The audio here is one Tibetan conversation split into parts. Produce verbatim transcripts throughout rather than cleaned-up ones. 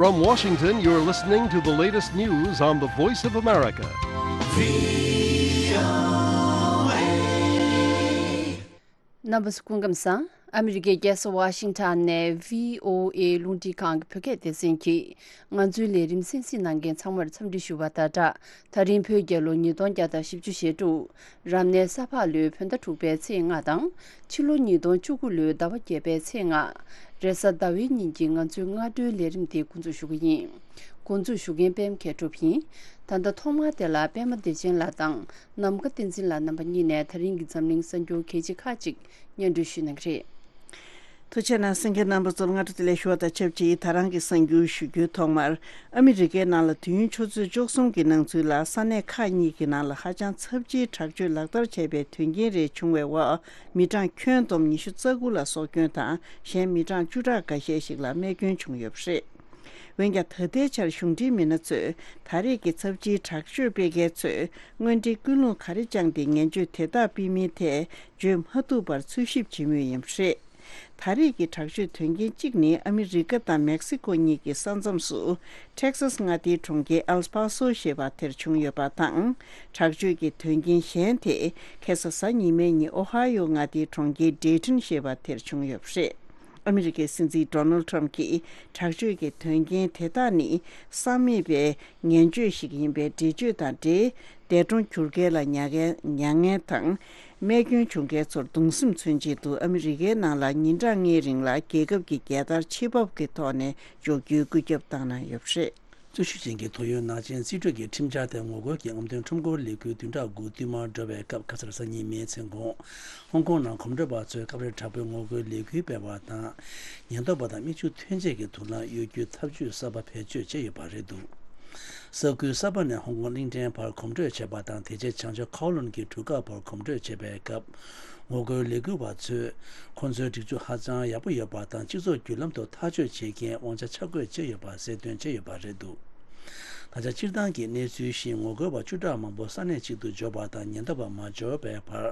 From Washington, you're listening to the latest news on the Voice of America. རྣམ་པ་ཚོ་སྐུ་ཁམས་བཟང་། ཨ་མི་རི་ཀའི་རྒྱལ་ས་ཝ་ཤིང་ཊོན་ནས་བྷི་ཨོ་ཨེ་རླུང་འཕྲིན་ཁང་གི་བོད་སྐད་སྡེ་ཚན་གྱིས་ང་ཚོའི་ལས་རིམ་གསན་གཟིགས་གནང་མཁན་ཚང་མར་འཚམས་འདྲི་ཞུ་བ་དང་སྦྲགས། ད་རིང་བོད་རྒྱལ་ལོ་ཉིས་སྟོང་བརྒྱ་དང་བཞི་བཅུ་ཞེ་དྲུག་རབ་གནས་ས་ཕག་ལོའི་བོད་ཟླ་དྲུག་པའི་ཚེས་ལྔ་དང་། ཕྱི་ལོ་ཉིས་སྟོང་བཅུ་དགུ་ལོའི་ཟླ་བ་བརྒྱད་པའི་ཚེས་ལྔ། རེས་གཟའ་ཟླ་བའི་ཉིན་གྱི་ང་ཚོའི་སྔ་དྲོའི་ལས་རིམ་དེ་འགོ་འཛུགས་ཞུ་གི་ཡིན། འགོ་འཛུགས་ཞུ་མཁན་པད་མ་མཁས་གྲུབ་ཡིན། ད་ལྟ་ཐོག་མར་དེ་ལ་པད་མ་བདེ་ཆེན་ལགས་དང་ནམ་མཁའ་བསྟན་འཛིན་ལགས་རྣམ་པ་གཉིས་ནས་ད་རིང་གི་འཛམ་གླིང་གསར་འགྱུར་གལ་ཆེ་ཁག་ཅིག་སྙན་སྒྲོན་ཞུ་གནང་གི་རེད། ཐུགས་རྗེ་གནང་། གསན་མཁན་རྣམ་པ་ཚོར་སྔ་དྲོ་བདེ་ལེགས་ཞུ་བ་དང་ཆབས་ཅིག་ད་རང་གི་གསར་འགྱུར་ཞུ་རྒྱུའི་ཐོག་མར། ཨ་མི་རི་ཀའི་ནང་ལ་དུས་ཡུན་ཆུ་ཚོད་བཅུ་གསུམ་གྱི་ནང་ཚུད་ལ་ས་གནས་ཁག་གཉིས་ཀྱི་ནང་ལ་ཧ་ཅང་ཚབས་ཆེའི་དྲག་སྤྱོད་ལག་བསྟར་བྱས་པའི་དོན་རྐྱེན་རེ་བྱུང་བའི་འོག་མི་གྲངས་ཁྱོན་བསྡོམས་ཉི་ཤུ་རྩ་དགུ་ལ་སྲོག་སྐྱོན་དང་གཞན་མི་གྲངས་བཅུ་ཕྲག་འགའ་ཤས་ཤིག་ལ་རྨས་སྐྱོན་བྱུང་ཡོད་པ་རེད། འོན་ཀྱང་ད་ལྟའི་ཆར་གཞུང་འབྲེལ་མི་སྣ་ཚོས་ད་རེས་ཀྱི་ཚབས་ཆེའི་དྲག་སྤྱོད་སྤེལ་མཁན་ཚོས་དངོས་འབྲེལ་ཀུན་སློང་ག་རེ་བཅངས་ཏེ་ངན་སྤྱོད་དེ་དག་སྤེལ་མིན་ཐད་བརྗོད་མ་ཐུབ་པར་འཚོལ་ཞིབ་བྱེད་མུས་ཡིན་པ་རེད། ད་རེས་ཀྱི་དྲག་སྤྱོད་དོན་རྐྱེན་གཅིག་ནི་ཨ་མི་རི་ཀ་དང་མེག་སི་ཀོ་གཉིས་ཀྱི་ས་མཚམས་སུ་ཊེག་སཱས་མངའ་སྡེའི་གྲོང་ཁྱེར་ཨེལ་པཱ་སོ་ཞེས་པ་དེར་བྱུང་ཡོད་པ་དང་། དྲག་སྤྱོད་ཀྱི་དོན་རྐྱེན་གཞན་དེ་ཁ་སང་གཟའ་ཉི་མའི་ཉིན་ཨོ་ཧ་ཡོ་མངའ་སྡེའི་གྲོང་ཁྱེར་ཌེ་ཊོན་ཞེས་པ་དེར་བྱུང་ཡོད་པ་རེད། ཨ་མི་རི་ཀའི་སྲིད་འཛིན་ཌོ་ནལ་ཊམ་གྱིས་དྲག་སྤྱོད་ཀྱི་དོན་རྐྱེན་དེ་དག་ནི་བསམ་མེད་པའི་ངན་སྤྱོད་ཞིག་ཡིན་པའི་འགྲེལ་བརྗོད་དང་འབྲེལ། འདས་གྲོངས་གྱུར་མཁན་ལ་མྱ་ངན་མྱ་ངན་དང་། རྨས་སྐྱོན་བྱུང་མཁན་ཚོར་གདུང་སེམས་མཚོན་ཆེད་དུ་ཨ་མི་རི་ཀའི་ནང་ལ་ཉིན་གྲངས་ལྔའི་རིང་ལ་རྒྱལ་ཁབ་ཀྱི་རྒྱལ་དར་ཕྱེད་ཕབ་ཀྱི་ཐོག་ནས་འཇོག་རྒྱུའི་བཀོད་ཁྱབ་བཏང་གནང་ཡོད་པ་རེད། རྩོད་གཞི་ཅན་གྱི་ཏོག་དབྱིབས་ནག་ཅན་རྩིས་སྤྲོད་ཀྱི་ཁྲིམས་འཆར་དེ་ངོ་རྒོལ་གྱི་རྔམ་སྟོན་ཁྲོམ་སྐོར་ལས་འགུལ་བདུན་ཕྲག་དགུ་བསྟུད་མར་འགྲོ་བའི་སྐབས་ཁ་སང་གཟའ་ཉི་མའི་མཚན་གུང་། ཧོང་ཀོང་ནང་གོམ་བགྲོད་པ་ཚོས་སྐབས་རེ་དྲག་པོའི་ངོ་རྒོལ་ལས་འགུལ་སྤེལ་བ་དང་། ཉེན་རྟོག་པ་དང་མིག་ཆུ་ཐོན་ཆས་ཀྱི་དུག་རླངས་གཡོ་སྒྱུའི་ཐབས་ཇུས་གསར་པ་བེད་སྤྱོད་བྱས་ཡོད་པ་རེད་འདུག་ས་ཁུལ་གསར་པ་ནས་ཧོང་ཀོང་གླིང་ཕྲན་བར་གོམ་བགྲོད་བྱས་པ་དང་། དེ་རྗེས་བྱང་ཕྱོགས་ཁའོ་ལུན་གྱི་གྲུ་ཁ་བར་གོམ་བགྲོད་བྱས་པའི་སྐབས། ངོ་རྒོལ་ལས་འགུལ་བ་ཚོས་ཁོང་ཚོའི་སྒྲིག་ཆས་ཧ་ཅང་ཡག་པོ་ཡོད་པ་དང་། སྤྱི་ཚོགས་བརྒྱུད་ལམ་དུ་ཐག་གཅོད་བྱེད་མཁན་དབང་ཆ་ཆ་བགོས་བྱས་ཡོད་པ་གསལ་སྟོན་བྱས་ཡོད་པ་རེད་འདུག་ད་ཆ་སྤྱིར་བཏང་གི་གནས་ཚུལ་བཞིན་ངོ་རྒོལ་བ་བཅུ་ཕྲག་མང་པོ་ས་གནས་གཅིག་ཏུ་འབྱོར་བ་དང་། ཉེན་རྟོག་པ་མ་འབྱོར་བའི་བར་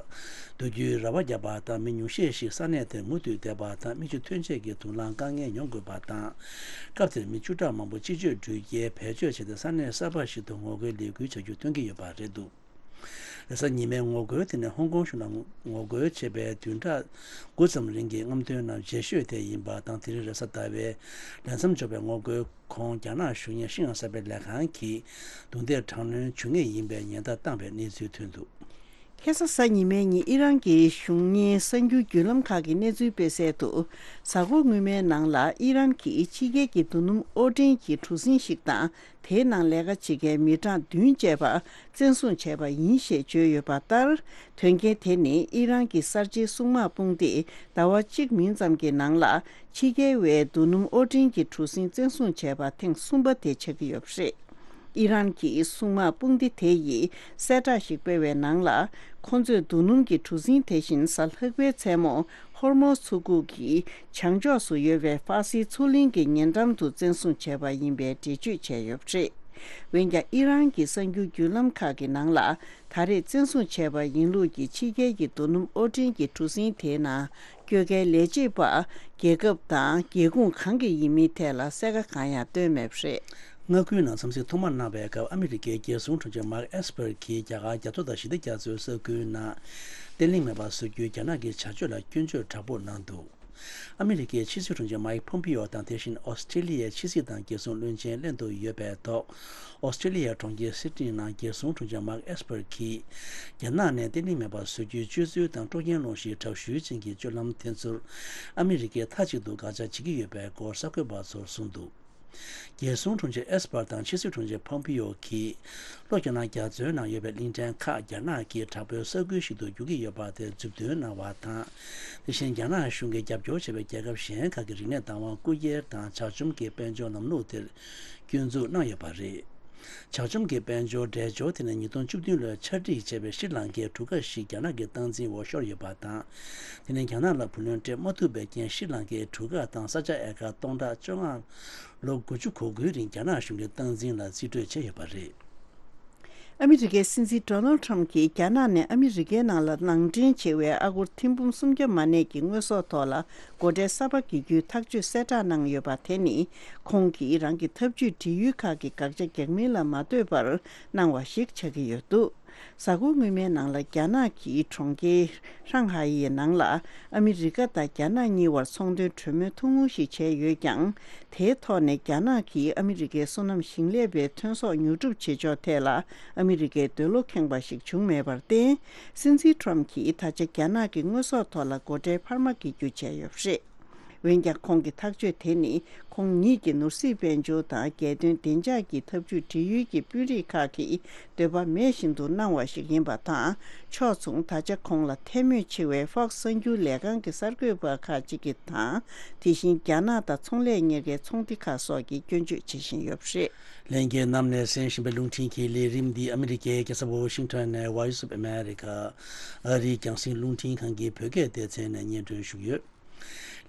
སྡོད་རྒྱུའི་རེ་བ་བརྒྱབ་པ་དང་། མི་ཉུང་ཤས་ཤིག་ས་གནས་དེར་མུ་མཐུད་བསྡད་པ་དང་། མིག་ཆུ་ཐོན་ཆས་ཀྱི་དུག་རླངས་དཀའ་ངལ་མྱོང་དགོས་པ་དང་། སྐབས་དེར་མི་བཅུ་ཕྲག་མང་པོ་སྤྱི་སྤྱོད་འགྲུལ་སྐྱེལ་བེད་སྤྱོད་བྱས་ཏེ་ས་གནས་གསར་པ་ཞིག་ཏུ་ངོ་རྒོལ་ལས་འགུལ་བྱ་རྒྱུ་སྟོན་གྱི་ཡོད་པ་རེད་འདུག་རེས་གཟའ་ཉི་མའི་ངོ་རྒོལ་དེ་ནི་ཧོང་ཀོང་གཞུང་ལ་ངོ་རྒོལ་བྱས་པའི་བདུན་ཕྲག་དགུ་ཙམ་རིང་གི་རྔམ་སྟོན་ནང་རྗེས་ཤོས་དེ་ཡིན་པ་དང་། དེ་རིང་རེས་གཟའ་ཟླ་བའི་ལས་མཚམས་འཇོག་པའི་ངོ་རྒོལ་གོང་རྒྱ་ནག་གཞུང་གཉེར་ཤིན་ཡང་གསར་པའི་ལས་ཁང་གིས་རྡུང་རྡེག་དྲག་གནོན་བྱུང་ངེས་ཡིན་པའི་ཉེན་བརྡ་བཏང་བའི་གནས་ཚུལ་ཐོན་འདུག་ཁ་སང་གཟའ་ཉི་མའི་ཉིན་ཨི་རན་གྱི་གཞུང་གཉེར་གསར་འགྱུར་བརྒྱུད་ལམ་ཁག་གིས་གནས་ཚུལ་སྤེལ་གསལ་དུ། གཟའ་འཁོར་སྔོན་མའི་ནང་ལ་ཨི་རན་གྱིས་ཕྱི་རྒྱལ་གྱི་རྡོ་སྣུམ་དབོར་འདྲེན་གྱི་གྲུ་གཟིངས་ཤིག་དང་། དེའི་ནང་ལས་ཀ་བྱེད་མཁན་མི་གྲངས་བདུན་བཅས་པ་བཙན་བཟུང་བྱས་པ་ཡིན་ཞེས་བརྗོད་ཡོད་པ་ལྟར། དོན་རྐྱེན་དེ་ནི་ཨི་རན་གྱི་གསར་བརྗེའི་སྲུང་དམག་དཔུང་སྡེས་ཟླ་བ་གཅིག་མིན་ཙམ་གྱི་ནང་ལ་ཕྱི་རྒྱལ་བའི་རྡོ་སྣུམ་དབོར་འདྲེན་གྱི་གྲུ་གཟིངས་བཙན་བཟུང་བྱས་པ་ཐེངས་གསུམ་པ་དེ་ཆགས་ཀྱི་ཡོད་པ་རེད། ཨི་རན་གྱི་སྲུང་དམག་དཔུང་སྡེ་དེ་ཡིས་གསལ་བསྒྲགས་ཤིག་སྤེལ་བའི་ནང་ལ། ཁོ་ཚོས་རྡོ་སྣུམ་གྱི་གྲུ་གཟིངས་དེ་བཞིན་གཟའ་ལྷག་པའི་མཚན་མོ་ཧོར་མོ་མཚོ་ཁུག་གི་བྱང་ཕྱོགས་སུ་ཡོད་པའི་ཧྥ་སིའི་མཚོ་གླིང་གི་ཉེ་འགྲམ་དུ་བཙན་བཟུང་བྱས་པ་ཡིན་པའི་འགྲེལ་བརྗོད་བྱས་ཡོད་པ་རེད། འོན་ཀྱང་ཨི་རན་གྱི་གསར་འགྱུར་བརྒྱུད་ལམ་ཁག་གི་ནང་ལ། ད་རེས་བཙན་བཟུང་བྱས་པ་ཡིན་ལུགས་ཀྱི་ཕྱི་རྒྱལ་གྱི་རྡོ་སྣུམ་དབོར་འདྲེན་གྱི་གྲུ་གཟིངས་དེའི་ནང་བསྐྱོད་མཁན་ལས་བྱེད་པ་རྒྱལ་ཁབ་དང་རྒྱལ་ཁུངས་གང་གི་ཡིན་མིན་ཐད་ལ་གསལ་ཁ་གང་ཡང་བཏོན་མེད་པ་རེད། མངའ་ཁུལ་ནང་འཚམས་གཟིགས་ཐོག་མར་གནང་བའི་སྐབས། ཨ་མི་རི་ཀའི་རྒྱལ་སྲུང་དྲུང་ཆེ་མར་ཨེས་པར་གྱིས་རྒྱ་གར་རྒྱ་མཚོ་དང་ཞི་བདེ་རྒྱ་མཚོའི་ས་ཁུལ་ནང་བརྟན་ལྷིང་མེད་པར་བཟོ་རྒྱུའི་རྒྱ་ནག་གི་བྱ་སྤྱོད་ལ་སྐྱོན་བརྗོད་དྲག་པོ་གནང་འདུག་ཨ་མི་རི་ཀའི་ཕྱི་སྲིད་དྲུང་ཆེ་མའིག་ཕོམ་པིའོ་དང་། དེ་བཞིན་ཨོ་སི་ཀྲེ་ལི་ཡའི་ཕྱི་སྲིད་དང་རྒྱལ་སྲུང་བློན་ཆེན་ལྷན་དུ་ཡོད་པའི་ཐོག་ཨོ་སི་ཀྲེ་ལི་ཡའི་གྲོང་ཁྱེར་སིད་ནི་ནང་རྒྱལ་སྲུང་དྲུང་ཆེ་མར་ཨེས་པར་གྱིས། རྒྱ་ནག་ནས་བརྟན་ལྷིང་མེད་པར་བཟོ་རྒྱུའི་སྤྱོད་ཚུལ་དང་དཀྲོག་རྐྱེན་སློང་གཞིའི་དྲག་ཤུལ་ཅན་གྱི་སྤྱོད་ལམ་དེ་ཚོར་ཨ་མི་རི་ཀས་མཐའ་གཅིག་ཏུ་དགག་བྱ་བྱེད་ཀྱི་ཡོད་པའི་སྐོར་གསར་འགོད་པ་ཚོར་གསུངས་འདུག་རྒྱལ་སྲུང་དྲུང་ཆེ་ཨེས་པར་དང་ཕྱི་སྲིད་དྲུང་ཆེ་ཕོམ་པིའོ་གིས། ལྷོ་རྒྱ་ནག་རྒྱ་མཚོའི་ནང་ཡོད་པའི་གླིང་ཕྲན་ཁག་རྒྱ་ནག་གིས་དྲག་པོའི་ས་ཁུལ་ཞིག་ཏུ་འགྱུར་གྱི་ཡོད་པ་དེར་མཛུབ་སྟོན་གནང་བ་དང་། དེ་བཞིན་རྒྱ་ནག་གཞུང་གིས་རྒྱབ་སྐྱོར་བྱས་པའི་རྒྱལ་ཁབ་གཞན་ཁག་གི་རིག་གནས་བདག་དབང་རྐུ་འཁྱེར་དང་། ཇག་བཅོམ་གྱི་དཔལ་འབྱོར་ལམ་ལུགས་དེར་སྐྱོན་འཛུགས་གནང་ཡོད་པ་རེད། ཇག་བཅོམ་གྱི་དཔལ་འབྱོར་འགྲེལ་སྦྱོར་དེ་ནི་ཉིས་སྟོང་བཅུ་བདུན་ལོར་ཆ་སྒྲིག་བྱས་པའི་ཤྲི་ལང་ཀའི་གྲུ་ཁ་ཞིག་རྒྱ་ནག་གི་སྟངས་འཛིན་འོག་ཤོར་ཡོད་པ་དང་། དེ་ནི་རྒྱ་ནག་ལ་བུ་ལོན་སྤྲད་མ་ཐུབ་པའི་རྐྱེན། ཤྲི་ལང་ཀའི་གྲུ་ཁ་དང་ས་ཆ་ཨེ་ཀར་སྟོང་ཕྲག་བཅོ་ལྔ། ལོ་དགུ་བཅུ་གོ་དགུའི་རིང་རྒྱ་ནག་གཞུང་གི་སྟངས་འཛིན་ལ་རྩིས་སྤྲོད་བྱས་ཡོད་པ་རེད། ཨ་མི་རི་ཀའི་སྲིད་འཛིན་ཌོ་ནལ་ཊམ་གྱིས་རྒྱ་ནག་ནས་ཨ་མི་རི་ཀའི་ནང་ལ་ནང་འདྲེན་བྱེད་པའི་ཨ་སྒོར་ཐེར་འབུམ་སུམ་བརྒྱ་མ་གནས་ཀྱི་དངོས་ཟོག་ཐོག་ལ་སྒོ་ཁྲལ་གསར་པ་འགེལ་རྒྱུའི་ཐག་གཅོད་གསལ་བསྒྲགས་གནང་ཡོད་པ་དེ་ནི། ཁོང་གིས་རང་གི་འཐབ་ཇུས་སྒྲིག་ཡུལ་ཁག་གི་དགག་བྱ་རྒྱག་མིན་ལ་མ་ལྟོས་པར་གནང་བ་ཞིག་ཆགས་ཀྱི་ཡོད་འདུག་གཟའ་འཁོར་སྔོན་མའི་ནང་ལ་རྒྱ་ནག་གི་གྲོང་ཁྱེར་ཧྲང་ཧའེ་ཡི་ནང་ལ་ཨ་མི་རི་ཀ་དང་རྒྱ་ནག་གཉིས་བར་ཚོང་དོན་གྲོས་མོལ་ཐུང་ངུ་ཞིག་བྱས་ཡོད་ཀྱང་། དེའི་ཐོག་ནས་རྒྱ་ནག་གིས་ཨ་མི་རི་ཀའི་སོ་ནམ་ཞིང་ལས་པའི་ཐོན་ཟོག་ཉོ་སྒྲུབ་བྱེད་ཕྱོགས་ཐད་ལ་ཨ་མི་རི་ཀའི་འདོད་བློ་ཁེངས་པ་ཞིག་བྱུང་མེད་པར་བརྟེན། སྲིད་འཛིན་ཊམ་གྱིས་ད་ཆ་རྒྱ་ནག་གི་དངོས་ཟོག་ཐོག་ལ་སྒོ་ཁྲལ་འཕར་མ་འགེལ་རྒྱུ་བྱས་ཡོད་པ་རེད། འོན་ཀྱང་། ཁོང་གི་ཐག་གཅོད་དེ་ནི་ཁོང་ཉིད་ཀྱི་ནོར་སྲིད་དཔལ་འབྱོར་དང་རྒྱལ་དོན་བདེ་འཇགས་ཀྱི་འཐབ་ཇུས་སྒྲིག་ཡུལ་གྱི་དཔོན་རིགས་ཁག་གིས་འདོད་པ་མེད་བཞིན་དུ་གནང་བ་ཞིག་ཡིན་པ་དང་། ཕྱོགས་མཚུངས། ད་ཆ་ཁོང་ལ་འཐད་མོས་ཆེ་བའི་ཧྥོག་སི་གསར་འགྱུར་ལས་ཁང་གི་གསར་འགོད་པ་ཁག་ཅིག་གིས་དང་། དེ་བཞིན་རྒྱ་ནག་དང་ཚོང་ལས་གཉེར་ཁའི་ཚོང་སྡེ་ཁག་སོགས་ཀྱིས་སྐྱོན་བརྗོད་བྱེད་བཞིན་ཡོད་པ་རེད། ལྷན་རྒྱས་རྣམས་ནས་གསན་བཞིན་པའི་རླུང་འཕྲིན་གྱི་ལས་རིམ་འདི་ཨ་མི་རི་ཀའི་རྒྱལ་ས་ཝོ་ཤིང་ཊོན་ནས་Voice of America ཨ་རིའི་རྒྱང་སྲིང་རླུང་འཕྲིན་ཁང་གི་བོད་སྐད་སྡེ་ཚན་ནས་སྙན་སྒྲོན་ཞུས་ཡོད།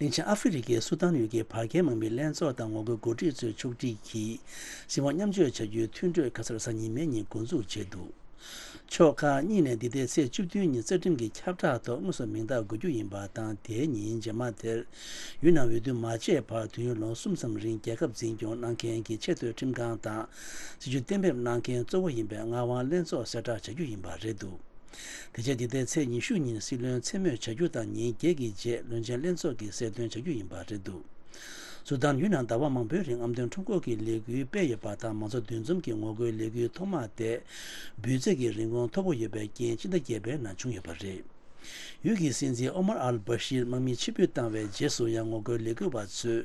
གླིང་ཆེན་ཨ་ཧྥེ་རི་ཁའི་སུ་དཱན་ཡུལ་གྱི་བར་བརྒལ་དམག་མིའི་ལྷན་ཚོགས་དང་ངོ་རྒོལ་འགོ་ཁྲིད་ཚོའི་ཕྱོགས་སྒྲིག་གིས་སྲིད་དབང་མཉམ་སྤྱོད་བྱ་རྒྱུའི་མཐུན་གྲོས་ཁ་སང་གཟའ་ཉི་མའི་ཉིན་འགོ་འཛུགས་བྱས་འདུག་ཕྱོགས་ཁག་གཉིས་ནས་འདི་ཟླའི་ཚེས་བཅུ་བདུན་ཉིན་རྩ་ཁྲིམས་ཀྱི་ཁྱབ་བསྒྲགས་ཐོག་དངོས་སུ་མིང་རྟགས་འགོད་རྒྱུ་ཡིན་པ་དང་། དེའི་ཉིན་རྗེས་མ་དེར་ཡུལ་ནང་འོས་བསྡུ་མ་བྱས་བར་དུས་ཡུན་ལོ་གསུམ་ཙམ་རིང་རྒྱལ་ཁབ་འཛིན་སྐྱོང་གནང་མཁན་གྱི་ཆེས་མཐོའི་ཁྲིམས་ཁང་དང་སྲིད་ཇུས་གཏན་འབེབས་གནང་མཁན་གཙོ་བོ་ཡིན་པའི་ངག་དབང་ལྷན་ཚོགས་གསལ་བསྒྲགས་བྱ་རྒྱུ་ཡིན་པ་རེད་འདུག་དེ་རྗེས་འདི་ཟླའི་ཚེས་ཉི་ཤུ་ཉིན་སྲིད་བློན་མཚན་སྨོས་བྱ་རྒྱུ་དང་། ཉིན་བརྒྱད་ཀྱི་རྗེས་བློན་ཆེན་ལྷན་ཚོགས་ཀྱིས་གསལ་སྟོན་བྱ་རྒྱུ་ཡིན་པ་རེད་འདུག་སུ་དཱན་ཡུལ་ནང་ཟླ་བ་མང་པོའི་རིང་རྔམ་སྟོན་ཁྲོམ་སྐོར་གྱི་ལས་འགུལ་སྤེལ་ཡོད་པ་དང་། མང་ཚོགས་འདུ་འཛོམས་ཀྱི་ངོ་རྒོལ་ལས་འགུལ་ཐོག་མ་དེ་འབུད་རྫས་ཀྱི་རིན་གོང་མཐོ་པོ་ཡོད་པའི་རྐྱེན་སྤྱི་ཟླ་བརྒྱད་པའི་ནང་བྱུང་ཡོད་པ་རེད། ཡུལ་གྱི་སྲིད་འཛིན་ཨོ་མར་ཨལ་བྷ་ཤིར་དམག་མི་ཕྱིར་འབུད་བཏང་བའི་རྗེས་སུ་ཡང་ངོ་རྒོལ་ལས་འགུལ་བ་ཚོས་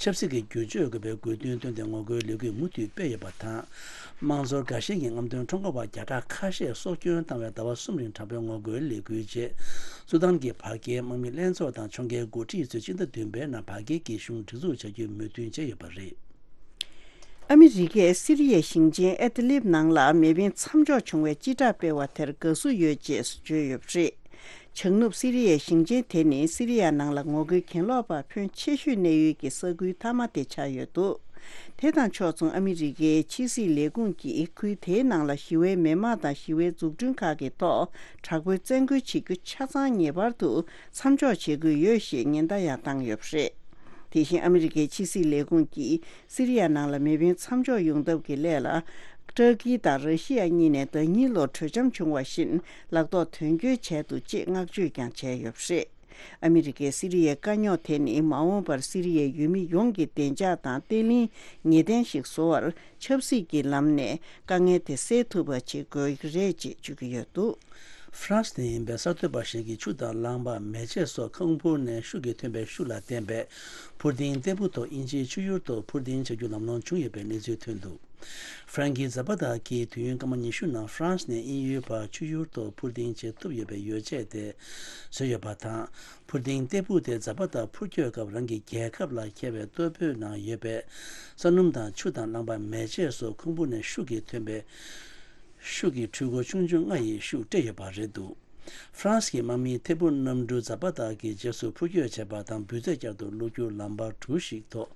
ཆབ་སྲིད་ཀྱི་བསྒྱུར་བཅོས་དགོས་པའི་དགོས་འདུན་བཏོན་ཏེ་ངོ་རྒོལ་ལས་འགུལ་མུ་མཐུད་སྤེལ་ཡོད་པ་དང་། དམངས་གཙོར་དགའ་ཞེན་གྱི་རྔམ་སྟོན་ཁྲོམ་སྐོར་བ་བརྒྱ་ཕྲག་ཁ་ཤས་སྲོག་སྐྱོན་བཏང་བའི་ཟླ་བ་གསུམ་རིང་དྲག་པོའི་ངོ་རྒོལ་ལས་འགུལ་རྗེས། སུ་དཱན་གྱི་བར་བརྒལ་དམག་མི་ལྷན་ཚོགས་དང་ཕྱོགས་འགལ་འགོ་ཁྲིད་ཚོས་སྤྱི་ཟླ་བདུན་པའི་ནང་བར་བརྒལ་གྱི་གཞུང་སྒྲིག་འཛུགས་བྱ་རྒྱུའི་མོས་མཐུན་བྱས་ཡོད་པ་རེད། ཨ་མི་རི་ཀས་སི་རི་ཡའི་ཞིང་ཆེན་ཨེ་ཏི་ལིབ་ནང་ལ་མེ་འཕེན་མཚམས་འཇོག་བྱུང་བའི་སྤྱི་བསྒྲགས་སྤེལ་བ་དེར་དགའ་བསུ་ཡོད་ཅེས་བརྗོད་ཡོད་པ་རེད། བྱང་ནུབ་སི་རི་ཡའི་ཞིང་ཆེན་དེ་ནི་སི་རི་ཡ་ནང་ལ་ངོ་རྒོལ་གྱེན་ལོག་པ་ཕོན་ཆེ་ཤོས་གནས་ཡུལ་གྱི་ས་ཁུལ་མཐའ་མ་དེ་ཆགས་ཡོད་འདུག་དེ་དང་ཕྱོགས་མཚུངས། ཨ་མི་རི་ཀའི་ཕྱི་སྲིད་ལས་ཁུངས་ཀྱིས་ཁུལ་དེའི་ནང་ལ་ཞི་བའི་མི་དམངས་དང་ཞི་བའི་འཛུགས་སྐྲུན་ཁག་གི་ཐོག་དྲག་པོའི་བཙན་རྒོལ་བྱེད་རྒྱུ་ཆ་ཚང་ངེས་པར་དུ་མཚམས་འཇོག་བྱེད་དགོས་ཡོད་ཞེས་ཉེན་བརྡ་ཡང་བཏང་ཡོད་པ་རེད། དེ་བཞིན་ཨ་མི་རི་ཀའི་ཕྱི་སྲིད་ལས་ཁུངས་ཀྱིས་སི་རི་ཡ་ནང་ལ་མེ་འཕེན་མཚམས་འཇོག་ཡོང་ཐབས་ཀྱི་སླད་ལ། ཏུར་ཀི་དང་ར་ཤི་ཡ་གཉིས་ནས་ཟླ་ཉིན་ལོར་གྲོས་འཆམ་བྱུང་བ་བཞིན་ལག་ཐོག་དོན་འཁྱོལ་བྱས་འདུག་ཅེས་བསྔགས་བརྗོད་ཀྱང་བྱས་ཡོད་པ་རེད། ཨ་མི་རི་ཀས་སི་རི་ཡའི་དཀའ་རྙོག་དེ་ནི་མ་འོངས་པར་སི་རི་ཡའི་ཡུལ་མི་ཡོངས་ཀྱི་བདེ་འཇགས་དང་བརྟན་ལྷིང་ངེས་གཏན་ཞིག་བཟོ་བར་ཆབ་སྲིད་ཀྱི་ལམ་ནས་དཀའ་ངལ་དེ་སེལ་ཐུབ་པ་བྱེད་དགོས་ཀྱི་རེད་ཅེས་བརྗོད་ཀྱི་ཡོད་འདུག་ཧྥ་རན་སི་ནས་ཡིན་པའི་གསར་གཏོད་པ་ཞིག་གིས་ཆུ་དང་རླངས་པ། མེ་ལྕེ་སོགས་ཁུག་འབུར་ནས་ཤུགས་ཀྱིས་ཐོན་པའི་ཤུགས་ལ་བརྟེན་པའི་འཕུར་ལྡིང་སྟེགས་བུ་ཐོག་དབྱིན་ཇིའི་ཆུ་ཡུར་ཐོག་འཕུར་ལྡིང་བྱ་རྒྱུ་ལམ་ལྷོང་བྱུང་ཡོད་པའི་གནས་ཚུལ་ཐོན་འདུག་ཧྥ་རན་ཀི་ཛ་པ་ཏཱ་གིས་དུས་ཡུན་སྐར་མ་ཉི་ཤུ་ནང་ཧྥ་རན་སི་ནས་དབྱིན་ཡུལ་བར་ཆུ་ཡུར་ཐོག་འཕུར་ལྡིང་བྱེད་ཐུབ་ཡོད་པའི་ཡོ་བྱད་དེ་བཟོས་ཡོད་པ་དང་། འཕུར་ལྡིང་སྟེགས་བུ་དེ་ཛ་པ་ཏཱ་འཕུར་སྐྱོད་སྐབས་རང་གི་རྒྱལ་ཁབ་ལ་འཁེལ་བའི་ལྟོ་ཕོད་ནང་ཡོད་པའི་ས་སྣུམ་དང་ཆུ་དང་རླངས་པ། མེ་ལྕེ་སོགས་ཁུག་འབུར་ནས་ཤུགས་ཀྱིས་ཐོན་པའི་ཤུགས་ཀྱི་འཕྲུལ་འཁོར་ཆུང་ཆུང་ལྔ་ཡིས་ཤུགས་སྤྲད་ཡོད་པ་རེད་འདུག་ཧྥ་རན་སི་གི་དམག་མིའི་ཐད་འཕུར་གནམ་གྲུ་ཛ་པ་ཏཱ་གི་རྗེས་སུ་འཕུར་སྐྱོད་བྱས་པ་དང་། འབུད་རྫས་བསྐྱར་དུ་བླུག་རྒྱུར་ལམ་བར་གྲུ་ཞིག་ཐོག་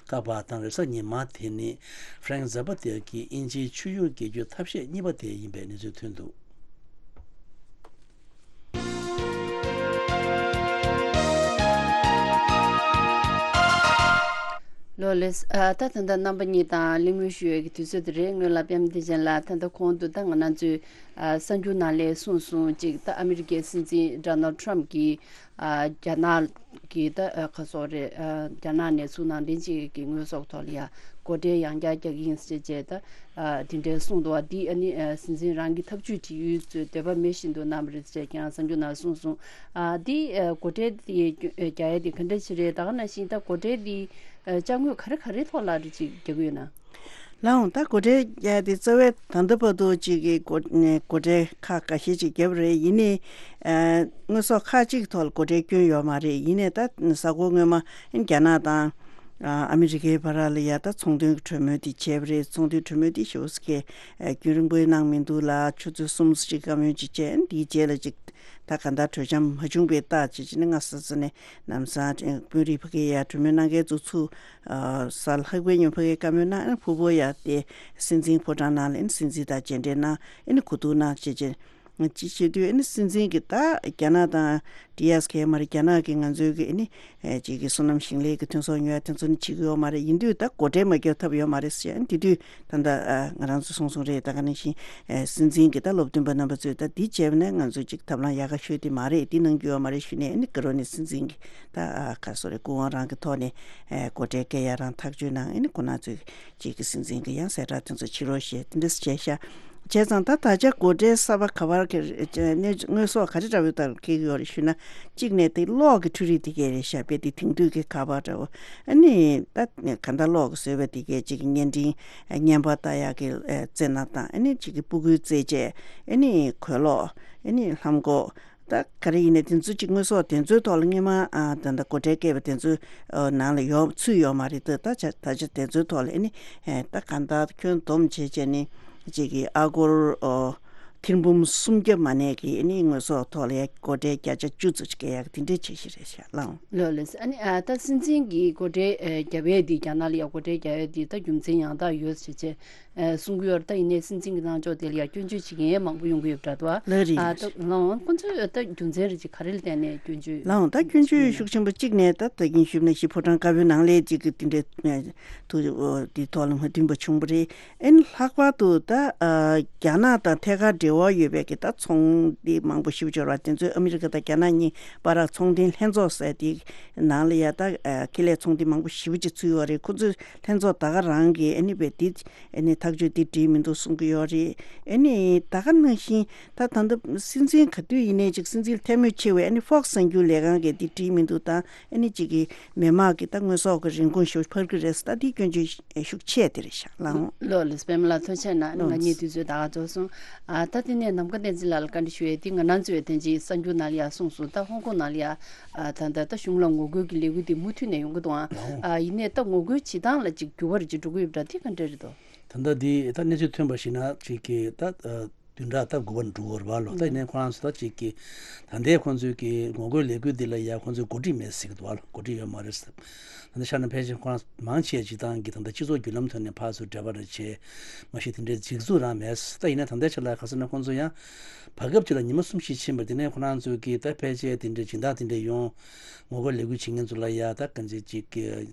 བཀག་པ་དང་། རེས་གཟའ་ཉི་མ་དེ་ནི་ཧྥ་རན་ཀི་ཛ་པ་ཏཱ་གི་དབྱིན་ཇིའི་ཆུ་ཡུར་འགེལ་རྒྱུ་ཐབས་ཤེས་གཉིས་པ་དེ་ཡིན་པའི་གནས་ཚུལ་ཐོན་འདུག་ལོ་ལེགས། ཨ། ད་ད་ལྟ་རྣམ་པ་གཉིས་དང་གླེང་མོལ་ཞུ་ཡས་ཀྱི་དུས་ཚོད་དེ་རེད། སྔོན་ལ་པད་མ་བདེ་ཆེན་ལགས་ད་ལྟ་གོང་དུ་ད་ང་རང་ཚོའི་ཨ། གསར་འགྱུར་ནང་ལ་གསུངས་སོང་། གཅིག་ད་ཨ་མི་རི་ཀའི་སྲིད་འཛིན་ཌོ་ནལ་ཊམ་གྱིས་ཨ། རྒྱ་ནག་གི་ད་ཨ། ག་སོགས་རེད། ཨ། རྒྱ་ནག་ནས་ཚུར་ནང་འདྲེན་བྱེད་ཀྱི་དངོས་ཟོག་ཐོག་ལ་ཡ་སྒོ་ཁྲལ་ཡང་བསྐྱར་རྒྱག་གི་ཡིན་ཟེར་བྱས་ད་ཨ། དེ་འདྲའི་གསུངས་འདུག་བ། འདི་ཨ་ནི་ཨ། སྲིད་འཛིན་རང་གི་ཐབས་ཇུས་སྒྲིག་ཡུལ་ཚོས་འདོད་པ་མེད་བཞིན་དུ་གནང་བ་རེད་ཟེར་ཀྱང་གསར་འགྱུར་ནང་གསུངས་སོང་། ཨ། འདི་ཨ། སྒོ་ཁྲལ་དེ་རྒྱག་ཡ་དེ་ག་འདྲ་ཞིག་རེད། ད་ག་ནང་བཞིན་ད་སྒོ་ཁྲལ་དེ་ཨ། ཅ་དངོས་ག་རེ་ག་རེ་ཐོག་ལ་རེ་ཅིག་རྒྱག་གི་ཡོད་ན། ལགས་འོང་། ད་སྒོ་ཁྲལ་རྒྱག་ཡ་དེ་རྩ་བའི་ད་ལྟ་བར་དུ་ཅིག་གི་སྒོ་ནས་སྒོ་ཁྲལ་ཁག་འགའ་ཤས་ཅིག་བརྒྱབ་རེད། ཡིན་ནའི་ཨ། དངོས་ཟོག་ཁག་ཅིག་ཐོག་ལ་སྒོ་ཁྲལ་བསྐྱོན་ཡོད་མ་རེད། ཡིན་ནའི་ད་གཟའ་འཁོར་སྔོན་མ་རྒྱ་ནག་དང་ཨ། ཨ་མི་རི་ཀའི་བར་ལ་ཡ་ད་ཚོང་དོན་གྱི་གྲོས་མོལ་དེ་བྱས་པ་རེད། ཚོང་དོན་གྲོས་མོལ་དེ་ཞེ་པོ་ཅིག་གི་རྒྱུན་རིང་པོ་གནང་མི་འདུག་ལ། ཆུ་ཚོད་གསུམ་ཅིག་བཀའ་མོལ་ཅིག་བྱས། འདིའི་རྗེས་ལ་ཅིག་ ད་གང་ལྟར་གྲོས་འཆམ་མ་བྱུང་པའི་རྟགས་བྱས་བྱས་ནས་སྔ་ས་ས་ནས་ལམ་སང་དཔོན་རིགས་ཕ་གི་ཡར་གྲོས་མོལ་གནང་མཁན་ཚོ་ཚུར་ས་ལྷག་པའི་ཉོ་ཕ་གི་བཀའ་མོལ་གནང་ཕུ་བོ་ཡར་དེ་སྲིད་འཛིན་ཕོ་བྲང་ནང་ལ་ཨ་ནི་སྲིད་འཛིན་དང་མཇལ་འཕྲད་གནང་ཨ་ནི་གོ་བསྡུར་གནང་བྱས་བྱས། ཅི་བྱེད་དུས་ཨ་ནི་སྲིད་འཛིན་གྱི་ད་རྒྱ་ནག་དང་ཌི་ཨེས་ཀེ་མ་རེད། རྒྱ་ནག་གི་ང་ཚོའི་གི་ཨ་ནི་ཅིག་གི་སོ་ནམ་ཞིང་ལས་ཀྱི་ཐོན་ཟོག་ཉོ་ཡ་དེ་ཚོ་ནི་བྱེད་ཀྱི་ཡོད་མ་རེད། ཡིན་དུས་ད་སྒོ་ཁྲལ་མ་བརྒྱབ་ཐབས་ཡོད་མ་རེད་ཟེར། ཨ་ནི་དེ་དུས་ད་ལྟ་ང་རང་ཚོ་གསུངས་གསུངས་རེད། ད་ག་ནང་བཞིན་སྲིད་འཛིན་གྱི་ད་སློབ་སྟོན་པ་རྣམ་པ་ཚོས་ད་འདི་བྱས་པ་ནས་ང་ཚོ་ཅིག་ཐབས་ལམ་ཡག་ག་ཤོས་དེ་མ་རེད། འདི་གནང་རྒྱུ་ཡོད་མ་རེད་ཞུས་ནས་ཨ་ནི་དགའ་རོགས་ནས་སྲིད་འཛིན་གྱི་ད་ག་སོ་རེད་སྐུ་དབང་རང་གི་ཐོག་ནས་སྒོ་ཁྲལ་བཀལ་ཡ་རང་ཐག་གཅོད་གནང་། ཨ་ནི་ཁོ་ན་ཚོས་ཅིག་གི་སྲིད་འཛིན་གྱི་ཡང་གསལ་བསྒྲགས་དེ་ཚོ་བྱེད་རོགས་ཞེས་དེ་འདྲ་བྱས་ཤག་བྱས་ཙང་ད་ད་ཆ་སྒོ་ཁྲལ་གསར་པ་ག་བར་གྱི་གནས་དངོས་ཟོག་ག་རེ་འདྲ་བོའི་ལྟར་འཁེལ་གྱི་ཡོད་རེད་ཞུས་ན། གཅིག་ནས་དེ་གློག་གི་འཕྲུལ་རིགས་དེ་གས་རེད་ཤག་དཔེ་དེ་དེང་དུས་ཀྱི་ཁ་པར་འདྲ་བོ། ཨ་ནི་ད་ག་འདྲ་གློག་གི་བཟོས་པ་དེ་གས་གཅིག་གི་བརྙན་འཕྲིན་བརྙན་པར་ལྟ་ཡག་གི་རྩེ་ནག་དང་། ཨ་ནི་གཅིག་གི་སྤུ་གུའི་རྩེད་ཆས། ཨ་ནི་གོས་ལོག་ཨ་ནི་ལྷམ་གོག་ད་ག་རེ་ཡིན་ནའི་དེ་ཚོ་གཅིག་དངོས་ཟོག་དེ་ཚོའི་ཐོག་ལ་སྔོན་མ་ད་ལྟ་སྒོ་ཁྲལ་བཀལ་བ་དེ་ཚོའི་ནང་ལ་ཡོད་ཚུད་ཡོད་མ་རེད། ད་ད་ཆ་ད་ཆ་དེ་ཚོའི་ཐོག་ལ་ཨ་ནི་ད་ག་འདྲ་ཁྱོན་བསྡོམས་བྱས་བྱས་ནས་གཅིག་གི་ཨ་སྒོར་ཨོ་ཐེར་འབུམ་སུམ་བརྒྱ་མ་ནས་ཀྱི་ཨ་ནི་དངོས་ཟོག་ཐོག་ལ་ཡ་སྒོ་ཁྲལ་བརྒྱ་ཆ་བཅུ་ཙམ་ཞིག་བཀལ་ཡག་དེ་འདྲའི་བྱེད་གཞི་རེད་ཤག་ལགས། ལགས་ལགས། ཨ་ནི་ཨ་ད་སྲིད་འཛིན་གྱི་སྒོ་ཁྲལ་ཨ་རྒྱབ་ཡས་དེ་རྒྱ་ནག་ལ་ཡ་སྒོ་ཁྲལ་རྒྱག་ཡས་དེ་ད་རྒྱུ་མཚན་ཡང་དག་ཡོད་ཟེར་བྱས་ཨ་གསུང་གི་ཡོད་རེད། ད་ཡིན་ནའི་སྲིད་འཛིན་གྱི་གནང་ཕྱོགས་དེ་ལ་ཡ་སྐྱོན་བརྗོད་བྱེད་མཁན་མང་པོ་ཡོང་གི་ཡོད་པ་འདྲ་འདུག་ཨ་ལགས་རེད། ཨ་རེད། ད་ལགས་འོང་ཁོང་ཚོས་ད་རྒྱུ་མཚན་རེ་ཅིག་ག་རེ་ལ་བརྟེན་ནས་སྐྱོན་བརྗོད། ལགས་འོང་ད་སྐྱོན་བརྗོད་ཤུགས་ཆེན་པོ་གཅིག་ནས་ད་ད་གིན་ཞུས་ནང་བཞིན་ཕོ་བྲང་དཀར་པོའི་ནང་ལས་ཅིག་གི་དེ་འདྲའི་ཐུགས་དེ་ཐོག་ལ་མ་མཐུན་པ་བྱུང་བ་རེད། ཨ་ནི་ལྷག་པར་དུ་ད་ཨ་རྒྱ་ནག་དང་ཐད་ཀར་འབྲེལ་བ་ཡོད་པའི་གི་ད་ཚོང་འདི་མང་པོ་ཞེ་པོ་ཅིག་ཡོད་རེད་པ། དེ་ཚོས་ཨ་མི་རི་ཀ་དང་རྒྱ་ནག་གཉིས་བར་ཚོང་དོན་ལྷན་ཚོགས་ཟེར་དེའི་ནང་ལ་ཡ་ད་ཨ་ཁེ་ལས་ཚོང་དེ་མང་པོ་ཞེ་པོ་ཅིག་ཚུད་ཡོད་རེད། ཁོ་ཚོས་ལྷན་ཚོགས་ད་ག་རང་གི་ཨ་ནི་བས་དེ་ཨ་ནི་ཐག་གཅོད་དེ་འགྲིག་མི་འདུག་གསུང་གི་ཡོད་རེད། ཨ་ནི་ད་ག་ནང་བཞིན་ད་ད་ལྟ་སྲིད་འཛིན་ག་དུས་ཡིན་ནའི་ཅིག་སྲིད་འཛིན་ལ་ཐལ་མོ་ཆེ་བའི་ཨ་ནི་ཧྥོག་སི་གསར་འགྱུར་ལས་ཁང་གིས་དེ་འགྲིག་མི་འདུག་དང་། ཨ་ནི་གཅིག་གིས་མི་དམངས་ཀྱི་ད་དངོས་ཟོག་གི་རིན་གོང་ཞེ་པོ་འཕར་གྱི་རེད་ཟེར། ད་དེའི་སྐྱོན་བརྗོད་ཤུགས་ཆེ་དེ་རེད་ཤག་ལགས། ལགས་ལགས། པད་མ་ལགས་ཐུགས་རྗེ་གནང་། ཨ་ནི་ང་གཉིས་དུས་ཚོད་ད་ག་རྫོགས་སོང་། ཨ་ད་དེ་ནས་ནམ་མཁའ་བསྟན་འཛིན་ལགས་ལ་བཀའ་འདྲི་ཞུ་ཡས་དེ་ང་རང་ཚོའི་དེ་རྗེས་གསར་འགྱུར་ནང་ལ་ཡ་གསུངས་སོང་། ད་ཧོང་ཀོང་ནང་ལ་ཡ་ཨ་ད་ད་ད་གཞུང་ལ་ངོ་རྒོལ་གྱི་ལས་འགུལ་དེ་མུ་མཐུད་ནས་ཡོང་གི་འདུག་ཨང་། ཨ་ཡིན་ནའི་ད་ངོ་རྒོལ་བྱེད་སྟངས་ལ་ཅིག་འགྱུར་བ་རེ་ཅིག་འགྲོ་གི་ཡོད་པ་འདྲ། དེ་ག་འདྲ་རེད་དོ། ད་ལྟ་འདི་ད་གནས་ཚུལ་ཐོན་པ་ཞིག་ན་ཅིག་གི་ད་ཨ། བདུན་ཕྲག་ད་དགུ་པ་འགྲོ་གི་རེད་པ་ལོ། ད་ཡིན་ནའི་ཁོ་རང་ཚོ་ད་ཅིག་གི་ད་ལྟའི་ཁོང་ཚོའི་གི་ངོ་རྒོལ་ལས་འགུལ་འདི་ལ་ཡ་ཁོང་ཚོས་འགོ་ཁྲིད་མེད་ཟེར་གི་འདུག་པ་ལོ། འགོ་ཁྲིད་ཡོད་མ་རེད་ཟེར། ད་ལྟ་ཤར་ནས་ཕལ་ཆེར་ཁོ་རང་མང་ཆེ་སྤྱིར་བཏང་གི་ད་ལྟ་སྤྱི་ཚོགས་བརྒྱུད་ལམ་ཐོག་ནས་ཕར་ཚུར་འབྲེལ་བ་རེ་བྱས་མ་གཞི་དེ་འདྲའི་སྒྲིག་འཛུགས་རང་མེད། ད་ཡིན་ནའི་ད་ལྟའི་ཆ་ལ་ག་ཟེར་ན་ཁོང་ཚོ་ཡང་བར་སྐབས་ཅིག་ལ་ཉི་མ་གསུམ་བཞི་ཕྱིན་པ་དེ་ནས་ཁོ་རང་ཚོའི་གི་ད་ཕལ་ཆེར་དེ་འདྲའི་སྦྱིན་བདག་དེ་འདྲ་ཡོང་། ངོ་རྒོལ་ལས་འགུལ་བྱེད་མཁན་ཚོ་ལ་ཡ་ད་གང་ཅི་ཅིག་གི་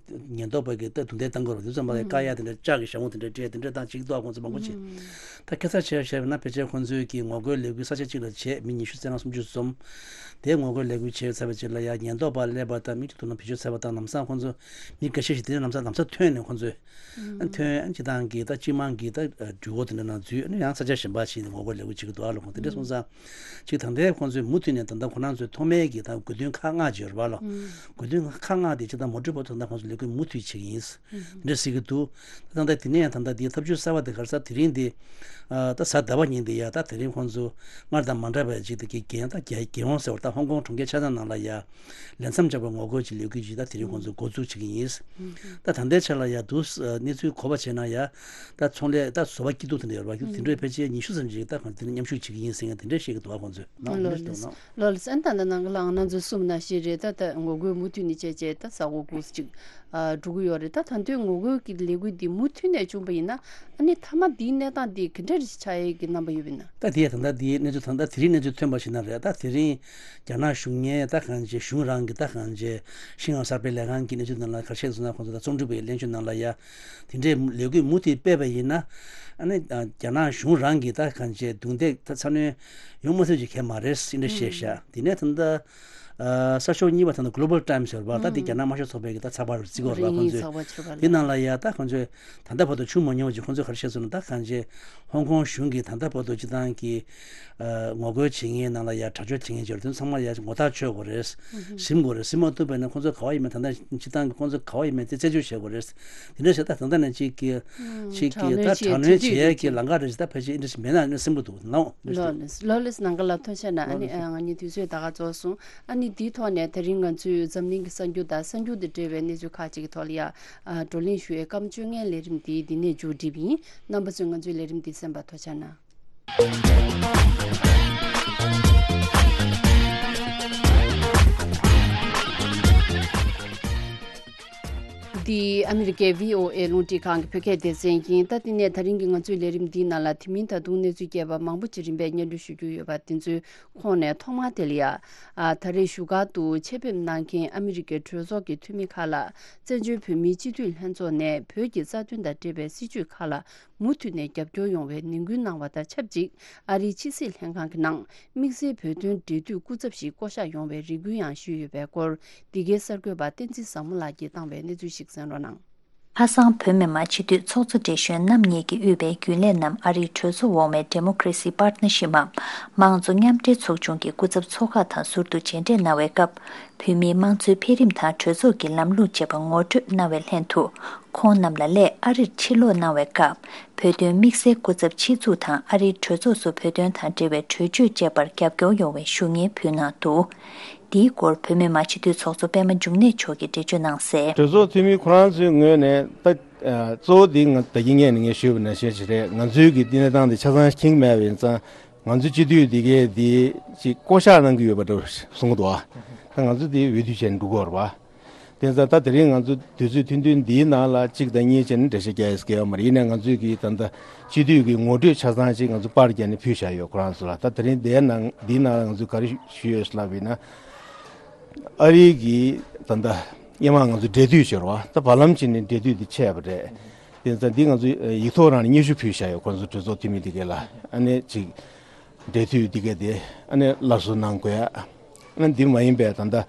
ཉེན་རྟོག་པ་གི་ད་རྡུང་རྡེག་བཏང་དགོས་རེད། དེ་ཚོ་མ་ལ་བཀག་ཡ་དེ་འདྲ་ལྕགས་ཀྱི་ཞྭ་མོ་དེ་འདྲ་སྤྲད་དེ་འདྲ་བཏང་། ཅིག་ཏོག་ཁོང་ཚོ་མང་པོ་བྱེད། ད་ཁ་ཚ་བྱས་བྱས་ན་ཕལ་ཆེར་ཁོང་ཚོའི་གི་ངོ་རྒོལ་ལས་འགུལ་ས་ཆ་གཅིག་ལ་བྱས་མི་ཉི་ཤུ་རྩ་ལྔ་སུམ་ཅུ་འཛོམས། དེ་ངོ་རྒོལ་ལས་འགུལ་བྱས་ཚར་བའི་རྗེས་ལ་ཡ་ཉེན་རྟོག་པ་སླེབས་པ་དང་མི་གཅིག་ཐུག་ན་བེད་སྤྱོད་བྱས་པ་དང་ལམ་སང་ཁོང་ཚོ་མི་འགའ་ཤས་ཤིག་དེ་ནས་ལམ་སང་ལམ་སང་ཐོན་ནས་ཁོང་ཚོས་ཐོན་སྤྱི་བཏང་གི་ད་སྤྱི་དམངས་ཀྱི་ད་འགྲུལ་འཁོར་དེ་འདྲ་ནང་འཛུལ་ནས་ཡང་ས་ཆ་གཞན་པ་ཞིག་ནས་ངོ་རྒོལ་ལས་འགུལ་བྱེད་ཀྱི་འདུག་ཨ་ལོ། ཁོང་དེ་འདྲ་སོང་ཙང་། ཅིག་ད་ལྟའི་ཁོང་ཚོས་མུ་མཐུད་ནས་ད་ལྟ་ཁོ་རང་ཚོའི་ཐོག་མའི་གི་ད་དགོས་འདུན་ཁག་ལྔ་ཅིག་ཡོད་རེད་པ་ལོ། ཨུམ། དགོས་འདུན་ཁག་ལྔ་དེ་ཅིག་ད་མོ་ཊ་བོ་ད་ལྟ་ཁོང་ཚོ་ལས་འགུལ་མུ་མཐུད་བྱེད་ཀྱི་ཡིན། ཨུམ། འདི་འདྲ་ཟེར་གྱི་འདུག་ད་ལྟ་དེ་ནས་ཡང་ད་ལྟ་དེའི་ཐབས་ཇུས་གསར་པ་དེ་ག་རེ་ཟེར། དེ་རིང་དེ་ཨ་ད་གཟའ་ཟླ་བ་ཉིན་དེ་ཡ་ད་དེ་རིང་ཁོང་ཚོ་སྔར་དང་མ་འདྲ་བའི་ཅིག་དེ་གི་རྒྱལ་ཡོངས་ད་རྒྱལ་རྒྱལ་ཡོངས་ཟེར་བ་ད་ཧོང་ཀོང་གྲོང་ཁྱེར་ཆ་ཚང་ནང་ལ་ཡ་ལས་མཚམས་བཅད་པའི་ངོ་རྒོལ་གྱི་ལས་འགུལ་ཅིག་ད་དེ་རིང་ཁོང་ཚོ་འགོ་འཛུགས་བྱེད་ཀྱི་ཡིན། ད་ད་ལྟའི་ཆ་ལ་ཡ་འདུག་གནས་ཚུལ་གོ་བ་བྱས་ན་ཡ་ད་ཚོང་ལས་ད་བཟོ་པ་སྐྱིད་སྡུག་དེ་འདྲ་ཡོད་རེད་པ། དེ་འདྲའི་ཕལ་ཆེར་ཉི་ཤུ་ཙམ་ཅིག་ད་གང་དེ་ནས་མཉམ་ཞུགས་བྱེད་ཀྱི་ཡིན་ཟེར་མཁན་དེ་འདྲ་བཤད་ཀྱི་འདུག་པ། ཁོང་ཚོས་ནང་ལོ་ལེ་ལེ་ལོ་ལེ་སན་ད་ནང་ལ་ང་རང་ཚོ་གསུམ་ན་ཤི་རེད། ད་ད་ངོ་རྒོལ་མུ་མཐུད་ནས་བྱས་བྱས་ད་ས་གོ་གུ་ཅིག་འགྲོ་གི་ཡོད་རེད། ད་ད་དུང་ངོ་རྒོལ་གྱི་ལས་འགུལ་འདི་མུ་མཐུད་ནས་བྱུང་བ་ཡིན་ན་ཨ་ནི་མཐའ་མ་འདིའི་གནས་སྟངས་འདི་ག་འདྲ་རེ་ཆགས་ཡས་ཀྱི་རྣམ་པ་ཡོད་པ་ཡིན་ན། ད་དེ་ད་ལྟ་དེའི་གནས་ཚུལ་ད་ལྟ་དེ་རིང་གནས་ཚུལ་ཐོན་པ་ཞིག་ན་རེད། ད་དེ་རིང་རྒྱ་ནག་གཞུང་ངའི་ད་གང་ཅི་གཞུང་རང་གི་ད་གང་ཅི་ཤིན་ཧྭ་གསར་སྤེལ་ལས་ཁང་གི་གནས་ཚུལ་ནང་ལ་ག་རེ་བཤད་སོང་ན། ཁོང་ཚོ་ད་རྩོམ་སྒྲིག་པའི་གླེང་བརྗོད་ནང་ལ་ཡ་དེ་འདྲའི་ལས་འགུལ་མུ་མཐུད་སྤེལ་བ་ཡིན་ན་ཨ་ནི་རྒྱ་ནག་གཞུང་རང་གི་ད་གང་ཅི་རྡུང་རྡེག་ད་ཚ་གནོན་ཡོང་མ་ཐུབ་ཅིག་གལ་མ་རེད་ཟེར་འདྲ་བཤད་ཤག་དེ་ནས་ད་ལྟ་ཨ་གསར་ཤོག་གཉིས་པ་ད་ལྟ་Global Times་ཡོད་རེད་པ། ད་དེ་རྒྱ་ནག་དམར་ཤོག་ཚོགས་པའི་གི་ད་ཚགས་པར་བརྩི་གི་ཡོད་རེད་པ། ཁོང་ཚོས་དེ་ནང་ལ་ཡ་ད་ཁོང་ཚོས་ད་ལྟ་བར་དུ་བྱུང་མ་མྱོང་བ་ཅིག་ཁོང་ཚོས་ག་རེ་བཤད་སོང་ན། ད་གང་ཅི་ཧོང་ཀོང་གཞུང་གིས་ད་ལྟ་བར་དུ་སྤྱི་བཏང་གི་ཨ་ངོ་རྒོལ་བྱེད་མཁན་ནང་ལ་ཡ་དྲག་སྤྱོད་བྱེད་མཁན་ཅིག་ཡོད་རེད། དེ་ཚང་མ་ལ་ཡ་ངོ་ཐག་ཆོད་དགོས་རེད། ཟིན་དགོས་རེད། ཟིན་མ་ཐུབ་པ་ཡིན་ན་ཁོང་ཚོ་ག་པར་ཡིན་མིན་ད་ལྟ་སྤྱི་བཏང་གི་ཁོང་ཚོ་ག་པར་ཡིན་མིན་དེ་རྩད་གཅོད་བྱེད་དགོས་རེད། དེ་འདྲ་བྱས་ད་ད་ལྟ་ནས་གཅིག་གི་གཅིག་གི་ད་དྲག་གནོན་བྱེད་ཡས་ཀྱི་ལམ་ཁ་རེ་ཞིག་ད་ཕལ་ཆེར་ཨིན་འདྲ་ཞིག་མེད་ན་ཨ་ནི་སེམས་པོ་འདུག་ལོ་ལེ་ལོ་ལེ་ནང་ག་ལ་ཐོན་ཤ་ན་ཨ་ནི་ང་གཉིས་དུས་ཚོད་ད་ག་རྫོགས་སོང་། ཨ་ནི་དེའི་ཐོག་ནས་དེ་རིང་ང་ཚོས་འཛམ་གླིང་གི་གསར་འགྱུར་དང་གསར་འགྱུར་དང་འབྲེལ་བའི་གནས་ཚུལ་ཁག་ཅིག་གི་ཐོག་ལ་ཡ་བགྲོ་གླེང་ཞུ་བའི་སྐར་མ་བཅོ་ལྔའི་ལས་རིམ་དེ་འདི་ནས་མཇུག་སྒྲིལ་བ་ཡིན། རྣམ་པ་ཚོས་ང་ཚོའི་ལས་རིམ་འདི་གསན་པར་ཐུགས་རྗེ་གནང་། འདི་ཨ་མི་རི་ཀའི་བྷི་ཨོ་ཨེ་རླུང་འཕྲིན་ཁང་གི་བོད་སྐད་སྡེ་ཚན་ཡིན། ད་དེ་ནས་ད་རིང་གི་ང་ཚོའི་ལས་རིམ་འདིའི་ནང་ལ་དེ་མིན་ད་དུང་གནས་ཚུལ་རྒྱས་པ་མང་པོ་ཅིག་རིམ་པས་སྙན་སྒྲོན་ཞུ་རྒྱུ་ཡོད་པ་དེ་ཚོའི་ཁོངས་ནས་ཐོག་མར་དེ་ལ་ཡ། ཨ། ད་རེས་བཞུགས་སྒར་དུ་ཆེད་ཕེབས་གནང་མཁན་ཨ་མི་རི་ཀའི་གྲོས་ཚོགས་ཀྱི་འཐུས་མི་ཁག་ལ་བཙན་བྱོལ་བོད་མིའི་སྤྱི་འཐུས་ལྷན་ཚོགས་ནས་བོད་ཀྱི་རྩ་དོན་དང་འབྲེལ་བའི་སྲིད་བྱུས་ཁག་ལ་མུ་མཐུད་ནས་རྒྱབ་སྐྱོར་ཡོང་བའི་ནན་སྐུལ་གནང་བ་དང་ཆབས་ཅིག་ཨ་རིའི་ཕྱི་སྲིད་ལྷན་ཁང་གི་ནང་དམིགས་བསལ་བོད་དོན་འབྲེལ་མཐུད་སྐུ་ཚབ་ཞིག་བསྐོ་གཞག་ཡོང་བའི་རེ་སྐུལ་ཡང་ཞུས་ཡོད་པའི་སྐོར། འདི་གའི་གསར་འགོད་པ་བསྟན་འཛིན་བཟང་མོ་ལགས་ཀྱིས་བཏང་བའི་གནས་ཚུལ་ཞིག་གསན་རོགས་གནང་། ཁ་སང་བོད་མི་མང་སྤྱི་འཐུས་ཚོགས་གཙོ་བགྲེས་གཞོན་རྣམ་གཉིས་ཀྱིས་དབུས་པའི་རྒྱུན་ལས་རྣམས་ཨ་རིའི་གྲོས་ཚོགས་འོག་མའི་Democracy Partnership འམ་དམངས་གཙོ་མཉམ་འབྲེལ་ཚོགས་ཆུང་གི་སྐུ་ཚབ་ཚོགས་ཁག་དང་ཟུར་དུ་མཇལ་འཕྲད་གནང་བའི་སྐབས། བོད་མིའི་དམངས་གཙོའི་འཕེལ་རིམ་དང་གྲོས་ཚོགས་ཀྱི་ལམ་ལུགས་བཅས་པ་ངོ་སྤྲོད་གནང་བའི་ལྷན་དུ། ཁོང་རྣམས་ལ་སླད་ཨ་རིར་ཕྱིར་ལོག་གནང་བའི་སྐབས། བོད་དོན་དམིགས་བསལ་སྐུ་ཚབ་ཆེད་འཛུགས་དང་ཨ་རིའི་གྲོས་ཚོགས་སུ་བོད་དོན་དང་འབྲེལ་བའི་གྲོས་ཆོད་བཅས་པར་རྒྱབ་སྐྱོར་ཡོང་བའི་ཞུ་སྙན་ཕུལ་གནང་འདུག། འདིའི་སྐོར་བོད་མི་མང་སྤྱི་འཐུས་ཚོགས་གཙོ་པད་མ་འབྱུང་གནས་མཆོག་གིས་འགྲེལ་བརྗོད་གནང་གསལ། གྲོས་ཚོགས་འཐུས་མི་ཁོ་རང་ཚོའི་ངོས་ནས་ད་ཨ་གཙོ་བོ་འདི་ང་ད་གིན་ངས་ནས་ངས་ཞུས་པ་ནང་བཞིན་ཞིག་རེད། ང་ཚོའི་གི་འདི་གནས་སྟངས་འདི་ཆ་ཚང་མཁྱེན་གྱི་མེད་པ་ཡིན་ཙང་། ང་ཚོའི་སྤྱི་འཐུས་འདི་གས་འདི་ཅིག་བསྐོ་གཞག་གནང་གི་ཡོད་པ་འདྲ་བོ་གསུང་གི་འདུག་ཨ། ད་ང་ཚོ་འདི་འོས་བསྡུ་བྱས་ནས་འགྲོ་གི་ཡོད་རེད་པ། དེ་ཙང་ད་དེ་རིང་ང་ཚོ་དུས་ཚོད་ཐུང་ཐུང་འདིའི་ནང་ལ་གཅིག་དང་གཉིས་བྱས་ནས་འགྲེལ་བཤད་རྒྱག་ཡས་སྐལ་བ་མ་རེད། ཡིན་ནའི་ང་ཚོའི་གི་ད་ལྟ་སྤྱི་འཐུས་ཀྱི་ངོ་སྤྲོད་ཆ་ཚང་ཅིག་ང་ཚོ་པར་བརྒྱབ་ནས་ཕུལ་བཞག་ཡོད། ཁོ་རང་ཚོ་ལ་ད་དེ་རིང་འདིའི་ནང་འདིའི་ནང་ལ་ང་ཚོས་ག་རེ་ཞུས་ཡོད་ལབ་ཡིན་ན། ཨ་རིའི་གི་ད་ལྟ་སྔོན་མ་ང་ཚོ་འབྲེལ་མཐུད་བྱས་རེད་པ། ད་བར་ལམ་བྱས་ནས་འབྲེལ་མཐུད་དེ་ཆད་པ་རེད། དེ་ཙང་འདི་ང་ཚོ་ཡིག་ཐོག་རང་ནས་སྙན་ཞུ་ཕུལ་བཞག་ཡོད། ཁོ་ཚོ་གྲོས་ཚོགས་འཐུས་མི་འདི་གས་ལ་ཨ་ནི་ཅིག་འབྲེལ་མཐུད་འདི་གས་དེ་ཨ་ནི་སླར་གསོ་གནང་དགོས་ཡ། ཨ་ནི་འདི་མ་ཡིན་པའི་ད་ལྟ་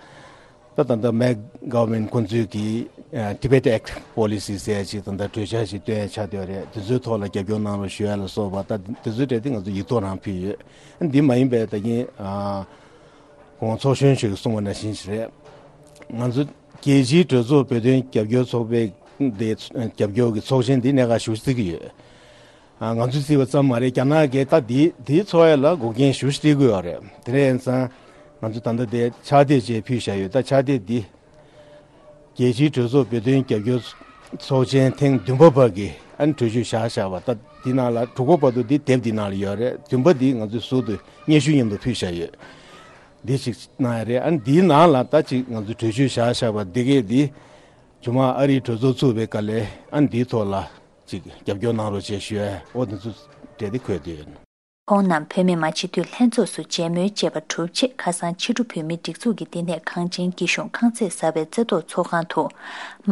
ད་ད་ལྟ་མེག་གྷ་ཝར་མེན་ཊི་ཁོ་ཚོས་ཀྱི་ཨ་Tibet Act Policy ཟེར་ཡ་ཅིག་ད་ལྟ་གྲོས་འཆར་ཞིག་བཏོན་ཡ་ཆགས་བསྡད་ཡོད་རེད། དེ་ཚོའི་ཐོག་ལ་རྒྱབ་སྐྱོར་གནང་རོགས་ཞུ་ཡ་ལ་སོགས་པ་ད་དེ་ཚོའི་གྲས་དེ་ང་ཚོ་ཡིག་ཐོག་རང་ཕུལ་ཡོད། ཨ་ནི་འདི་མ་ཡིན་པའི་ད་གིན་ཨ་གོང་ཚོགས་གཞོན་ཞིག་གིས་གསུངས་པ་ནང་བཞིན་ཞིག་རེད། ང་ཚོ་རྒྱལ་སྤྱིའི་གྲོས་ཚོགས་བོད་དོན་རྒྱབ་སྐྱོར་ཚོགས་པའི་དེ་རྒྱབ་སྐྱོར་གྱི་ཚོགས་ཆེན་འདི་གནད་འགག་ཞེ་པོ་བརྩི་གི་ཡོད། ཨ་ང་ཚོས་བརྩིས་པ་ཙམ་མ་རེད། རྒྱ་ནག་གིས་ད་འདི་འདིའི་ཚོགས་ཡ་ལ་འགོག་རྐྱེན་ཞེ་པོ་སྤྲད་ཀྱི་ཡོད་རེད། དེ་འདྲ་ཡིན་ཙང་ང་ཚོ་ད་ལྟ་དེ་ཕྱག་དེབ་ཅིག་ཕུལ་བཞག་ཡོད། ད་ཕྱག་དེབ་འདི་རྒྱལ་སྤྱིའི་གྲོས་ཚོགས་བོད་དོན་རྒྱབ་སྐྱོར་ཚོགས་ཆེན་ཐེངས་བདུན་པ་བར་གྱི་ཨ་ནི་གྲོས་ཆོད་བཞག་བཞག་པ། ད་འདི་ནང་ལ་དྲུག་པ་བར་དུ་འདི་དེབ་འདི་ནང་ལ་ཡོད་རེད། བདུན་པ་འདི་ང་ཚོས་ཟུར་དུ་སྙན་ཞུ་མཉམ་དུ་ཕུལ་བཞག་ཡོད། འདི་ཞིག་གནང་ཡ་རེད། ཨ་ནི་འདིའི་ནང་ལ་ད་ཅིག་ང་ཚོས་གྲོས་ཆོད་བཞག་བཞག་པ་འདི་གས་འདི་ཇོ་མང་ཨ་རིའི་གྲོས་ཚོགས་ཚུགས་པའི་སྐབས་ལ་ཨ་ནི་འདིའི་ཐོག་ལ་ཅིག་རྒྱབ་སྐྱོར་གནང་རོགས་ཞེས་ཞུ་ཡ། འོ་དེ་ཚོ་གྲས་དེ་འཁོད་དེ་ཡོད། ཁོང་རྣམས་བོད་མི་མང་སྤྱི་འཐུས་ལྷན་ཚོགས་སུ་མཇལ་མོལ་བཅས་པ་གྲུབ་རྗེས། ཁ་སང་ཕྱི་དྲོ་བོད་མིའི་སྒྲིག་འཛུགས་ཀྱི་བསྟི་གནས་གངས་ཅན་སྐྱིད་གཤོངས་ཁང་བརྩེགས་གསར་པའི་རྩེ་ཐོག་ཚོགས་ཁང་དུ།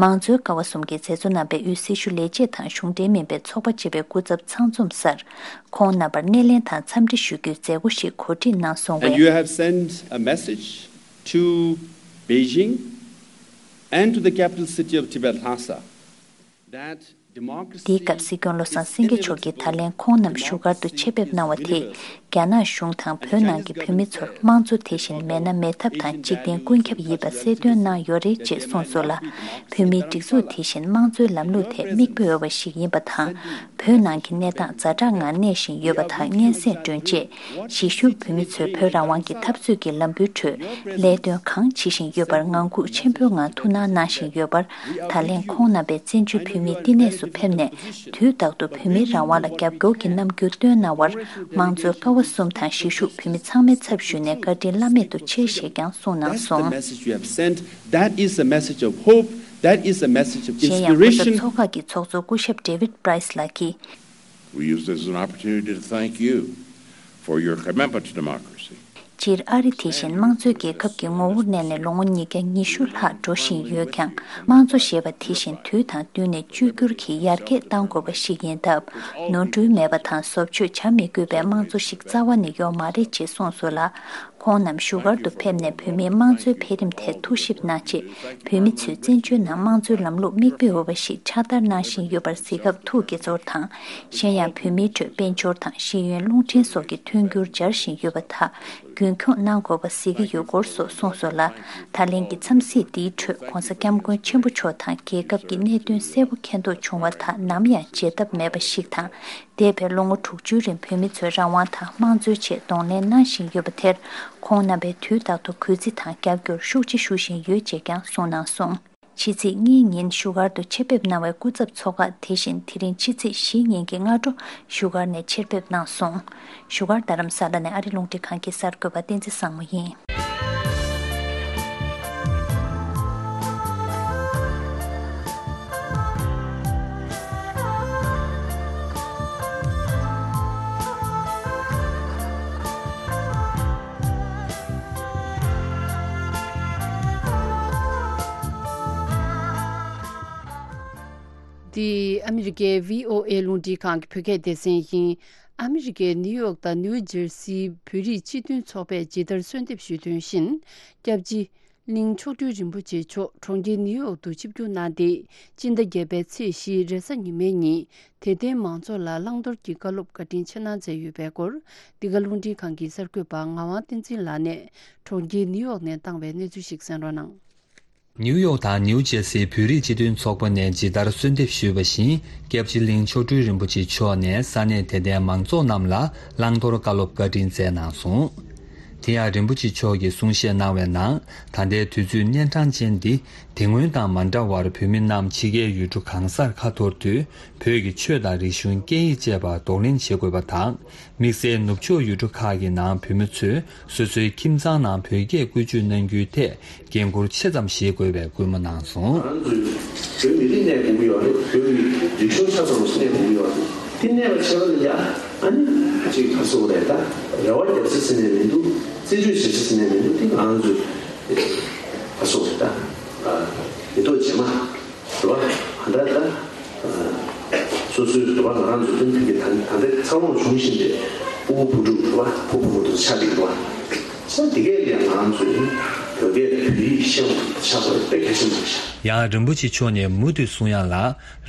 མང་གཙོའི་ཀ་བ་གསུམ་གྱི་མཛད་གཙོ་རྣམ་པས་དབུས་སྲི་ཞུ་ལས་བྱེད་དང་གཞུང་འབྲེལ་མིན་པའི་ཚོགས་པ་བཅས་པའི་སྐུ་ཚབ་ཚང་འཛོམས་སར། ཁོང་རྣམ་པར་སྣེ་ལེན་དང་འཚམས་འདྲི་ཞུ་རྒྱུའི་མཛད་སྒོ་ཞིག་གོ་སྒྲིག་གནང་སོང་བས། And you have sent a message to Beijing and to the capital city of Tibet, Lhasa, that democracy འདིའི་སྐབས་སྲིད་སྐྱོང་བློ་བཟང་སེང་གེ་མཆོག་གིས་ད་ལན་ཁོང་རྣམས་བཞུགས་སྒར་དུ་ཆེད་ཕེབས་གནང་བ་དེས། རྒྱ་ནག་གཞུང་དང་བོད་ནང་གི་བོད་མི་ཚོར་དམངས་གཙོ་དེ་བཞིན་མེད་ན་མེད་ཐབས་དང་འཇིག་རྟེན་ཀུན་ཁྱབ་ཡིན་པ་གསལ་སྟོན་གནང་ཡོད་རེད་ཅེས་གསུངས་སོང་ལ། བོད་མིའི་སྒྲིག་འཛུགས་དེ་བཞིན་དམངས་གཙོའི་ལམ་ལུགས་ཐད་མིག་དཔེ་འོས་པ་ཞིག་ཡིན་པ་དང་། བོད་ནང་གི་གནས་སྟངས་ཛ་དྲག་ངང་གནས་བཞིན་ཡོད་པ་དག་སྙན་སེང་སྒྲོན་རྗེས། གཞིས་བཞུགས་བོད་མི་ཚོས་བོད་རང་དབང་གི་འཐབ་རྩོད་ཀྱི་ལམ་བུའི་ཁྲོད་ལས་དོན་གང་བྱེད་བཞིན་ཡོད་པར་ངང་སྒུག་ཆེན་པོའི་ངང་ཐུགས་སྣང་གནང་བཞིན་ཡོད་པར། ད་ལན་ཁོང་རྣམ་པས་བཙན་བྱོལ་བོད་མིའི་བསྟི་གནས་སུ་ཕེབས་ནས། དུས་རྟག་ཏུ་བོད་མིའི་རང་དབང་ལ་རྒྱབ་སྐྱོར་གྱི་རྣམ་འགྱུར་སྟོན་གནང་བར། དམངས་གཙོའི་ཀ་བ་གསུམ་དང་གཞིས་བཞུགས་བོད་མི་ཚང་མའི་ཚབ་ཞུས་ནས་བཀའ་དྲིན་བླ་མེད་དུ་ཆེ་ཞེས་ཀྱང་གསུངས་གནང་སོང་། That's the message you have sent. That is a message of hope. That is a message of inspiration. གཞན་ཡང་སྐུ་ཚབ་ཚོགས་ཁག་གི་ཚོགས་གཙོ་སྐུ་ཞབས་David Price ལགས་ཀྱིས། We use this as an opportunity to thank you for your commitment to democracy. སྤྱིར་ཨ་རི་དེ་བཞིན་དམངས་གཙོའི་རྒྱལ་ཁབ་ཀྱི་ངོ་བོར་གནས་ནས་ལོ་ངོ་ཉིས་བརྒྱ་ཉི་ཤུ་ལྷག་འགྲོ་བཞིན་ཡོད་ཀྱང་། དམངས་གཙོ་ཞེས་པ་དེ་བཞིན་དུས་དང་བསྟུན་ནས་བཅོས་བསྒྱུར་གྱིས་ཡར་རྒྱས་གཏང་དགོས་པ་ཞིག་ཡིན་སྟབས། ནོར་འཁྲུལ་མེད་པ་དང་བཟོ་བཅོས་བྱ་མི་དགོས་པའི་དམངས་གཙོ་ཞིག་རྩ་བ་ནས་ཡོད་མ་རེད་ཅེས་གསུངས་སོང་ལ། ཁོང་རྣམས་བཞུགས་སྒར་དུ་ཕེབས་ནས་བོད་མིའི་དམངས་གཙོའི་འཕེལ་རིམ་ཐད་ཐུགས་ཞིབ་གནང་རྗེས། བོད་མི་ཚོས་བཙན་བྱོལ་ནང་དམངས་གཙོའི་ལམ་ལུགས་མིག་དཔེ་འོས་པ་ཞིག་ཕྱག་བསྟར་གནང་བཞིན་ཡོད་པར་གཟིགས་སྐབས་ཐུགས་དགྱེས་ཚོར་དང་། གཞན་ཡང་བོད་མིའི་ཁྲོད་དཔལ་འབྱོར་དང་ཤེས་ཡོན་རླུང་འཕྲིན་སོགས་ཀྱི་མཐུན་འགྱུར་སྦྱར་བཞིན་ཡོད་པ་དག་རྒྱུན་འཁྱོངས་གནང་དགོས་པ་གཟིགས་ཀྱི་ཡོད་སྐོར་སོགས་གསུངས་སོང་ལ། ད་ལན་གྱི་འཚམས་གཟིགས་འདིའི་ཁྲོད་༧གོང་ས་༧སྐྱབས་མགོན་ཆེན་པོ་མཆོག་དང་རྒྱལ་ཁབ་ཀྱི་གནད་དོན་གསལ་པོ་མཁྱེན་རྟོགས་བྱུང་བ་དག་ནམ་ཡང་བརྗེད་ཐབས་མེད་པ་ཞིག་དང་། འདས་པའི་ལོ་ངོ་དྲུག་ཅུའི་རིང་བོད་མི་ཚོས་རང་དབང་དང་དམངས་གཙོའི་ཆེད་གདོང་ལེན་གནང་བཞིན་ཡོད་པ་དེར། ཁོང་རྣམ་པས་དུས་རྟག་ཏུ་གུས་བརྩི་དང་རྒྱབ་སྐྱོར་ཤུགས་ཆེ་ཞུ་བཞིན་ཡོད་ཅེས་ཀྱང་གསུངས་གནང་སོང་། ཕྱི་ཚེས་གཉིས་ཉིན་བཞུགས་སྒར་དུ་ཆེད་ཕེབས་གནང་བའི་སྐུ་ཚབ་ཚོགས་ཁག་དེ་བཞིན་དེ་རིང་ཕྱི་ཚེས་བཞི་ཉིན་གྱི་སྔ་དྲོ་བཞུགས་སྒར་ནས་ཆེད་ཕེབས་གནང་སོང་། བཞུགས་སྒར་རྡ་རམ་ས་ལ་ནས་ཨ་རི་རླུང་འཕྲིན་ཁང་གི་གསར་འགོད་པ་བསྟན་འཛིན་བཟང་མོ་ཡིན། འདི་ཨ་མི་རི་ཀའི་བྷི་ཨོ་ཨེ་རླུང་འཕྲིན་ཁང་གི་བོད་སྐད་སྡེ་ཚན་ཡིན། ཨ་མི་རི་ཀའི་ནིའུ་ཡོག་དང་ནིའུ་ཇར་སིའི་བོད་རིགས་སྤྱི་མཐུན་ཚོགས་པས་ཇི་ལྟར་གསོལ་འདེབས་ཞུས་དོན་བཞིན། སྐྱབས་རྗེ་གླིང་མཆོག་སྤྲུལ་རིན་པོ་ཆེ་མཆོག་གྲོང་ཁྱེར་ནིའུ་ཡོག་ཏུ་ཆིབས་བསྒྱུར་གནང་སྟེ། སྤྱི་ཟླ་བརྒྱད་པའི་ཚེས་བཞི་རེས་གཟའ་ཉི་མའི་ཉིན། དད་ལྡན་མང་ཚོགས་ལ་བླང་དོར་གྱི་བཀའ་སློབ་བཀའ་དྲིན་ཆེ་གནང་མཛད་ཡོད་པའི་སྐོར། འདི་ག་རླུང་འཕྲིན་ཁང་གི་གསར་འགོད་པ་ངག་དབང་བསྟན་འཛིན་ལགས་ནས་གྲོང་ཁྱེར་ནིའུ་ཡོག་ནས་བཏང་བའི་གནས་ཚུལ་ཞིག་གསན་རོགས་གནང་། ནིའུ་ཡོག་དང་ནིའུ་ཇེར་སིའི་བོད་རིགས་སྤྱི་མཐུན་ཚོགས་པ་ནས་ཇི་ལྟར་གསོལ་འདེབས་ཞུས་པ་བཞིན། སྐྱབས་རྗེ་གླིང་མཆོག་སྤྲུལ་རིན་པོ་ཆེ་མཆོག་ནས་ས་གནས་དད་ལྡན་མང་ཚོགས་རྣམས་ལ་བླང་དོར་བཀའ་སློབ་བཀའ་དྲིན་སྩལ་གནང་སོང་། དེ་ཡང་རིན་པོ་ཆེ་མཆོག་གིས་གསུང་བཤད་གནང་བའི་ནང་། ད་ལྟའི་དུས་ཚོད་གཉན་འཕྲང་ཅན་འདི། དེ་སྔོན་དང་མ་འདྲ་བར་བོད་མི་རྣམས་ཕྱི་རྒྱལ་ཡུལ་གྲུ་གང་སར་ཁ་འཐོར་དུས། བོད་ཀྱི་ཆོས་དང་རིག་གཞུང་སྐད་ཡིག་བཅས་པ་གདོང་ལེན་བྱེད་དགོས་པ་དང་། དམིགས་བསལ་ནུབ་ཕྱོགས་ཡུལ་གྲུ་ཁག་གི་ནང་བོད་མི་ཚོས་སོ་སོའི་ཁྱིམ་ཚང་ནང་བོད་སྐད་བཀོལ་སྤྱོད་གནང་རྒྱུའི་ཐད་འགན་འཁུར་ཆེ་ཙམ་བཞེས་དགོས་པའི་སྐུལ་མ་གནང་སོང་། ང་ཚོས་བོད་མི་རིགས་གནས་དགོས་ཀྱི་ཡོད་རེད། བོད་ཀྱི་རིག་གཞུང་ཆ་ཚང་ཞིག་གནས་དགོས་ཀྱི་ཡོད་རེད། དེ་གནས་པ་བྱས་པ་ལ་ཡ་ཨ་ནི་ཅིག་ག་སོགས་རེད། ད་རེ་བ་རྒྱབ་ས་ཟེར་ནས་མི་འདུག་རྩིས་སྤྲོད་བྱེད་ས་ཟེར་ནས་མི་འདུག་དེ་ང་ཚོས་ག་སོགས་རེད། ད་མི་ཐོག་རྗེས་མ། རེད་བ། ག་འདྲ་ད། སོ་སོའི་རེད་བ། ང་རང་ཚོའི་དོན་ཕིག་གི་ད་ད་ལྟའི་འཚར་ལོངས་བྱུང་བཞིན་པའི་ཕྲུ་གུ་བུ་ཕྲུག་རེད་བ། ཕྲུ་གུ་བུ་ཕྲུག་ཆགས་ཀྱི་འདུག་བ། ས་འདི་གས་ལ་ང་ཚོས་བོད་སྐད་བོད་ཡིག་ཤེས་པ་ཆགས་པ་དཔེ་གལ་ཆེན་པོ་རེད་ཤག་ཡང་རིན་པོ་ཆེ་མཆོག་ནས་མུ་མཐུད་གསུང་ཡག་ལ།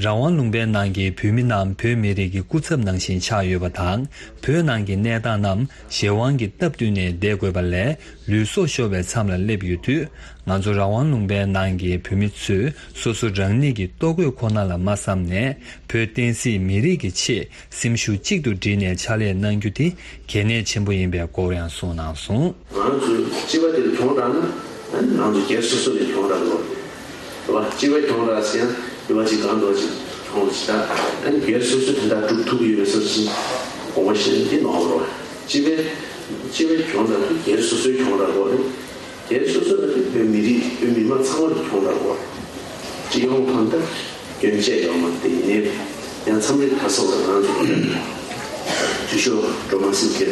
རང་དབང་ལུང་པའི་ནང་གི་བོད་མི་རྣམས་བོད་མི་རིགས་ཀྱི་སྐུ་ཚབ་ནང་བཞིན་ཆགས་ཡོད་པ་དང་། བོད་ནང་གི་གནས་སྟངས་རྣམས་གཞན་དབང་གི་སྟབས་བསྟུན་ནས་བསྡད་དགོས་པ་ལས། ལུས་སྲོག་ཤོར་བའི་མཚམས་ལ་སླེབས་ཡོད་དུས། ང་ཚོ་རང་དབང་ལུང་པའི་ནང་གི་བོད་མི་ཚོས་སོ་སོ་རང་ཉིད་ཀྱི་ལྟོ་གོས་ཁོ་ན་ལ་མ་བསམ་ནས། བོད་བསྟན་སྲིད་མི་རིགས་ཀྱི་ཆེད་སེམས་ཤུགས་གཅིག་ཏུ་བསྒྲིལ་ནས་ཕྱག་ལས་གནང་རྒྱུ་དེ་གལ་གནད་ཆེན་པོ་ཡིན་པའི་སྐོར་ཡང་གསུངས་གནང་སོང་། ང་ཚོས་སྤྱི་པ་དེ་གྱོང་རག་ན། ཨ་ནི་ང་ཚོ་སྒེར་སོ་སོ་ནས་གྱོང་རག་དགོས་རེད་བ། སྤྱི་པ་གྱོང་རག་ཟེར་ཡང་སྤྱི་པ་གཅིག་གང་འདྲ་ཅིག་གྱོང་རག་ཅིག་ད། ཨ་ནི་སྒེར་སོ་སོ་དེ་འདྲ་སྒྲུབ་ཐུབ་ཀྱི་ཡོད་པའི་བཟོ་ཅིག་དགོངས་པ་བཞེས་ན་འདི་ནོར་བ་རེད་བ། སྤྱི་པའི་སྤྱི་པའི་གྱོང་རག་དེ་སྒེར་སོ་སོའི་གྱོང་རག་དགོས་རེད། སྒེར་སོ་སོ་ལ་དེ་བོད་མི་རིགས་བོད་མི་མང་ཚང་མར་གྱོང་རག་དགོས་རེད། སྤྱི་ཡོངས་གང་ལྟར་སྐྱོན་བཅས་ཡོད་མ་རེད། དེ་ཡིན་ནའི་ཡང་མཚམས་རེ་ད་སོགས་ལ་ང་ཚོ་འཐུས་ཤོར་འགྲོ་མ་སྲིད་ཀྱི་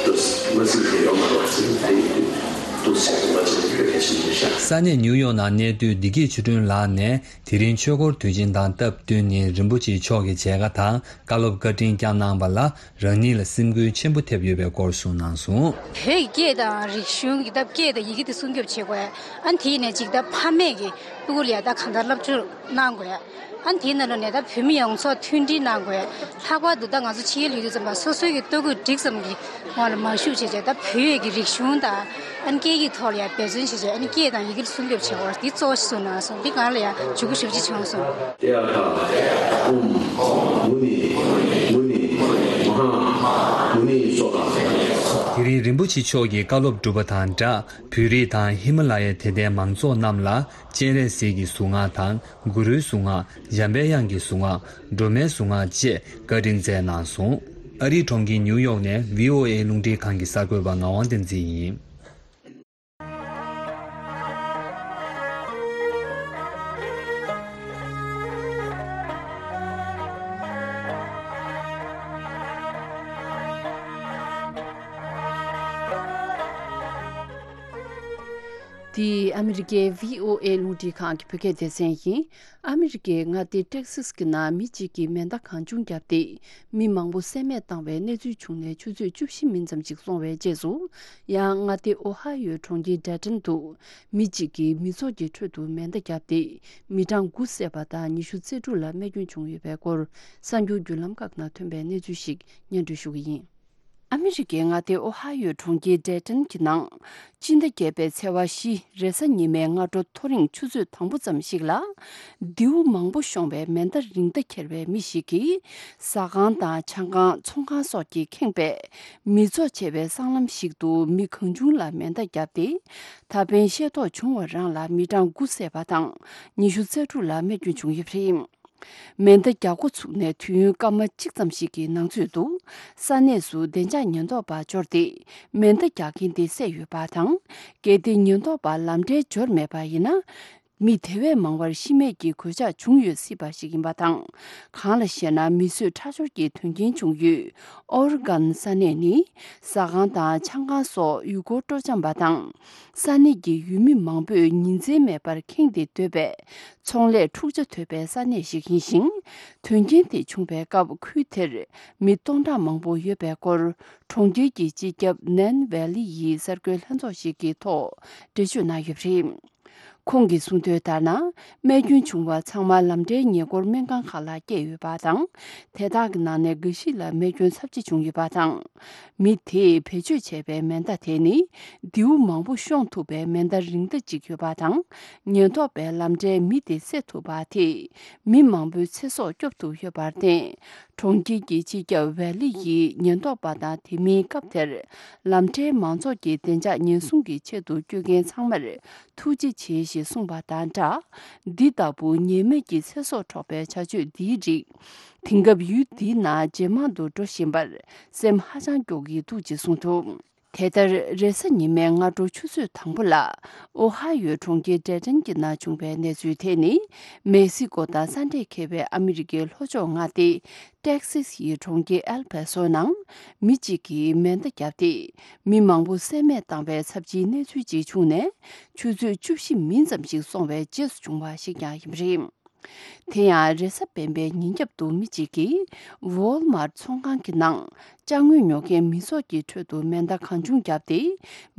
འགྲོ་མ་སྲིད་ཀྱི་ཡོད་མ་རེད་བ། ཟེར་ནས་དེ་ཡིན་དུས་འདུག་ཟེར་དགོངས་པ་བྱས་ནས་གལ་ཆེན་པོ་ཤག་ས་གནས་ནིའུ་ཡོག་ནང་གནས་སྡོད་བདེ་སྐྱིད་ཆོས་སྒྲོན་ལགས་ནས། དེ་རིང་ཆོས་འཁོར་དུས་ཆེན་དང་སྟབས་བསྟུན་ནས་རིན་པོ་ཆེ་མཆོག་གི་མཇལ་ཁ་དང་བཀའ་སློབ་བཀའ་དྲིན་བསྐྱངས་གནང་བ་ལ། རང་ཉིད་ལ་སེམས་འགུལ་ཆེན་པོ་ཐེབས་ཡོད་པའི་སྐོར་གསུངས་གནང་སོང་། བོད་ཀྱི་སྐད་དང་རིག་གཞུང་གི་ད་སྐད་དང་ཡི་གེ་དེ་སྲུང་སྐྱོབ་བྱེད་དགོས། ཨ་ནི་དེ་ནས་ཅིག་ད་ཕ་མེས་ཀྱི་ཕྲུ་གུ་ལ་ཡ་ད་གང་ལྟར་སློབ་སྦྱོང་གནང་དགོས། ཨ་ནི་དེའི་ནང་ལོགས་ནས་ད་བོད་མི་ཡོངས་རྫོགས་མཐུན་སྒྲིལ་གནང་དགོས། ལྷག་པར་དུ་ད་ང་ཚོ་ཕྱི་རྒྱལ་ལ་ཡོད་དུས་ཙམ་པ་སོ་སོའི་གི་ལྟོ་གོས་འགྲིག་ཙམ་གྱི་ངོ་ལ་མ་ཞུགས་བྱས་བྱས། ད་བོད་ཡིག་གི་རིག་གཞུང་དང་ཨ་ནི་སྐད་ཡིག་ཐོག་ལ་ཡ་འབད་བརྩོན་བྱས་བྱས། ཨ་ནི་སྐད་དང་ཡི་གེ་ལ་སྲུང་སྐྱོབ་བྱེད་དགོས་འདི་གཙོ་བོ་ཞིག་བཟུང་གནང་སོང་། འདི་སྒང་ལ་ཡ་ཞུ་སྒོ་ཞེ་པོ་ཅིག་བྱུང་སོང་། ཏདྱ་ཐཱ། ཨོཾ་མུ་ནི་མུ་ནི་མ་ཧཱ་མུ་ནི་སྭཱ་ཧཱ། དེ་རིང་རིན་པོ་ཆེ་མཆོག་གིས་བཀའ་སློབ་གྲུབ་པ་དང་སྦྲགས། བོད་རིགས་དང་ཧི་མ་ལ་ཡའི་དད་ལྡན་མང་ཚོགས་རྣམས་ལ་སྤྱན་རས་གཟིགས་ཀྱི་གཟུངས་སྔགས་དང་། གུ་རུའི་གཟུངས་སྔགས། འཇམ་པའི་དབྱངས་ཀྱི་གཟུངས་སྔགས། སྒྲོལ་མའི་གཟུངས་སྔགས་བཅས་བཀའ་དྲིན་སྩལ་གནང་སོང་། ཨ་རིའི་གྲོང་ཁྱེར་ནིའུ་ཡོག་ནས་བྷི་ཨོ་ཨེ་རླུང་འཕྲིན་ཁང་གི་གསར་འགོད་པ་ངག་དབང་བསྟན་འཛིན་ཡིན། འདི་ཨ་མི་རི་ཀའི་བྷི་ཨོ་ཨེ་རླུང་འཕྲིན་ཁང་གི་བོད་སྐད་སྡེ་ཚན་ཡིན། ཨ་མི་རི་ཀའི་མངའ་སྡེ་ཏེག་སིས་ཀྱི་ནང་མི་གཅིག་གིས་མེ་མདའ་གང་བྱུང་བརྒྱབ་སྟེ། མི་མང་པོ་བསད་རྨས་བཏང་བའི་གནས་ཚུལ་བྱུང་ནས་ཆུ་ཚོད་བཅུ་བཞི་མིན་ཙམ་ཞིག་སོང་བའི་རྗེས་སུ། ཡང་མངའ་སྡེ་ཨོ་ཧ་ཡོའི་གྲོང་ཁྱེར་ཌེ་ཏོན་དུ། མི་གཅིག་གིས་མི་ཚོགས་ཀྱི་ཁྲོད་དུ་མེ་མདའ་བརྒྱབ་སྟེ། མི་གྲངས་དགུ་བསད་པ་དང་ཉི་ཤུ་རྩ་དྲུག་ལ་རྨས་སྐྱོན་བྱུང་ཡོད་པའི་སྐོར། གསར་འགྱུར་བརྒྱུད་ལམ་ཁག་ནང་ཐོན་པའི་གནས་ཚུལ་ཞིག་སྙན་སྒྲོན་ཞུ་གི་ཡིན། ཨ་མི་རི་ཀའི་མངའ་སྡེ་ཨོ་ཧ་ཡོའི་གྲོང་ཁྱེར་ཌེ་ཏོན་གྱི་ནང་། སྤྱི་ཟླ་བརྒྱད་པའི་ཚེས་པ་བཞི་རེས་གཟའ་ཉི་མའི་སྔ་དྲོ་ཐོ་རེངས་ཆུ་ཚོད་དང་པོ་ཙམ་ཞིག་ལ། མདེའུ་མང་པོ་ཤོང་བའི་མེ་མདའ་རིང་མདའ་འཁྱེར་བའི་མི་ཞིག་གིས། ཟ་ཁང་དང་ཆང་ཁང་། ཚོང་ཁང་སོགས་ཀྱིས་ཁེངས་པའི་མི་ཚོགས་ཆེ་བའི་སྲང་ལམ་ཞིག་ཏུ་མི་གང་བྱུང་ལ་མེ་མདའ་བརྒྱབ་སྟེ། ད་ཕན་ཤེས་རྟོགས་བྱུང་བ་རང་ལ་མི་གྲངས་དགུ་བསད་པ་དང་ཉི་ཤུ་རྩ་དྲུག་ལ་རྨས་སྐྱོན་བྱུང་ཡོད་པ་རེད། མེ་མདའ་རྒྱག་འགོ་ཚུགས་ནས་དུས་ཡུན་སྐར་མ་གཅིག་ཙམ་ཞིག་གི་ནང་ཚུད་དུ། ས་གནས་སུ་བདེ་འཇགས་ཉེན་རྟོག་པ་འབྱོར་ཏེ། མེ་མདའ་རྒྱག་མཁན་དེ་བསད་ཡོད་པ་དང་། གལ་ཏེ་ཉེན་རྟོག་པ་ལམ་འཕྲལ་འབྱོར་མེད་པ་ཡིན་ན། མི་དེ་བས་མང་བར་ཤི་རྨས་ཀྱི་གོད་ཆག་བྱུང་ཡོད་སྲིད་པ་ཞིག་ཡིན་པ་དང་། གང་ལ་ཞེ་ན། མི་གསོད་ཁྲག་སྦྱོར་གྱི་དོན་རྐྱེན་བྱུང་ཡུལ་ཨོ་རི་གྷན་ས་གནས་ནི་ཟ་ཁང་དང་ཆང་ཁང་སོགས་ཡུལ་སྐོར་སྤྲོ་འཆམ་པ་དང་། ས་གནས་ཀྱི་ཡུལ་མི་མང་པོས་ཉིན་མཚན་མེད་པར་ཁེངས་ཏེ་སྡོད་པས། ཚོང་ལས་འཁྲུག་ཆ་དོད་པའི་ས་གནས་ཤིག་ཡིན་ཞིང་། དོན་རྐྱེན་དེ་བྱུང་བའི་སྐབས། ཁུལ་དེར་མི་སྟོང་ཕྲག་མང་པོ་ཡོད་པའི་སྐོར། གྲོང་ཁྱེར་གྱི་སྤྱི་ཁྱབ་ནན་ཝེ་ལི་ཡི་གསར་འགོད་ལྷན་ཚོགས་ཤིག་གི་ཐོག་འགྲེལ་བརྗོད་གནང་ཡོད་པ་རེད། ཁོང་གིས་གསུངས་དོན་ལྟར་ན། རྨས་སྐྱོན་བྱུང་བ་ཚང་མ་ལམ་འབྲས་ཉེ་འཁོར་སྨན་ཁང་ཁག་ལ་བསྐྱལ་ཡོད་པ་དང་། དེ་དག་གི་ནང་ནས་འགའ་ཞིག་ལ་རྨས་སྐྱོན་ཚབས་ཆེ་བྱུང་ཡོད་པ་དང་། མི་དེས་བེད་སྤྱོད་བྱས་པའི་མེ་མདའ་དེ་ནི། མདེའུ་མང་པོ་ཤོང་ཐུབ་པའི་མེ་མདའ་རིང་མདའ་གཅིག་ཡོད་པ་དང་། ཉེན་རྟོག་པས་ལམ་འབྲས་མི་དེ་བསད་ཐུབ་པ་དེས། མི་མང་པོའི་ཚེ་སྲོག་སྐྱོབ་ཐུབ་ཡོད་པར་བརྟེན། གྲོང་ཁྱེར་གྱི་སྤྱི་ཁྱབ་ཝེ་ལི་ཡིས་ཉེན་རྟོག་པ་དང་། དེ་མིན་སྐབས་དེར་ལམ་འབྲས་མང་ཚོགས་ཀྱི་བདེ་འཇགས་ཉེན་སྲུང་གི་ཆེད་དུ་སྐྱོད་མཁན་ཚང་མར་ཐུགས་རྗེ་ཆེ་ཞེས་གསུངས་པ་དང་སྦྲགས། འདི་ལྟ་བུ་ཉེས་མེད་ཀྱི་ཚེ་སྲོག་འཕྲོག་པའི་བྱ་སྤྱོད་འདིའི་རིགས། དེང་སྐབས་ཡུལ་འདིའི་ནང་ཇེ་མང་དུ་འགྲོ་བཞིན་པར་སེམས་ཧ་ཅང་སྐྱོ་གི་འདུག་ཅེས་གསུངས་འདུག་དེ་ལྟར། རེས་གཟའ་ཉི་མའི་སྔ་དྲོ་ཆུ་ཚོད་དང་པོ་ལ། ཨོ་ཧ་ཡོའི་གྲོང་ཁྱེར་ཌེ་ཊོན་གྱི་ནང་བྱུང་བའི་གནས་ཚུལ་དེ་ནི། མེག་སི་ཀོ་དང་ས་འབྲེལ་འཁེལ་བའི་ཨ་མི་རི་ཀའི་ལྷོ་ཕྱོགས་མངའ་སྡེ་ཏེག་སིས་ཡི་གྲོང་ཁྱེར་ཨེལ་པ་སོ་ནང་མི་གཅིག་གིས་མེ་མདའ་བརྒྱབ་སྟེ། མི་མང་པོ་བསད་རྨས་བཏང་བའི་ཚབས་ཆེའི་གནས་ཚུལ་ཅིག་བྱུང་ནས། ཆུ་ཚོད་བཅུ་བཞི་མིན་ཙམ་ཞིག་སོང་བའི་རྗེས་སུ་བྱུང་བ་ཞིག་ཀྱང་ཡིན་པ་རེད། དེ་ཡང་། རེས་གཟའ་སྤེན་པའི་ཉིན་རྒྱབ་ཏུ་མི་གཅིག་གིས་ཝོལ་མར་ཚོང་ཁང་གི་ནང་ཅ་དངོས་ཉོ་མཁན་མི་ཚོགས་ཀྱི་ཁྲོད་དུ་མེ་མདའ་གང་བྱུང་བརྒྱབ་སྟེ།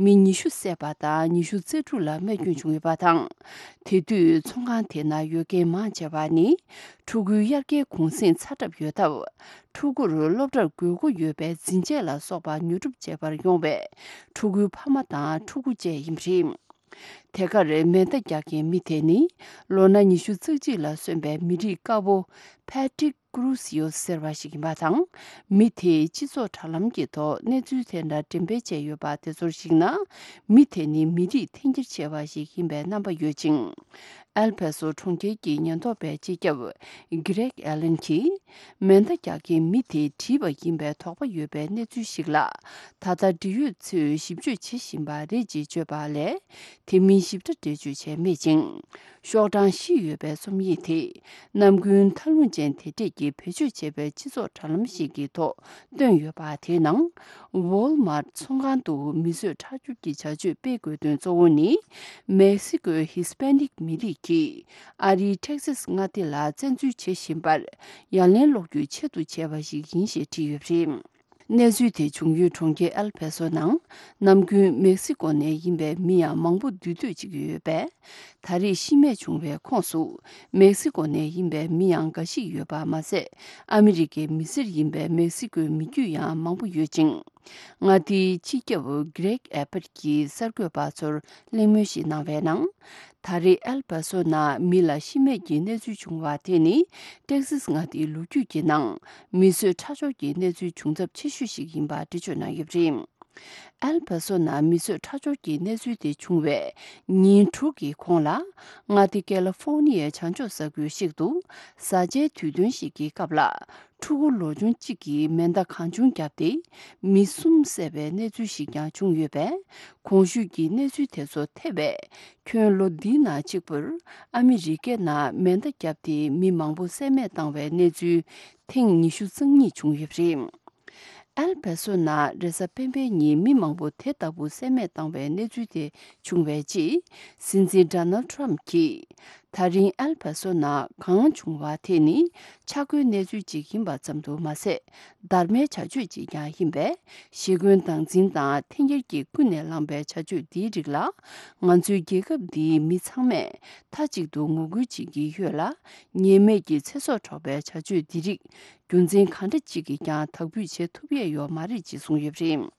མི་ཉི་ཤུ་བསད་པ་དང་ཉི་ཤུ་རྩ་དྲུག་ལ་རྨས་སྐྱོན་བྱུང་ཡོད་པ་དང་། དེ་དུས་ཚོང་ཁང་དེ་ན་ཡོད་མཁན་མང་ཆེ་བ་ནི། ཕྲུ་གུའི་དབྱར་ཁའི་གུང་གསེང་ཚར་གྲབས་ཡོད་སྟབས། ཕྲུ་གུར་སློབ་གྲྭར་དགོས་མཁོ་ཡོད་པའི་འཛིན་ཆས་ལ་སོགས་པ་ཉོ་སྒྲུབ་བྱེད་པར་ཡོང་བའི་ཕྲུ་གུའི་ཕ་མ་དང་ཕྲུ་གུ་བཅས་ཡིན་པ་རེད། དེ་གར་མེ་མདའ་རྒྱག་མཁན་མི་དེ་ནི། ལོ་ན་ཉི་ཤུ་རྩ་གཅིག་ལ་སོན་པའི་མི་རིགས་དཀར་པོ་ཕེ་ཏྲིག་ཀུ་རུ་སིའོ་ཟེར་བ་ཞིག་ཡིན་པ་དང་། མི་དེས་སྤྱི་ཚོགས་དྲ་ལམ་གྱི་ཐོག་གནས་ཚུལ་དེ་འདྲ་འགྲེམས་སྤེལ་བྱས་ཡོད་པ་དེ་ཚོར་གཞིགས་ན། མི་དེ་ནི་མི་རིགས་འཐེན་འཁྱེར་ཆེ་བ་ཞིག་ཡིན་པའི་རྣམ་པ་ཡོད་ཅིང་། ཨེལ་པ་སོ་གྲོང་ཁྱེར་གྱི་ཉེན་རྟོག་པའི་སྤྱི་ཁྱབ་གྷི་རེག་ཨེ་ལན་གྱིས། མེ་མདའ་རྒྱག་མཁན་མི་དེས་བྲིས་པ་ཡིན་པའི་དོགས་པ་ཡོད་པའི་གནས་ཚུལ་ཞིག་ལ། ད་ལྟ་འབྲེལ་ཡོད་ཚོས་ཞིབ་དཔྱོད་བྱེད་བཞིན་པ་རེད་ཅེས་བརྗོད་པ་ལས། དེ་མིན་ཞིབ་ཕྲ་འགྲེལ་བརྗོད་བྱས་མེད་ཅིང་། ཤོག་གྲངས་བཞི་ཡོད་པའི་རྩོམ་ཡིག་དེ། ནམ་རྒྱུན་མཐའ་ལྷུང་ཅན་དེ་འདྲས་ཀྱིས་བེད་སྤྱོད་བྱས་པའི་སྤྱི་ཚོགས་དྲ་ལམ་ཞིག་གི་ཐོག་བཏོན་ཡོད་པ་དེའི་ནང་། ཝོལ་མར་ཚོང་ཁང་དུ་མི་གསོད་ཁྲག་སྦྱོར་གྱི་བྱ་སྤྱོད་སྤེལ་དགོས་དོན་གཙོ་བོ་ནི། མེག་སི་ཀོའི་ཧི་སི་པེ་ནིག་མི་རིགས་ཀྱིས་ཨ་རིའི་ཊེག་སཱས་མངའ་སྡེ་ལ་བཙན་འཛུལ་བྱེད་བཞིན་པར་ཡ་ལན་སློག་རྒྱུའི་ཆེད་དུ་བྱས་པ་ཞིག་ཡིན་ཞེས་བྲིས་ཡོད་པ་རེད། གནས་ཚུལ་དེ་བྱུང་ཡུལ་གྲོང་ཁྱེར་ཨེལ་པ་སོ་ནང་ནམ་རྒྱུན་མེག་སི་ཀོ་ནས་ཡིན་པའི་མི་ཡང་མང་པོ་འདུས་སྡོད་བྱེད་ཀྱི་ཡོད་པས། ད་རེས་ཤི་རྨས་བྱུང་བའི་ཁོངས་སུ་མེག་སི་ཀོ་ནས་ཡིན་པའི་མི་ཡང་འགའ་ཞིག་ཡོད་པ་མ་ཟད། ཨ་མི་རི་ཀའི་མི་སེར་ཡིན་པའི་མེག་སི་ཀོའི་མི་རྒྱུད་ཡང་མང་པོ་ཡོད་ཅིང་། མངའ་སྡེའི་སྤྱི་ཁྱབ་གྷི་རེག་ཨེ་པར་གྱིས་གསར་འགོད་པ་ཚོར་གླེང་མོལ་ཞིག་གནང་བའི་ནང་། ད་རེས་ཨེལ་པ་སོ་ནང་མི་ལ་ཤི་རྨས་ཀྱི་གནས་ཚུལ་བྱུང་བ་དེ་ནི། ཏེག་སིས་མངའ་སྡེའི་ལོ་རྒྱུས་ཀྱི་ནང་མི་གསོད་ཁྲག་སྦྱོར་གྱི་གནས་ཚུལ་བྱུང་ཚབས་ཆེ་ཤོས་ཤིག་ཡིན་པ་འགྲེལ་བརྗོད་གནང་ཡོད་པ་རེད། ཨེལ་པ་སོ་ནང་མི་གསོད་ཁྲག་སྦྱོར་གྱི་གནས་ཚུལ་དེ་བྱུང་བའི་ཉིན་དྲུག་གི་གོང་ལ། མངའ་སྡེ་ཀེ་ལི་ཧྥོ་ནི་ཡའི་བྱང་ཕྱོགས་ས་ཁུལ་ཞིག་ཏུ་བཟའ་བཅའི་དུས་སྟོན་ཞིག་གི་སྐབས་ལ། ཕྲུ་གུ་ལོ་ཆུང་གཅིག་གིས་མེ་མདའ་གང་བྱུང་བརྒྱབ་སྟེ། མི་གསུམ་བསད་པའི་གནས་ཚུལ་ཞིག་ཀྱང་བྱུང་ཡོད་པས། གོང་ཞུས་ཀྱི་གནས་ཚུལ་དེ་ཚོ་ཐེ་བས། ཁྱོན་ལོ་འདིའི་ནང་གཅིག་པུར་ཨ་མི་རི་ཀའི་ནང་མེ་མདའ་བརྒྱབ་སྟེ་མི་མང་པོ་བསད་རྨས་བཏང་བའི་གནས་ཚུལ་ཐེངས་ཉི་ཤུ་རྩ་གཉིས་བྱུང་ཡོད་པ་རེད། ཨེལ་པ་སོ་ནང་རེས་གཟའ་སྤེན་པའི་ཉིན་མི་མང་པོ་དེ་ལྟ་བུ་བསད་རྨས་བཏང་བའི་གནས་ཚུལ་དེ་བྱུང་བའི་རྗེས། སྲིད་འཛིན་ཌོ་ནལ་ཌི་ཊརམ་གྱིས། ད་རིང་ཨེལ་པ་སོ་ནང་གང་བྱུང་བ་དེ་ནི་ཆག་སྒོའི་གནས་ཚུལ་ཅིག་ཡིན་པ་ཙམ་དུ་མ་ཟད། བརྡར་མའི་བྱ་སྤྱོད་ཅིག་ཀྱང་ཡིན་པས། ཞི་རྒོལ་སྟངས་འཛིན་དང་འཐེན་འཁྱེར་གྱིས་ཀུན་ནས་བསླངས་པའི་བྱ་སྤྱོད་འདིའི་རིགས་ལ། ང་ཚོའི་རྒྱལ་ཁབ་འདིའི་མི་ཚང་མས་མཐའ་གཅིག་ཏུ་ངོ་རྒོལ་བྱེད་ཀྱི་ཡོད་ལ། ཉེས་མེད་ཀྱི་ཚེ་སྲོག་འཕྲོག་པའི་བྱ་སྤྱོད་འདི་རིགས་རྒྱུ་མཚན་གང་འདྲ་ཅིག་གིས་ཀྱང་དག་འབུད་བྱེད་ཐུབ་ཡས་ཡོད་མ་རེད་ཅེས་གསུངས་ཡོད་པ་རེད།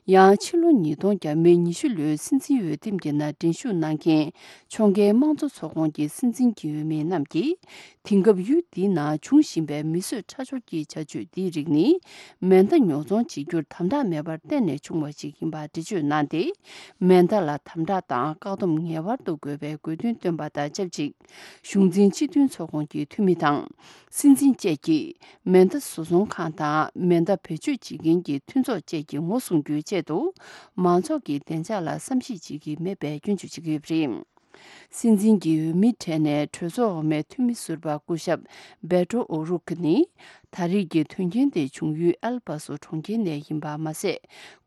ཡང་ཕྱི་ལོ་ཉིས་སྟོང་བརྒྱ་མེད་ཉི་ཤུ་ལོའི་སྲིད་འཛིན་འོས་འདེམས་ཀྱི་ནང་འགྲན་ཞུགས་གནང་མཁན་ཕྱོགས་འགལ་དམངས་གཙོ་ཚོགས་ཁོངས་ཀྱི་སྲིད་འཛིན་གྱི་འོས་མི་རྣམས་ཀྱིས། དེང་སྐབས་ཡུལ་འདིའི་ནང་འབྱུང་བཞིན་པའི་མི་གསོད་ཁྲག་སྦྱོར་གྱི་བྱ་སྤྱོད་འདིའི་རིགས་ནི། མེ་མདའ་ཉོ་ཚོང་བྱེད་རྒྱུར་དམ་དྲག་མེད་པར་བརྟེན་ནས་བྱུང་བ་ཞིག་ཡིན་པ་འགྲེལ་བརྗོད་གནང་སྟེ། མེ་མདའ་ལ་དམ་དྲག་དང་བཀག་སྡོམ་ངེས་པར་དུ་དགོས་པའི་དགོས་འདུན་བཏོན་པ་དང་ཆབས་ཅིག་གཞུང་འཛིན་སྤྱི་མཐུན་ཚོགས་ཁོངས་ཀྱི་འཐུས་མི་དང་། སྲིད་འཛིན་བཅས་ཀྱིས་མེ་མདའ་བཟོ་ཚོང་ཁང་དང་མེ་མདའ་བེད་སྤྱོད་བྱེད་མཁན་གྱི་མཐུན་ཚོགས་བཅས་ཀྱིས་ངོ་སྲུང་རྒྱུའི་ཆེད་དུ། མང་ཚོགས་ཀྱི་བདེ་འཇགས་ལ་བསམ་ཤེས་བྱེད་ཀྱི་མེད་པའི་སྐྱོན་བརྗོད་བྱེད་ཀྱི་ཡོད་པ་རེད། སྲིད་འཛིན་གྱི་འོས་མིའི་གྲས་ནས་གྲོས་ཚོགས་འོག་མའི་འཐུས་མི་ཟུར་པ་སྐུ་ཞབས་བེ་ཏྲོ་ཨོ་རུག་ནི། ད་རེས་ཀྱི་དོན་རྐྱེན་དེ་བྱུང་ཡུལ་ཨེལ་པ་སོ་གྲོང་ཁྱེར་ནས་ཡིན་པ་མ་ཟད།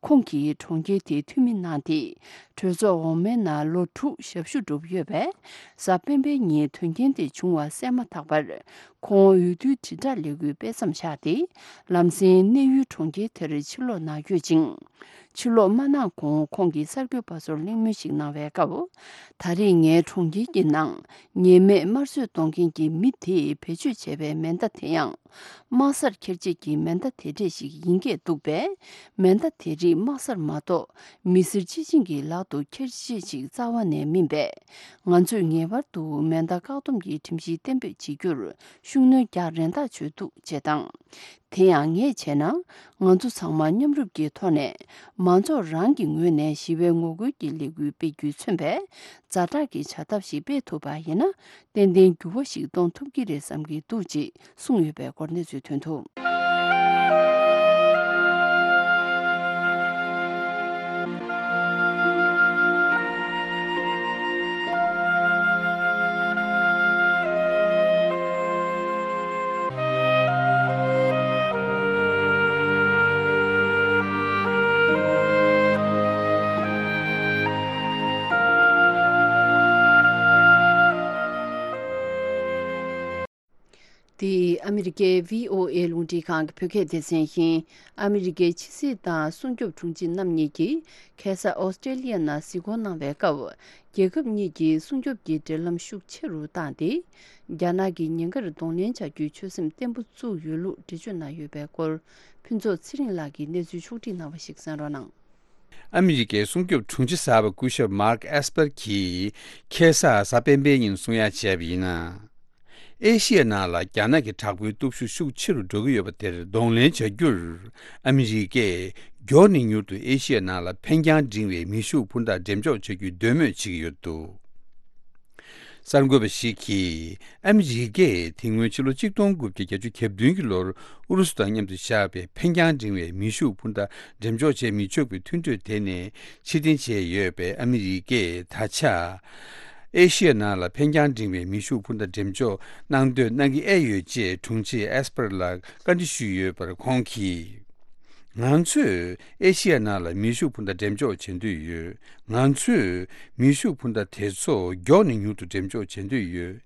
ཁོང་གིས་གྲོང་ཁྱེར་དེའི་འཐུས་མི་གནང་སྟེ། གྲོས་ཚོགས་འོག་མའི་ནང་ལོ་དྲུག་ཞབས་ཞུ་བསྒྲུབས་ཡོད་པས། གཟའ་སྤེན་པའི་ཉིན་དོན་རྐྱེན་དེ་བྱུང་བ་གསལ་མ་ཐག་པར། ཁོང་འོས་བསྡུའི་དྲིལ་བསྒྲགས་ལས་འགུལ་སྤེལ་མཚམས་བཞག་སྟེ། ལམ་སེང་གནས་ཡུལ་གྲོང་ཁྱེར་དེར་ཕྱིར་ལོག་གནང་ཡོད་ཅིང་། ཕྱིར་ལོག་མ་གནང་གོང་ཁོང་གིས་གསར་འགོད་པ་ཚོར་གླེང་མོལ་ཞིག་གནང་བའི་སྐབས། ད་རེས་ངའི་གྲོང་ཁྱེར་གྱི་ནང་ཉེས་མེད་དམར་གསོད་གཏོང་མཁན་གྱི་མི་དེས་བེད་སྤྱོད་བྱས་པའི་མེ་མདའ་དེ་ཡང་། དམག་སར་འཁྱེར་བྱེད་ཀྱི་མེ་མདའ་དེ་འདྲས་ཤིག་ཡིན་སྐད་འདུག་པས། མེ་མདའ་དེ་རིགས་དམག་སར་མ་གཏོགས་མི་སེར་སྤྱི་བྱིངས་ཀྱི་ལག་ཏུ་འཁྱེར་བྱེད་ཅིག་རྩ་བ་ནས་མིན་པས། ང་ཚོས་ངེས་པར་དུ་མེ་མདའ་བཀག་སྡོམ་གྱི་ཁྲིམས་གཞི་གཏན་འབེབས་བྱེད་རྒྱུར་ཤུགས་སྣོན་རྒྱག་རན་ཐག་ཆོད་འདུག་ཅེས་དང་། དེ་ཡང་ངས་བྱས་ན། ང་ཚོ་ཚང་མ་མཉམ་རུབ་ཀྱི་ཐོག་ནས་མང་ཚོགས་རང་གི་ངོས་ནས་ཞི་བའི་ངོ་རྒོལ་གྱི་ལས་འགུལ་སྤེལ་རྒྱུས་མཚོན་པས། ཛ་དྲག་གི་བྱ་ཐབས་ཤིག་སྤེལ་ཐུབ་པ་ཡིན་ན། ཏན་ཏན་འགྱུར་བ་ཞིག་གཏོང་ཐུབ་ཀྱི་རེད་བསམ་གྱི་འདུག་ཅེས་གསུངས་ཡོད་པའི་སྐོར་གནས་ཚུལ་ཐོན་འདུག། འདི་ཨ་མི་རི་ཀའི་བྷི་ཨོ་ཨེ་རླུང་འཕྲིན་ཁང་གི་བོད་སྐད་སྡེ་ཚན་ཡིན། ཨ་མི་རི་ཀའི་ཕྱི་སྲིད་དང་སྲུང་སྐྱོབ་དྲུང་ཆེ་རྣམ་གཉིས་ཀྱིས་ཁ་སང་ཨོ་སི་ཀྲེ་ལི་ཡ་ནང་གཟིགས་སྐོར་གནང་བའི་སྐབས། རྒྱལ་ཁབ་གཉིས་ཀྱིས་སྲུང་སྐྱོབ་ཀྱི་འབྲེལ་ལམ་ཤུགས་ཆེ་རུ་བཏང་སྟེ། རྒྱ་ནག་གིས་ཉེན་ཁར་གདོང་ལེན་བྱ་རྒྱུའི་ཆོད་སེམས་བརྟན་པོ་བཙུགས་ཡོད་ལུགས་འགྲེལ་བརྗོད་གནང་ཡོད་པའི་སྐོར། ཕུན་ཚོགས་ཚེ་རིང་ལགས་ཀྱིས་གནས་ཚུལ་ཕྱོགས་བསྒྲིགས་གནང་བ་ཞིག་གསན་རོགས་གནང་། ཨ་མི་རི་ཀའི་སྲུང་སྐྱོབ་དྲུང་ཆེ་གསར་པ་སྐུ་ཞབས་མཱརྐ་ཨེས་པར་གྱིས་ཁ་སང་གཟའ་སྤེན་པའི་ཉིན་གསུང་ཡ་བྱས་པ་ཡིན་ན། ཨེ་ཤི་ཡ་ནང་ལ་རྒྱ་ནག་གི་དྲག་པོའི་སྟོབས་ཤུགས་ཤུགས་ཆེ་རུ་འགྲོ་གི་ཡོད་པ་དེར་གདོང་ལེན་བྱ་རྒྱུར། ཨ་མི་རི་ཀས་མགྱོགས་ནས་མྱུར་དུ་ཨེ་ཤི་ཡ་ནང་ལ་འཕེན་རྒྱང་འབྲིང་བའི་མེ་ཤུགས་འཕུར་མདའ་འགྲེམས་འཇོག་བྱ་རྒྱུའི་འདོད་མོས་བྱེད་ཀྱི་ཡོད་འདུག། གསར་འགོད་པ་ཞིག་གིས། ཨ་མི་རི་ཀས་དེ་སྔོན་ཕྱི་ལོ་ཆིག་སྟོང་དགུ་བརྒྱ་བརྒྱད་ཅུ་གྱ་བདུན་གྱི་ལོར་ཨུ་རུ་སུ་དང་མཉམ་དུ་བཞག་པའི་འཕེན་རྒྱང་འབྲིང་བའི་མེ་ཤུགས་འཕུར་མདའ་འགྲེམས་འཇོག་བྱེད་མི་ཆོག་པའི་མཐུན་གྲོས་དེ་ནས་ཕྱིར་འཐེན་བྱས་ཡོད་པས། ཨ་མི་རི་ཀས་ད་ཆ་ཨེ་ཤི་ཡ་ནང་ལ་འཕེན་རྒྱང་འབྲིང་བའི་མེ་ཤུགས་འཕུར་མདའ་འགྲེམས་འཇོག་གནང་འདོད་གནང་གི་ཨེ་ཡོད་ཅེས་དྲུང་ཆེ་ཨེས་པར་ལ་བཀའ་འདྲི་ཞུས་ཡོད་པར། ཁོང་གིས། ང་ཚོས་ཨེ་ཤི་ཡ་ནང་ལ་མེ་ཤུགས་འཕུར་མདའ་འགྲེམས་འཇོག་བྱེད་འདོད་ཡོད། ང་ཚོས་མེ་ཤུགས་འཕུར་མདའ་དེ་ཚོ་མགྱོགས་ནས་མྱུར་དུ་འགྲེམས་འཇོག་བྱེད་འདོད་ཡོད།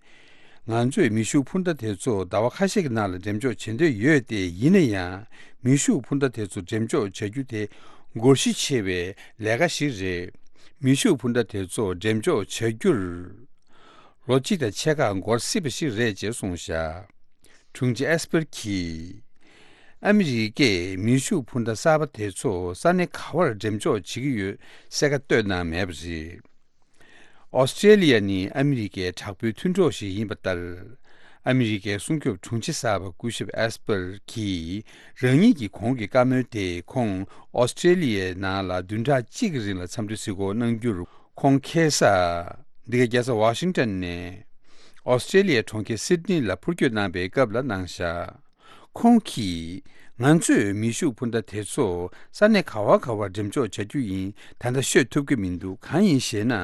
ང་ཚོས་མེ་ཤུགས་འཕུར་མདའ་དེ་ཚོ་ཟླ་བ་ཁ་ཤས་ཀྱི་ནང་ལ་འགྲེམས་འཇོག་བྱེད་འདོད་ཡོད་དེ། ཡིན་ན་ཡང་། མེ་ཤུགས་འཕུར་མདའ་དེ་ཚོ་འགྲེམས་འཇོག་བྱ་རྒྱུ་དེ་འགོར་གཞི་ཆེ་བའི་ལས་ཀ་ཞིག་རེད། མེ་ཤུགས་འཕུར་མདའ་དེ་ཚོ་འགྲེམས་འཇོག་བྱ་རྒྱུར། ལོ་གཅིག་དང་ཕྱེད་ཀ་འགོར་སྲིད་པ་ཞིག་རེད་ཅེས་གསུངས་བཞག། དྲུང་ཆེ་ཨེས་པར་གྱིས། ཨ་མི་རི་ཀས་མེ་ཤུགས་འཕུར་མདའ་གསར་པ་དེ་ཚོ་ས་གནས་ག་བར་འགྲེམས་འཇོག་བྱེད་ཀྱི་ཡོད་གསལ་ཁ་བཏོན་གནང་མེད་པ་རེད། ཨོ་སི་ཀྲེ་ལི་ཡ་ནི་ཨ་མི་རི་ཀའི་དྲག་པོའི་མཐུན་གྲོགས་ཤིག་ཡིན་པ་ལྟར། ཨ་མི་རི་ཀའི་སྲུང་སྐྱོབ་དྲུང་ཆེ་གསར་པ་སྐུ་ཞབས་ཨེས་པར་གྱིས། རང་ཉིད་ཀྱི་གོང་གི་བཀའ་མོལ་དེ་ཁོང་ཨོ་སི་ཀྲེ་ལི་ཡའི་ནང་ལ་བདུན་ཕྲག་གཅིག་གི་རིང་ལ་འཚམས་འདྲི་གཟིགས་སྐོར་གནང་རྒྱུར། ཁོང་ཁ་སང་འདི་ག་རྒྱལ་ས་ཝ་ཤིང་ཏོན་ནས་ཨོ་སི་ཀྲེ་ལི་ཡའི་གྲོང་ཁྱེར་སིད་ནི་ལ་འཕུར་སྐྱོད་གནང་པའི་སྐབས་ལ་གནང་བཞག། ཁོང་གིས། ང་ཚོས་མེ་ཤུགས་འཕུར་མདའ་དེ་ཚོ་ས་གནས་ག་བ་ག་བར་འགྲེམས་འཇོག་བྱ་རྒྱུ་ཡིན། ད་ལྟ་ཤོད་ཐུབ་ཀྱི་མི་འདུག། གང་ཡིན་ཞེ་ན།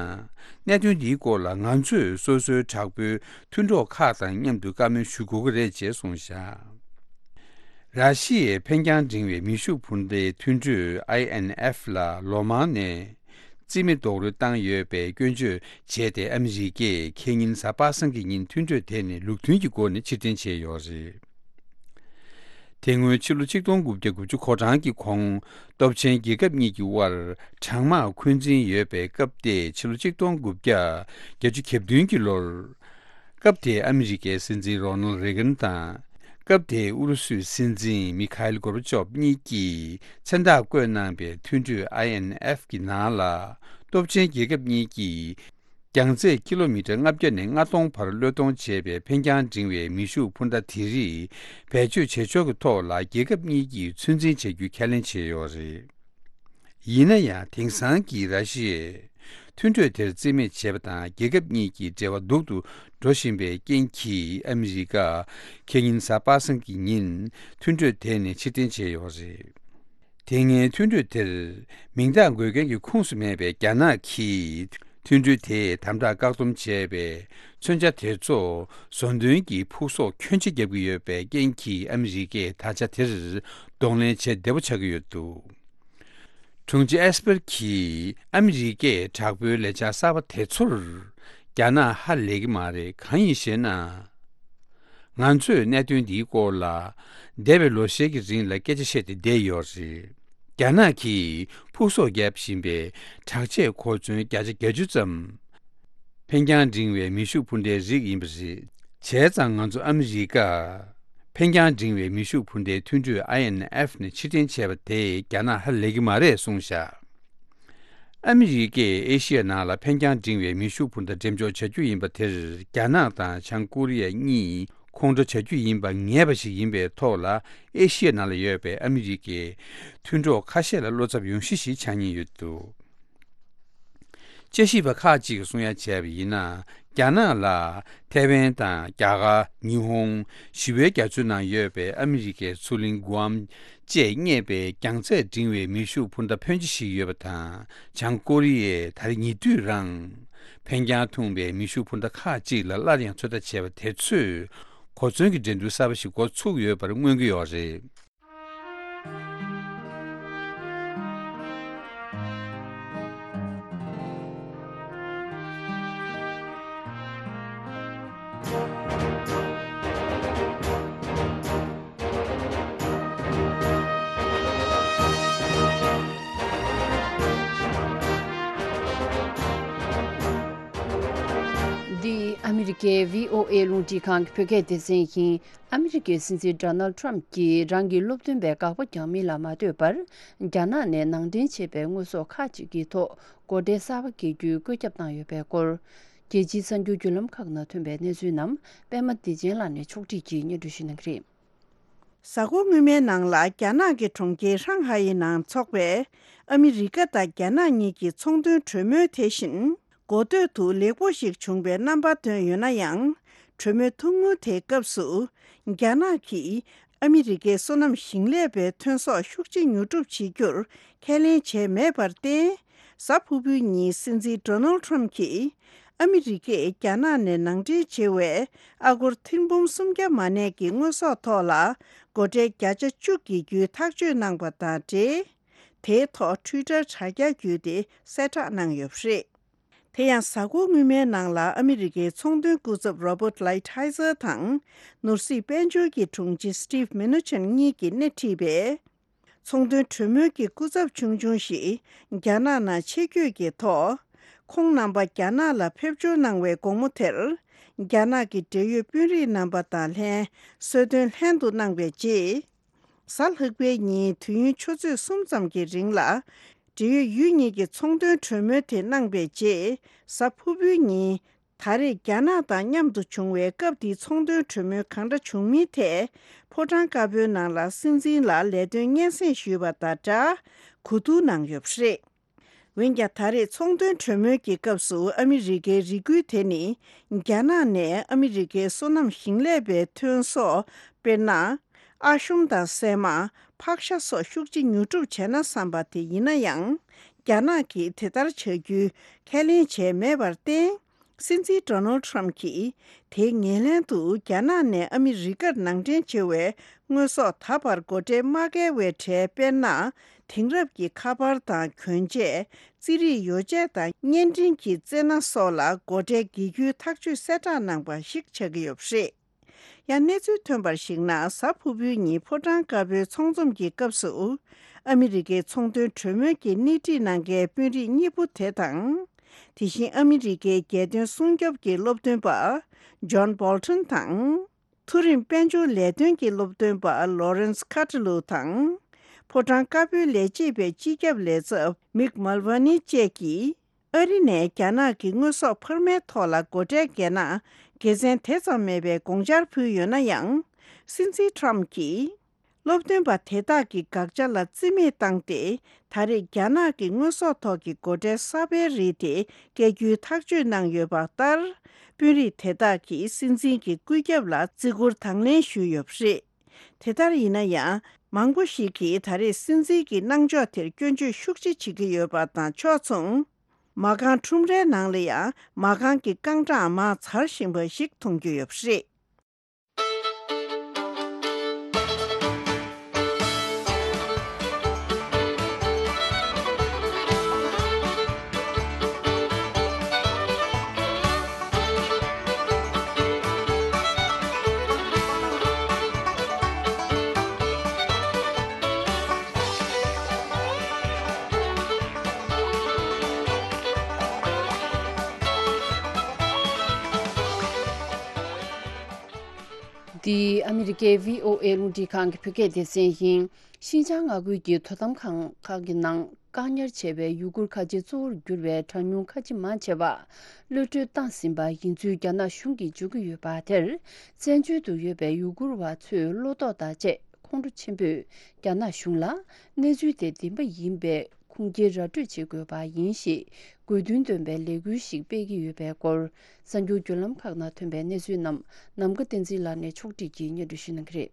གནད་དོན་འདིའི་སྐོར་ལ་ང་ཚོས་སོ་སོའི་དྲག་པོའི་མཐུན་གྲོགས་ཁག་དང་མཉམ་དུ་བཀའ་མོལ་ཞུ་དགོས་ཀྱི་རེད་ཅེས་གསུངས་བཞག། ར་ཤི་ཡའི་འཕེན་རྒྱང་འབྲིང་བའི་མེ་ཤུགས་འཕུར་མདའི་མཐུན་གྲོས་ཨའི་ཨེན་ཨེཕ་ལ་ལོ་མང་ནས་རྩིས་མེད་རྡོག་རོལ་བཏང་ཡོད་པའི་སྐྱོན་བརྗོད་བྱས་ཏེ། ཨ་མི་རི་ཀས་ཁེ་ཉིན་གཟའ་པ་སངས་ཀྱི་ཉིན་མཐུན་གྲོས་དེ་ནས་ལུགས་མཐུན་གྱི་སྒོ་ནས་ཕྱིར་འཐེན་བྱས་ཡོད་རེད། དེ་སྔོན་ཕྱི་ལོ་ཆིག་སྟོང་དགུ་བརྒྱ་དགུ་བཅུ་གོ་གྲངས་ཀྱི་གོང་སྟོབས་ཆེན་རྒྱལ་ཁབ་གཉིས་ཀྱི་དབར་གྲང་དམག་འཁོན་འཛིན་ཡོད་པའི་སྐབས་དེ། ཕྱི་ལོ་ཆིག་སྟོང་དགུ་བརྒྱ་བརྒྱད་ཅུ་གྱ་བདུན་གྱི་ལོར། སྐབས་དེའི་ཨ་མི་རི་ཀའི་སྲིད་འཛིན་རོ་ནལ་རེ་གན་དང་། སྐབས་དེའི་ཨུ་རུ་སུའི་སྲིད་འཛིན་མི་ཁ་ཨེལ་གོར་བ་ཅོབ་གཉིས་ཀྱིས་མཚན་རྟགས་བཀོད་གནང་པའི་མཐུན་གྲོས་ཨའི་ཨེན་ཨེཕ་གི་ནང་ལ། སྟོབས་ཆེན་རྒྱལ་ཁབ་གཉིས་ཀྱིས་རྒྱང་ཚད་ཀི་ལོ་མི་ཊར་ལྔ་བརྒྱ་ནས་ལྔ་སྟོང་བར་བློས་གཏོང་བྱེད་པའི་འཕེན་རྒྱང་འབྲིང་བའི་མེ་ཤུགས་འཕུར་མདའ་དེ་རིགས་བེད་སྤྱོད་བྱེད་ཕྱོགས་ཀྱི་ཐོག་ལ་རྒྱལ་ཁབ་གཉིས་ཀྱིས་ཚོད་འཛིན་བྱ་རྒྱུ་ཁས་ལེན་བྱས་ཡོད་རེད། ཡིན་ན་ཡང་། དེང་སང་གི་ར་ཤི་ཡས་མཐུན་གྲོས་དེར་རྩིས་མེད་བྱས་པ་དང་། རྒྱལ་ཁབ་གཉིས་ཀྱི་འབྲེལ་བ་སྡུག་ཏུ་འགྲོ་བཞིན་པའི་རྐྱེན་གྱིས། ཨ་མི་རི་ཀ་ཁེ་ཉིན་གཟའ་པ་སངས་ཀྱི་ཉིན་མཐུན་གྲོས་དེ་ནས་ཕྱིར་འཐེན་བྱས་ཡོད་རེད། དེ་སྔའི་མཐུན་གྲོས་དེར་མིང་རྟགས་འགོད་མཁན་གྱི་ཁོངས་སུ་མེད་པའི་རྒྱ་ནག་གིས། མཐུན་གྲོས་དེས་དམ་དྲག་བཀག་སྡོམ་བྱས་པའི་མཚོན་ཆ་དེ་ཚོ་བཟོ་འདོན་གྱི་ཕུགས་གསོག་ཁྱོན་ཆེ་བརྒྱབ་ཀྱི་ཡོད་པའི་རྐྱེན་གྱིས། ཨ་མི་རི་ཀས་ད་ཆ་དེར་གདོང་ལེན་བྱེད་བདེ་པོ་ཆགས་ཀྱི་ཡོད་འདུག་དྲུང་ཆེ་ཨེས་པར་གྱིས་ཨ་མི་རི་ཀས་དྲག་པོའི་ལས་འཆར་གསར་པ་དེ་ཚོར་རྒྱ་ནག་ཧ་ལས་ཀྱི་མ་རེད། གང་ཡིན་ཞེ་ན། ང་ཚོས་གནད་དོན་འདིའི་སྐོར་ལ་འདས་པའི་ལོ་ཤས་ཀྱི་རིང་ལ་སྐད་ཆ་བཤད་དེ་བསྡད་ཡོད་རེད། རྒྱ་ནག་གིས་ཕུགས་གསོག་བརྒྱབ་བཞིན་པའི་དྲག་ཆས་གོ་མཚོན་བརྒྱ་ཆ་བརྒྱད་ཅུ་ཙམ་འཕེན་རྒྱང་འབྲིང་བའི་མེ་ཤུགས་འཕུར་མདའི་རིགས་ཡིན་པ་རེད། བྱས་ཙང་ང་ཚོ་ཨ་མི་རི་ཀ་འཕེན་རྒྱང་འབྲིང་བའི་མེ་ཤུགས་འཕུར་མདའི་མཐུན་གྲོས་ཨའི་ཨེན་ཨེཕ་ནས་ཕྱིར་འཐེན་བྱས་པ་དེས་རྒྱ་ནག་ཧ་ལས་ཀྱི་མ་རེད་གསུངས་བཞག་ཨ་མི་རི་ཀས་ཨེ་ཤི་ཡ་ནང་ལ་འཕེན་རྒྱང་འབྲིང་བའི་མེ་ཤུགས་འཕུར་མདའ་འགྲེམས་འཇོག་བྱ་རྒྱུ་ཡིན་པ་དེར། རྒྱ་ནག་དང་བྱང་ཀོ་རི་ཡ་གཉིས་ཁོང་ཁྲོ་བྱ་རྒྱུ་ཡིན་པ་ངེས་པ་ཞིག་ཡིན་པའི་ཐོག་ལ། ཨེ་ཤི་ཡ་ནང་ལ་ཡོད་པའི་ཨ་མི་རི་ཀའི་མཐུན་གྲོགས་ཁ་ཤས་ལ་བློ་འཚབ་ཡོང་གཞི་ཞིག་ཆགས་ཉེན་ཡོད་འདུག་དཔྱད་ཞིབ་པ་ཁག་ཅིག་གིས་གསུང་ཡ་བྱས་པ་ཡིན་ན། རྒྱ་ནག་ལ་ཐའེ་ཝན་དང་རྒྱ་གར། ཉི་ཧོང་། ཞི་བའི་རྒྱ་མཚོའི་ནང་ཡོད་པའི་ཨ་མི་རི་ཀའི་མཚོ་གླིང་གུ་ཨམ་བཅས་བརྙེས་པའི་རྒྱང་ཚད་འབྲིང་བའི་མེ་ཤུགས་འཕུར་མདའ་ཕོན་ཆེ་ཞིག་ཡོད་པ་དང་། བྱང་ཀོ་རི་ཡས་ད་རེས་ཉེ་དུས་རང་འཕེན་རྒྱང་ཐུང་བའི་མེ་ཤུགས་འཕུར་མདའ་ཁག་ཅིག་ལ་སླར་ཡང་ཚོད་ལྟ་བྱས་པ་དེ་ཚོས་གོ་མཚོན་གྱི་འགྲན་བསྡུར་གསར་པ་ཞིག་འགོ་ཚུགས་ཡོད་པར་མངོན་གྱི་ཡོད་རེད། འདི་ཨ་མི་རི་ཀའི་བྷི་ཨོ་ཨེ་རླུང་འཕྲིན་ཁང་གི་བོད་སྐད་སྡེ་ཚན་ཡིན། ཨ་མི་རི་ཀའི་སྲིད་འཛིན་ཌོ་ནལ་ཊམ་གྱིས་རང་གི་སློབ་སྟོན་པའི་དགག་པ་རྒྱག་མིན་ལ་མ་ལྟོས་པར། རྒྱ་ནག་ནས་ནང་འདྲེན་བྱས་པའི་དངོས་ཟོག་ཁག་ཅིག་གི་ཐོག་སྒོ་ཁྲལ་གསར་པ་འགེལ་རྒྱུའི་བཀོད་ཁྱབ་བཏང་ཡོད་པའི་སྐོར། རྒྱལ་སྤྱིའི་གསར་འགྱུར་བརྒྱུད་ལམ་ཁག་ནང་ཐོན་པའི་གནས་ཚུལ་རྣམས་པད་མ་བདེ་ཆེན་ལགས་ནས་ཕྱོགས་སྒྲིག་གིས་སྙན་སྒྲོན་ཞུ་གནང་གི་རེད། གཟའ་འཁོར་སྔོན་མའི་ནང་ལ་རྒྱ་ནག་གི་གྲོང་ཁྱེར་ཧྲང་ཧའེ་ནང་འཚོགས་པའི་ཨ་མི་རི་ཀ་དང་རྒྱ་ནག་གཉིས་ཀྱི་ཚོང་དོན་གྲོས་མོལ་དེ་བཞིན། གོ་ཐོས་དུ་ལེགས་པོ་ཞིག་བྱུང་བའི་རྣམ་པ་ཐོན་ཡོད་ན་ཡང་། གྲོས་མོལ་ཐུང་ངུ་དེའི་སྐབས་སུ། རྒྱ་ནག་གིས་ཨ་མི་རི་ཀའི་སོ་ནམ་ཞིང་ལས་པའི་ཐོན་ཟོག་ཤུགས་ཆེ་ཉོ་སྒྲུབ་བྱེད་རྒྱུར་ཁས་ལེན་བྱས་མེད་པར་བརྟེན། གཟའ་ཕུར་བུའི་ཉིན་སྲིད་འཛིན་ཌོ་ནལ་ཊམ་གྱིས། ཨ་མི་རི་ཀས་རྒྱ་ནག་ནས་ནང་འདྲེན་བྱེད་པའི་ཨ་སྒོར་ཐེར་འབུམ་སུམ་བརྒྱ་མ་ནས་ཀྱི་དངོས་ཟོག་ཐོག་ལ་སྒོ་ཁྲལ་བརྒྱ་ཆ་བཅུ་འགེལ་རྒྱུའི་ཐག་གཅོད་གནང་པ་དང་འབྲེལ། དེའི་ཐོག་ཊུའི་ཊར་དྲ་རྒྱ་བརྒྱུད་དེ་གསལ་བསྒྲགས་གནང་ཡོད་པ་རེད། དེ་ཡང་གཟའ་འཁོར་སྔོན་མའི་ནང་ལ་ཨ་མི་རི་ཀའི་ཚོང་དོན་སྐུ་ཚབ་རོ་བྷར་ཊི་ལའི་ཐའི་ཛར་དང་། ནོར་སྲིད་དཔལ་འབྱོར་གྱི་དྲུང་ཆེ་སི་ཊིབ་མེ་ནུ་ཆན་གཉིས་ཀྱིས་སྣེ་ཁྲིད་པའི་ཚོང་དོན་གྲོས་མོལ་གྱི་སྐུ་ཚབ་ཆུང་ཆུང་ཞིག་རྒྱ་ནག་ནང་ཆེད་བསྐྱོད་ཀྱི་ཐོག་ཁོང་རྣམ་པ་རྒྱ་ནག་ལ་ཕེབས་འབྱོར་གནང་བའི་དགོང་མོ་དེར། རྒྱ་ནག་གི་འབྲེལ་ཡོད་དཔོན་རིགས་རྣམ་པ་དང་ལྷན་གསོལ་སྟོན་ལྷན་དུ་གནང་བའི་རྗེས། གཟའ་ལྷག་པའི་ཉིན་དུས་ཡུན་ཆུ་ཚོད་གསུམ་ཙམ་གྱི་རིང་ལ། འབྲེལ་ཡོད་ཡུལ་གཉིས་ཀྱི་ཚོང་དོན་གྲོས་མོལ་དེ་གནང་པའི་རྗེས། གཟའ་ཕུར་བུའི་ཉིན། ད་རེས་རྒྱ་ནག་དང་མཉམ་དུ་བྱུང་བའི་སྐབས་དེའི་ཚོང་དོན་གྲོས་མོལ་གང་འདྲ་བྱུང་མིན་ཐད། ཕོ་བྲང་དཀར་པོའི་ནང་ལ་སྲིད་འཛིན་ལ་ལས་དོན་སྙན་སེང་ཞུས་པ་དང་སྦྲགས། གོ་བསྡུར་གནང་ཡོད་པ་རེད། འོན་ཀྱང་ད་རེས་ཚོང་དོན་གྲོས་མོལ་གྱི་སྐབས་སུ་ཨ་མི་རི་ཀའི་རེ་སྐུལ་དེ་ནི། རྒྱ་ནག་ནས་ཨ་མི་རི་ཀའི་སོ་ནམ་ཞིང་ལས་པའི་ཐོན་ཟོག་དཔེར་ན། ཨ་ཤོམ་དང་སྲན་མ། ཕག་ཤ་སོགས་ཤུགས་ཆེ་ཉོ་སྒྲུབ་བྱས་ན་བསམ་པ་དེ་ཡིན་ན་ཡང་། རྒྱ་ནག་གིས་དེ་ལྟར་བྱ་རྒྱུའི་ཁས་ལེན་བྱས་མེད་པར་བརྟེན། སྲིད་འཛིན་ཌོ་ནལ་ཊམ་གྱིས་དེའི་ངོས་ལེན་དུ་རྒྱ་ནག་ནས་ཨ་མི་རི་ཀར་ནང་འདྲེན་བྱེད་པའི་དངོས་ཟོག་ད་བར་སྒོ་ཁྲལ་མ་བཀལ་བའི་གྲས། དཔེར་ན། དེང་རབས་ཀྱི་ཁ་པར་དང་གྱོན་ཆས། རྩིས་རིག་ཡོ་བྱད་དང་བརྙན་འཕྲིན་གྱི་རྩེ་སྣ་སོགས་ལ་སྒོ་ཁྲལ་འགེལ་རྒྱུའི་ཐག་གཅོད་གསལ་བསྒྲགས་གནང་པ་ཞིག་ཆགས་ཀྱི་ཡོད་པ་རེད། ཡང་གནས་ཚུལ་ཐོན་པར་གཞིགས་ན། གཟའ་ཕུར་བུའི་ཉིན་ཕོ་བྲང་དཀར་པོའི་ཚོགས་འཛོམས་ཀྱི་སྐབས་སུ། ཨ་མི་རི་ཀའི་ཚོང་དོན་གྲོས་མོལ་གྱི་སྣེ་ཁྲིད་གནང་མཁན་དཔོན་རིགས་གཉིས་པོ་དེ་དང་། དེ་བཞིན་ཨ་མི་རི་ཀའི་རྒྱལ་དོན་སྲུང་སྐྱོབ་ཀྱི་སློབ་སྟོན་པ་ཇོན་བོལ་ཊོན་དང་། མཐོ་རིམ་དཔལ་འབྱོར་ལས་དོན་གྱི་སློབ་སྟོན་པ་ལོ་རེན་སི་ཁ་ཏྲི་ལུ་དང་། ཕོ་བྲང་དཀར་པོའི་ལས་བྱེད་པའི་སྤྱི་ཁྱབ་ལས་ཚབ་མིག་མལ་ཝ་ནི་བཅས་ཀྱིས། ཨ་རི་ནས་རྒྱ་ནག་གི་དངོས་ཟོག་འཕར་མའི་ཐོག་ལ་སྒོ་ཁྲལ་འགེལ་ན། དགེ་མཚན་དེ་ཙམ་མེད་པའི་དགོངས་འཆར་ཕུལ་ཡོད་ན་ཡང་། སྲིད་འཛིན་ཊམ་གྱིས། སློབ་སྟོན་པ་དེ་དག་གི་དགག་བྱ་ལ་རྩིས་མེད་བཏང་སྟེ། ད་རེས་རྒྱ་ནག་གི་དངོས་ཟོག་ཐོག་གི་སྒོ་ཁྲལ་གསར་པའི་རིགས་དེ་བཀལ་རྒྱུའི་ཐག་གཅོད་གནང་ཡོད་པ་ལྟར། དཔོན་རིགས་དེ་དག་གིས་སྲིད་འཛིན་གྱི་བཀོད་ཁྱབ་ལ་བརྩི་བཀུར་དང་ལེན་ཞུས་ཡོད་པ་རེད། དེ་ལྟར་ཡིན་ན་ཡང་། མང་པོ་ཞིག་གིས་ད་རེས་སྲིད་འཛིན་གྱི་གནང་ཕྱོགས་དེར་སྐྱོན་བརྗོད་ཤུགས་ཆེ་བྱེད་ཀྱི་ཡོད་པ་དང་ཕྱོགས་མཚུངས། མ་རྐང་ཁྲོམ་རའི་ནང་ལ་ཡང་མ་རྐང་གི་རྐང་གྲངས་མར་འཛར་བཞིན་པ་ཞིག་མཐོང་རྒྱུ་ཡོད་པ་རེད། འདི་ཨ་མི་རི་ཀའི་བྷི་ཨོ་ཨེ་རླུང་འཕྲིན་ཁང་གི་བོད་སྐད་སྡེ་ཚན་ཡིན། ཤིན་ཅང་མངའ་ཁུལ་གྱི་དོ་དམ་ཁང་ཁག་གི་ནང་བཀག་ཉར་བྱས་པའི་ཡུ་གུར་ཁ་ཆེ་གཙོ་བོར་གྱུར་བའི་གྲངས་ཉུང་ཁ་ཆེ་མང་ཆེ་བ་གློད་གྲོལ་བཏང་ཟིན་པ་ཡིན་ཚུལ་རྒྱ་ནག་གཞུང་གིས་བརྗོད་ཀྱི་ཡོད་པ་དེར། བཙན་བྱོལ་དུ་ཡོད་པའི་ཡུ་གུར་བ་ཚོས་བློ་དོགས་དང་བཅས་ཁོང་ཁྲོ་ཆེན་པོས་རྒྱ་ནག་གཞུང་ལ་གནས་ཚུལ་དེ་བདེན་པ་ཡིན་པའི་ཁུངས་སྐྱེལ་ར་སྤྲོད་བྱེད་དགོས་པ་ཡིན་ཞེས་དགོས་འདུན་འདོན་པའི་ལས་འགུལ་ཞིག་སྤེལ་གྱི་ཡོད་པའི་སྐོར། གསར་འགྱུར་བརྒྱུད་ལམ་ཁག་ནང་ཐོན་པའི་གནས་ཚུལ་རྣམས་ནམ་མཁའ་བསྟན་འཛིན་ལགས་ནས་ཕྱོགས་སྒྲིག་གིས་སྙན་སྒྲོན་ཞུ་གནང་གི་རེད།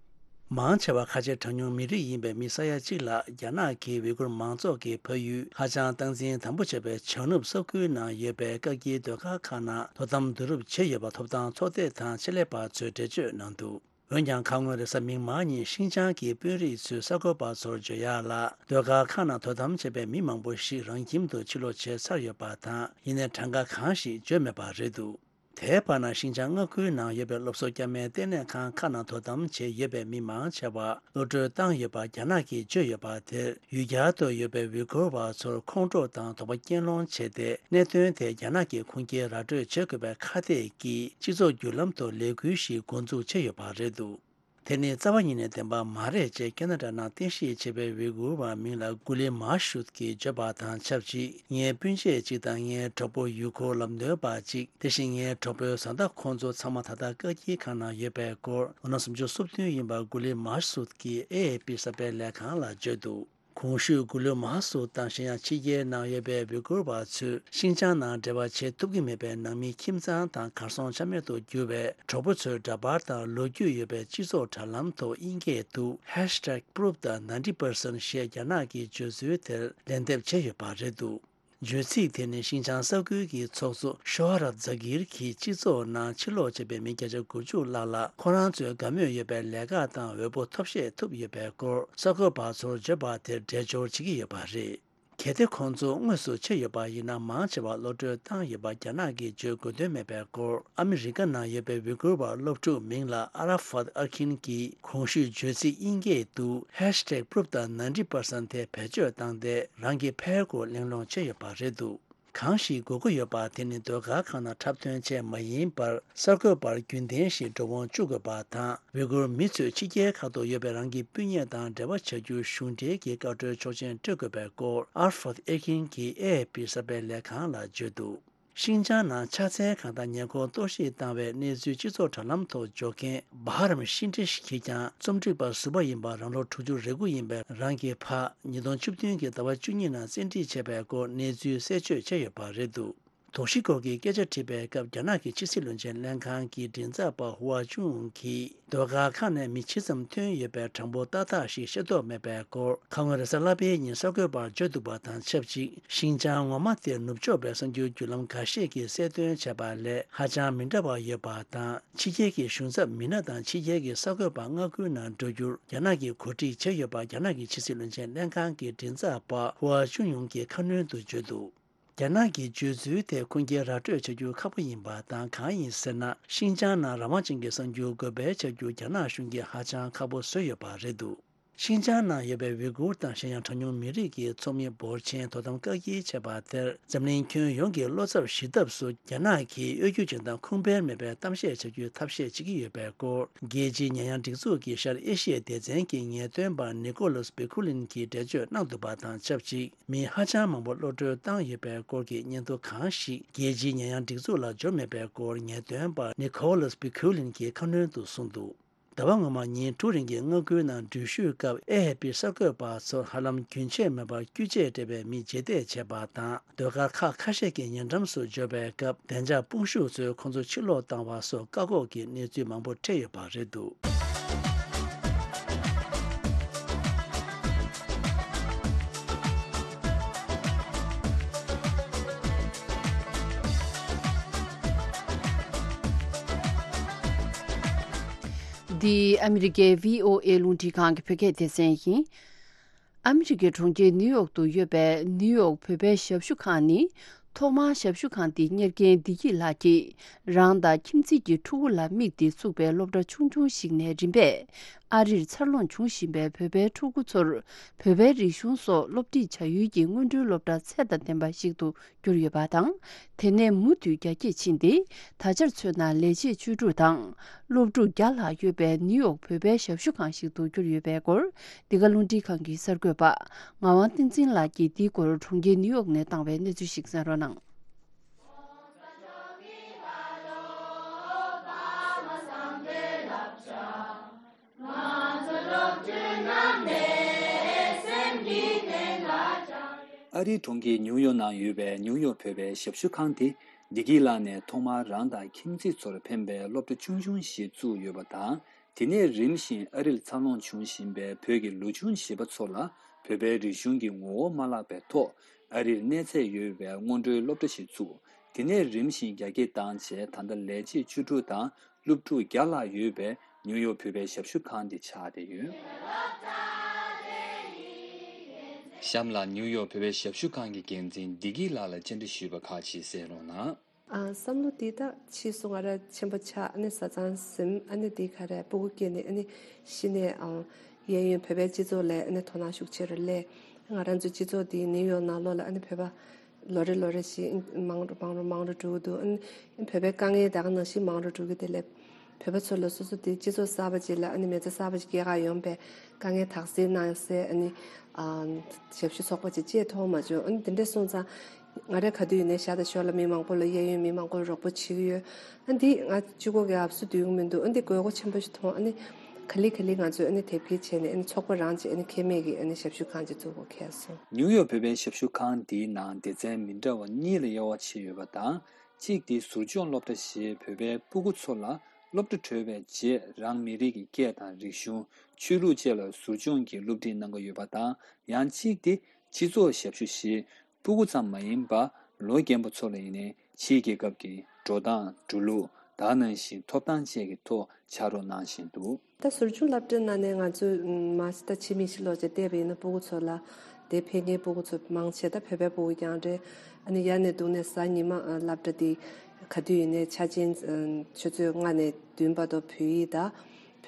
མང་ཆེ་བ་ཁ་ཆེ་གྲངས་ཉུང་མི་རིགས་ཡིན་པའི་མི་ས་ཡ་གཅིག་ལྷག་རྒྱ་ནག་གི་ཝི་གུར་མང་ཚོགས་ཀྱི་ཕ་ཡུལ་ཧ་ཅང་སྟངས་འཛིན་དམ་པོ་བྱས་པའི་བྱང་ནུབ་ས་ཁུལ་ནང་ཡོད་པའི་སྐབས་ཀྱི་སྡོད་སྒར་ཁག་ནང་དོ་དམ་བསྡུ་རུབ་བྱས་ཡོད་པ་ཐོབ་ཐང་ཚོགས་སྡེ་དང་ཆེད་ལས་པ་ཚོས་འགྲེལ་བརྗོད་གནང་འདུག་འོན་ཀྱང་ཁ་སྔོན་རེས་གཟའ་མིག་དམར་ཉིན་ཤིན་ཅང་གི་དཔོན་རིགས་ཚོས་གསར་འགོད་པ་ཚོར་བརྗོད་ཡག་ལ། སྡོད་སྒར་ཁག་ནང་དོ་དམ་བྱས་པའི་མི་མང་པོ་ཞིག་རང་ཁྱིམ་དུ་ཕྱིར་ལོག་བྱས་ཚར་ཡོད་པ་དང་། ཡིན་ནའི་གྲངས་ཀ་གང་ཞིག་བརྗོད་མེད་པ་རེད་འདུག་དེའི་བར་ན་ཤིན་ཅང་མངའ་ཁུལ་ནང་ཡོད་པའི་སློབ་གསོ་བསྐྱར་མའི་ལྟེ་གནས་ཁང་ཁག་ནང་དོ་དམ་བྱས་ཡོད་པའི་མི་མང་ཆེ་བ་གློད་གྲོལ་བཏང་ཡོད་པ་རྒྱ་ནག་གིས་བརྗོད་ཡོད་པ་དེར། ཡུལ་གྱར་དུ་ཡོད་པའི་ཝི་གུར་བ་ཚོར་ཁོང་ཁྲོ་དང་དོགས་པ་རྐྱེན་སློང་བྱས་ཏེ། གནད་དོན་དེ་རྒྱ་ནག་གིས་ཁུངས་སྐྱེལ་ར་སྤྲོད་བྱེད་དགོས་པའི་ཁ་གཏད་ཀྱིས་སྤྱི་ཚོགས་བརྒྱུད་ལམ་དུ་ལས་འགུལ་ཞིག་འགོ་འཛུགས་བྱས་ཡོད་པ་རེད་འདུག་དེ་ནི་རྩ་བ་ཉིད་ནས་བདེན་པ་མ་རེད་ཅེས་ཁེ་ན་ཌ་ནང་རྟེན་གཞི་བྱས་པའི་ཝི་གུར་བ་མིང་ལ་གུ་ལི་མཱ་ཤུད་ཀྱིས་བརྗོད་པ་དང་ཆབས་ཅིག་ངའི་སྤུན་མཆེད་ཅིག་དང་ངའི་གྲོགས་པོ་ཡུལ་སྐོར་ལམ་སྟོན་པ་ཅིག་དེ་བཞིན་ངའི་གྲོགས་པོའི་བཟའ་ཟླ་ཁོང་ཚོ་ཚང་མ་ད་ལྟ་བཀག་སྐྱིལ་ཁང་ནང་ཡོད་པའི་སྐོར། ལོ་ན་སུམ་ཅུ་སོ་བདུན་ཡིན་པ་གུ་ལི་མཱ་ཤུད་ཀྱིས་ཨེ་ཨེ་པི་གསར་སྤེལ་ལས་ཁང་ལ་བརྗོད་འདུག་གོང་ཞུས་གུ་ལུ་མཱ་སུ་དང་གཞན་ཡང་ཕྱི་རྒྱལ་ནང་ཡོད་པའི་ཝི་གུར་བ་ཚོས་ཤིན་ཅང་ནང་འབྲེལ་བ་བྱེད་ཐུབ་ཀྱི་མེད་པའི་ནང་མི་ཁྱིམ་ཚང་དང་གར་སོང་ཆ་མེད་དུ་གྱུར་བའི་གྲོགས་པོ་ཚོའི་འདྲ་པར་དང་ལོ་རྒྱུས་ཡོད་པའི་སྤྱི་ཚོགས་དྲ་ལམ་ཐོག་དབྱིན་སྐད་དུ་ཧེཤ་ཊེག་པུ་རུབ་དང་ནའིན་ཊི་པར་སེན་ཊི་ཞེས་རྒྱ་ནག་གི་བརྗོད་ཚུལ་དེར་ལན་འདེབས་བྱས་ཡོད་པ་རེད་འདུག་བརྗོད་ཚིག་དེ་ནི་ཤིན་ཅང་ས་ཁུལ་གྱི་ཚོགས་གཙོ་ཤོ་ཧ་ར་ཛ་གིར་གྱིས་སྤྱི་ཚོགས་ནང་ཕྱིར་ལོག་བྱས་པའི་མི་བརྒྱ་ཆ་དགུ་བཅུ་ལྷག་ལ་ཁོ་རང་ཚོའི་དགའ་མོས་ཡོད་པའི་ལས་ཀ་དང་འོས་པོ་ཐོབ་ཤེས་ཐུབ་ཡོད་པའི་སྐོར་གསར་འགོད་པ་ཚོར་བརྗོད་པ་དེར་འགྲེལ་སྦྱོར་བྱེད་ཀྱི་ཡོད་པ་རེད། གལ་ཏེ་ཁོང་ཚོ་དངོས་སུ་ཕྱིན་ཡོད་པ་ཡིན་ན་མང་ཆེ་བ་གློད་གྲོལ་བཏང་ཡོད་པ་རྒྱ་ནག་གིས་བརྗོད་དགོས་དོན་མེད་པའི་སྐོར། ཨ་མི་རི་ཀ་ནང་ཡོད་པའི་ཝི་གུར་བ་སློབ་ཕྲུག་མིང་ལ་ཨ་ར་ཧྥད་ཨར་ཁིན་གྱིས་གོང་ཞུས་བརྗོད་ཚིག་དབྱིན་སྐད་དུ་ཧེཤ་ཊེག་པུ་རུབ་དང་ནའིན་ཊི་པར་སེན་ཊི་དེ་བེད་སྤྱོད་བཏང་སྟེ་རང་གི་ཕན་སྐོར་གླེང་སློང་བྱས་ཡོད་པ་རེད་འདུག་གང་ཞིག་དགོས་མཁོ་ཡོད་པ་དེ་ནི་ཟློས་གར་ཁང་ནང་འཁྲབ་སྟོན་བྱས་མ་ཡིན་པར་གསར་འགོད་པར་རྒྱུན་ལྡན་ཞིག་འགྲོ་འོང་བཅུག་དགོས་པ་དང་། ཝི་གུར་མི་ཚོས་ཕྱི་རྒྱལ་ཁག་ཏུ་ཡོད་པའི་རང་གི་སྤུན་ཉེ་དང་འབྲེལ་བ་བྱ་རྒྱུར་གཞུང་འབྲེལ་གྱི་བཀའ་འཁྲོལ་ཆོག་མཆན་སྤྲོད་དགོས་པའི་སྐོར་ཨར་ཧྥད་ཨེར་ཁིན་གྱིས་ཨེ་ཨེ་པི་གསར་སྤེལ་ལས་ཁང་ལ་བརྗོད་འདུག་ཤིན་ཅང་ནང་ཕྱག་འཚལ་ཁང་དང་ཉེ་འཁོར་གཏོར་བཤིག་བཏང་བའི་གནས་ཚུལ་སྤྱི་ཚོགས་དྲ་ལམ་ཐོག་འཇོག་མཁན་བྷ་ཧ་རམ་ཤིན་ཏྲི་ཞིག་གིས་ཀྱང་རྩོམ་སྒྲིག་པ་ཟུར་པ་ཡིན་པ་རང་ལོ་དྲུག་ཅུ་རེ་དགུ་ཡིན་པའི་རང་གི་ཕ་ཉིས་སྟོང་བཅུ་བདུན་གྱི་ཟླ་བ་བཅུ་གཉིས་ནང་བཙན་ཁྲིད་བྱས་པའི་སྐོར་གནས་ཚུལ་གསལ་བརྗོད་བྱས་ཡོད་པ་རེད་འདུག་དོགས་གཞི་སྐོར་གྱི་སྐད་ཆ་དྲིས་པའི་སྐབས་རྒྱ་ནག་གི་ཕྱི་སྲིད་བློན་ཆེན་ལྷན་ཁང་གི་མགྲིན་ཚབ་པ་ཧུའ་ཅུན་ཡུང་གིས་ཟློས་གར་ཁང་ནས་མི་ཇི་ཙམ་ཐོན་ཡོད་པའི་གྲངས་འབོར་ཏག་ཏག་ཞིག་ཤེས་རྟོགས་མེད་པའི་སྐོར་ཁ་སྔོན་རེས་གཟའ་ལྷག་པའི་ཉིན་གསར་འགོད་པར་བརྗོད་འདུག་པ་དང་ཆབས་ཅིག་ཤིན་ཅང་ངོ་མ་དེར་ནུབ་ཕྱོགས་པའི་གསར་འགྱུར་བརྒྱུད་ལམ་འགའ་ཤས་ཀྱིས་གསལ་སྟོན་བྱས་པ་ལས་ཧ་ཅང་མི་འདྲ་བ་ཡོད་པ་དང་། ཕྱི་རྒྱལ་གྱི་གཞུང་ཚབ་མི་སྣ་དང་ཕྱི་རྒྱལ་གྱི་གསར་འགོད་པ་མངའ་ཁུལ་ནང་འགྲོ་རྒྱུར་རྒྱ་ནག་གིས་གོ་སྒྲིག་བྱས་ཡོད་པ་རྒྱ་ནག་གི་ཕྱི་སྲིད་བློན་ཆེན་ལྷན་ཁང་གི་མགྲིན་ཚབ་པ་ཧུའ་ཅུན་ཡུང་གིས་ཁ་སྣོན་དུ་བརྗོད་འདུག་རྒྱ་ནག་གི་བརྗོད་ཚུལ་དེ་ཁུངས་སྐྱེལ་ར་སྤྲོད་བྱ་རྒྱུ་ཁག་པོ་ཡིན་པ་དང་། གང་ཡིན་ཟེར་ན། ཤིན་ཅང་ནང་རང་དབང་ཅན་གྱི་གསར་འགྱུར་འགོད་སྤེལ་བྱ་རྒྱུ་རྒྱ་ནག་གཞུང་གིས་ཧ་ཅང་ཁག་པོ་བཟོས་ཡོད་པ་རེད་འདུག་ཤིན་ཅང་ནང་ཡོད་པའི་ཝི་གུར་དང་གཞན་ཡང་གྲངས་ཉུང་མི་རིགས་ཀྱི་ཚོགས་མི་འབོར་ཆེན་དོ་དམ་བཀག་སྐྱིལ་བྱས་པ་དེར་འཛམ་གླིང་ཁྱོན་ཡོངས་ཀྱི་བློ་འཚབ་ཞི་ཐབས་སུ་རྒྱ་ནག་གིས་གཡོ་སྒྱུ་ཅན་དང་ཁུངས་སྤེལ་མེད་པའི་གཏམ་བཤད་བྱ་རྒྱུའི་ཐབས་ཤེས་བྱེད་ཀྱི་ཡོད་པའི་སྐོར། རྒྱལ་སྤྱིའི་ཉེས་ཡངས་སྒྲིག་འཛུགས་ཀྱི་ཤར་ཨེ་ཤི་ཡའི་སྡེ་ཚན་གྱི་ངེས་སྟོན་པ་ནི་ཀོ་ལོས་པི་ཁུ་ལིན་གྱིས་འགྲེལ་བརྗོད་གནང་འདུག་པ་དང་ཆབས་ཅིག་མི་ཧ་ཅང་མང་པོ་གློད་གྲོལ་བཏང་ཡོད་པའི་སྐོར་གྱི་སྙན་ཐོ་གང་ཞིག་རྒྱལ་སྤྱིའི་ཉེས་ཡངས་སྒྲིག་འཛུགས་ལ་འབྱོར་མེད་པའི་སྐོར་ངེས་སྟོན་པ་ནི་ཀོ་ལོས་པི་ཁུ་ལིན་གྱིས་ཁ་སྣོན་དུ་གསུངས་འདུག་ཟླ་བ་སྔོན་མ་ཉིན་དྲུག་རིང་གི་མངའ་ཁུལ་ནང་འགྲུལ་བཞུད་སྐབས་ཨེ་ཨེ་པི་གསར་འགོད་པ་ཚོར་ཧ་ལམ་རྒྱུན་ཆད་མེད་པར་རྒྱུ་ཆས་སྤྲས་པའི་མི་རྗེས་འདེད་བྱས་པ་དང་། ཟློས་གར་ཁག་ཁ་ཤས་ཀྱི་ཉེ་འགྲམ་སུ་འབྱོར་བའི་སྐབས་བདེ་འཇགས་དཔུང་ཤུགས་ཚོས་ཁོང་ཚོ་ཕྱིར་ལོག་བཏང་བ་སོགས་བཀག་འགོག་གི་གནས་ཚུལ་མང་པོ་འཕྲད་ཡོད་པ་རེད་འདུག་འདི་ཨ་མི་རི་ཀའི་བྷི་ཨོ་ཨེ་རླུང་འཕྲིན་ཁང་གི་བོད་སྐད་སྡེ་ཚན་ཡིན། ཨ་མི་རི་ཀའི་གྲོང་ཁྱེར་ནིའུ་ཡོག་ཏུ་ཡོད་པའི་ནིའུ་ཡོག་བོད་པའི་ཞབས་ཞུ་ཁང་ནི། ཐོག་མར་ཞབས་ཞུ་ཁང་འདི་གཉེར་མཁན་བདེ་སྐྱིད་ལགས་ཀྱིས་རང་དང་ཁྱིམ་མཚེས་ཀྱི་ཕྲུ་གུ་ལ་དམིགས་ཏེ་བཙུགས་པའི་སློབ་གྲྭ་ཆུང་ཆུང་ཞིག་ནས་རིམ་པས་ཨ་རིར་འཚར་ལོངས་བྱུང་བཞིན་པའི་བོད་པའི་ཕྲུ་གུ་ཚོར་བོད་པའི་རིག་གཞུང་སོགས་སློབ་ཁྲིད་བྱ་ཡུལ་གྱི་སྔོན་འགྲོའི་སློབ་གྲྭ་ཚད་དང་ལྡན་པ་ཞིག་ཏུ་གྱུར་ཡོད་པ་དང་། དེ་ནས་མུ་མཐུད་རྒྱ་སྐྱེད་ཕྱིན་ཏེ། ད་ཆར་མཚོན་ན་ལས་བྱེད་བཅུ་དྲུག་དང་སློབ་ཕྲུག་བརྒྱ་ལྷག་ཡོད་པའི་ནིའུ་ཡོག་བོད་པའི་ཞབས་ཞུ་ཁང་ཞིག་ཏུ་གྱུར་ཡོད་པའི་སྐོར། འདི་ག་རླུང་འཕྲིན་ཁང་གི་གསར་འགོད་པ་ངག་དབང་བསྟན་འཛིན་ལགས་ཀྱིས་འདིའི་སྐོར་གྲོང་ཁྱེར་ནིའུ་ཡོག་ནས་བཏང་བའི་གནས་ཚུལ་ཞིག་གསན་རོགས་གནང་། ཨ་རིའི་གྲོང་ཁྱེར་ནིའུ་ཡོག་ནང་ཡོད་པའི་ནིའུ་ཡོག་བོད་པའི་ཞབས་ཞུ་ཁང་དེ། བདེ་སྐྱིད་ལགས་ནས་ཐོག་མར་རང་དང་ཁྱིམ་མཚེས་ཚོར་ཕན་པའི་སློབ་གྲྭ་ཆུང་ཆུང་ཞིག་བཙུགས་ཡོད་པ་དང་། དེ་ནས་རིམ་བཞིན་ཨ་རིར་འཚར་ལོངས་བྱུང་བཞིན་པའི་བོད་ཀྱི་ལོ་ཆུང་བྱིས་པ་ཚོ་ལ་བོད་པའི་རིག་གཞུང་གི་ངོ་བོ་མ་བརླག་པའི་ཐོག་ཨ་རིར་གནས་ཚད་ཡོད་པའི་སྔོན་འགྲོའི་སློབ་གྲྭ་ཞིག་བཙུགས། དེ་ནས་རིམ་བཞིན་རྒྱ་སྐྱེད་བཏང་རྗེས། ད་ལྟ་ལས་བྱེད་བཅུ་དྲུག་དང་སློབ་ཕྲུག་བརྒྱ་ལྷག་ཡོད་པའི་ནིའུ་ཡོག་བོད་པའི་ཞབས་ཞུ་ཁང་འདི་ཆགས་བསྡད་ཡོད། གཤམ་ལ་ནིའུ་ཡོག་བོད་པའི་ཞབས་ཞུ་ཁང་གི་འགན་འཛིན་བདེ་སྐྱིད་ལགས་ལ་བཅར་འདྲི་ཞུས་པ་ཁག་ཅིག་གསན་རོགས་གནང་། ཨ། བསམ་བློ་འདི་ད་ཕྱིས་སུ་ང་རང་ཆེན་པོ་ཆགས། ཨ་ནི་བཟའ་ཚང་ཟིན། ཨ་ནི་འདི་ག་རེ་སྤུ་གུ་སྐྱེས་ནས། ཨ་ནི་གཞི་ནས་ཨ་གཡས་གཡོན་བོད་པའི་སྤྱི་ཚོགས་ལ་ཨ་ནི་དོ་སྣང་ཤུགས་ཆེ་རུ་སླེབས། ང་རང་ཚོའི་སྤྱི་ཚོགས་འདི་ནིའུ་ཡོག་ནང་ལོགས་ལ་ཨ་ནི་བོད་པ་ལོ་རེ་ལོ་རེ་བཞིན་མང་རུ་མང་རུ་མང་རུ་འགྲོ་གི་འདུག་ཨ་ནི་བོད་པའི་དཀའ་ངལ་ད་ག་ནང་བཞིན་མང་རུ་འགྲོ་གི། དེ་ལས་བོད་པ་ཚོ་ལ་སོ་སོ་དེ་སྤྱི་ཚོགས་གསར་པ་ཅིག་ལ་ཨ་ནི་མི་ཚེ་གསར་པ་ཅིག་སྐྱེལ་གར་ཡོང་པའི་དཀའ་ངལ་དག་སེལ་གནང་སའི་ཨ་ནི་ཨ་ཞབས་ཞུ་ཚོགས་པ་ཅིག་བཅས་མཐོང་མ་བྱུང་། ཨ་ནི་དེ་འདྲ་སོང་ཙང་ང་རང་ག་དུས་ཡིན་ནའི་ཤར་དང་ཞོར་ལ་མི་མང་པོ་ལ། གཡས་གཡོན་མི་མང་པོ་ལ་རོགས་པ་བྱེད་ཀྱི་ཡོད། ཨ་འདི་ང་གཅིག་པོ་གིས་ཨབ་སུ་སྡུད་ཀྱི་མི་འདུག་ཨ་འདི་དགོས་མཁོ་ཆེན་པོ་ཞིག་མཐོང་། ཨ་ནི་ག་ལེ་ག་ལེ་ང་ཚོས་ཨ་ནི་དེབ་སྐྱེལ་བྱས་ནས། ཨ་ནི་ཚོགས་པ་རང་བྱས། ཨ་ནི་ཁེ་མེད་ཀྱི་ཨ་ནི་ཞབས་ཞུ་ཁང་ཅིག་བཙུགས་དགོས་ཁེལ་སོང་། ནིའུ་ཡོག་བོད་པའི་ཞབས་ཞུ་ཁང་འདིའི་ནང་སྡེ་ཚན་མི་འདྲ་བ་གཉིས་ལ་དབྱེ་བ་ཕྱེ་ཡོད་པ་དང་། གཅིག་དེ་ཟུར་སྦྱོང་སློབ་གྲྭ་ཞེས་བོད་པའི་སྤུ་གུ་ཚོ་ལ་སློབ་གྲྭ་གྲོལ་བའི་རྗེས་རང་མི་རིགས་ཀྱི་སྐད་དང་རིག་གཞུང་། ཆོས་ལུགས་བཅས་ལ་ཟུར་སྦྱོང་གི་སློབ་ཁྲིད་གནང་གི་ཡོད་པ་དང་། ཡང་གཅིག་དེ་སྤྱི་ཚོགས་ཞབས་ཞུ་ཞེས་སྤུ་གུ་ཙམ་མ་ཡིན་པར་ལོ་རྒན་པ་ཚོ་ལ་ཡིན་ནའི་ཕྱིའི་རྒྱལ་ཁབ་ཀྱི་འགྲོ་སྟངས། འགྲོ་ལུགས། ད་ག་ནང་བཞིན་ཐོབ་ཐང་བཅས་ཀྱི་ཐོག་ཕྱག་རོགས་གནང་བཞིན་འདུག་ད་ཟུར་སྦྱོང་སློབ་གྲྭའི་ནང་ནས་ང་ཚོས་མ་གཞི་ད་ཕྱི་མིག་ཅིག་ལོག་བྱས་བལྟས་པ་ཡིན་ན། སྤུ་གུ་ཚོ་ལ་དེ་ཕེབས་མཁན་སྤུ་གུ་ཚོ་མང་ཆེ་ད་བོད་པའི་སྤུ་གུ་རྐྱང་རེད། ཨ་ནི་ཡར་ནས་བརྡུངས་ནས་གཟའ་ཉི་མ་ཨ་སློབ་གྲྭ་དེ་ག་དུས་ཡིན་ནའི་འཆར་ཅན་ཨ་ཆུ་ཚོད་ལྔ་ནས་བདུན་བར་དུ་བོད་ཡིག་དང་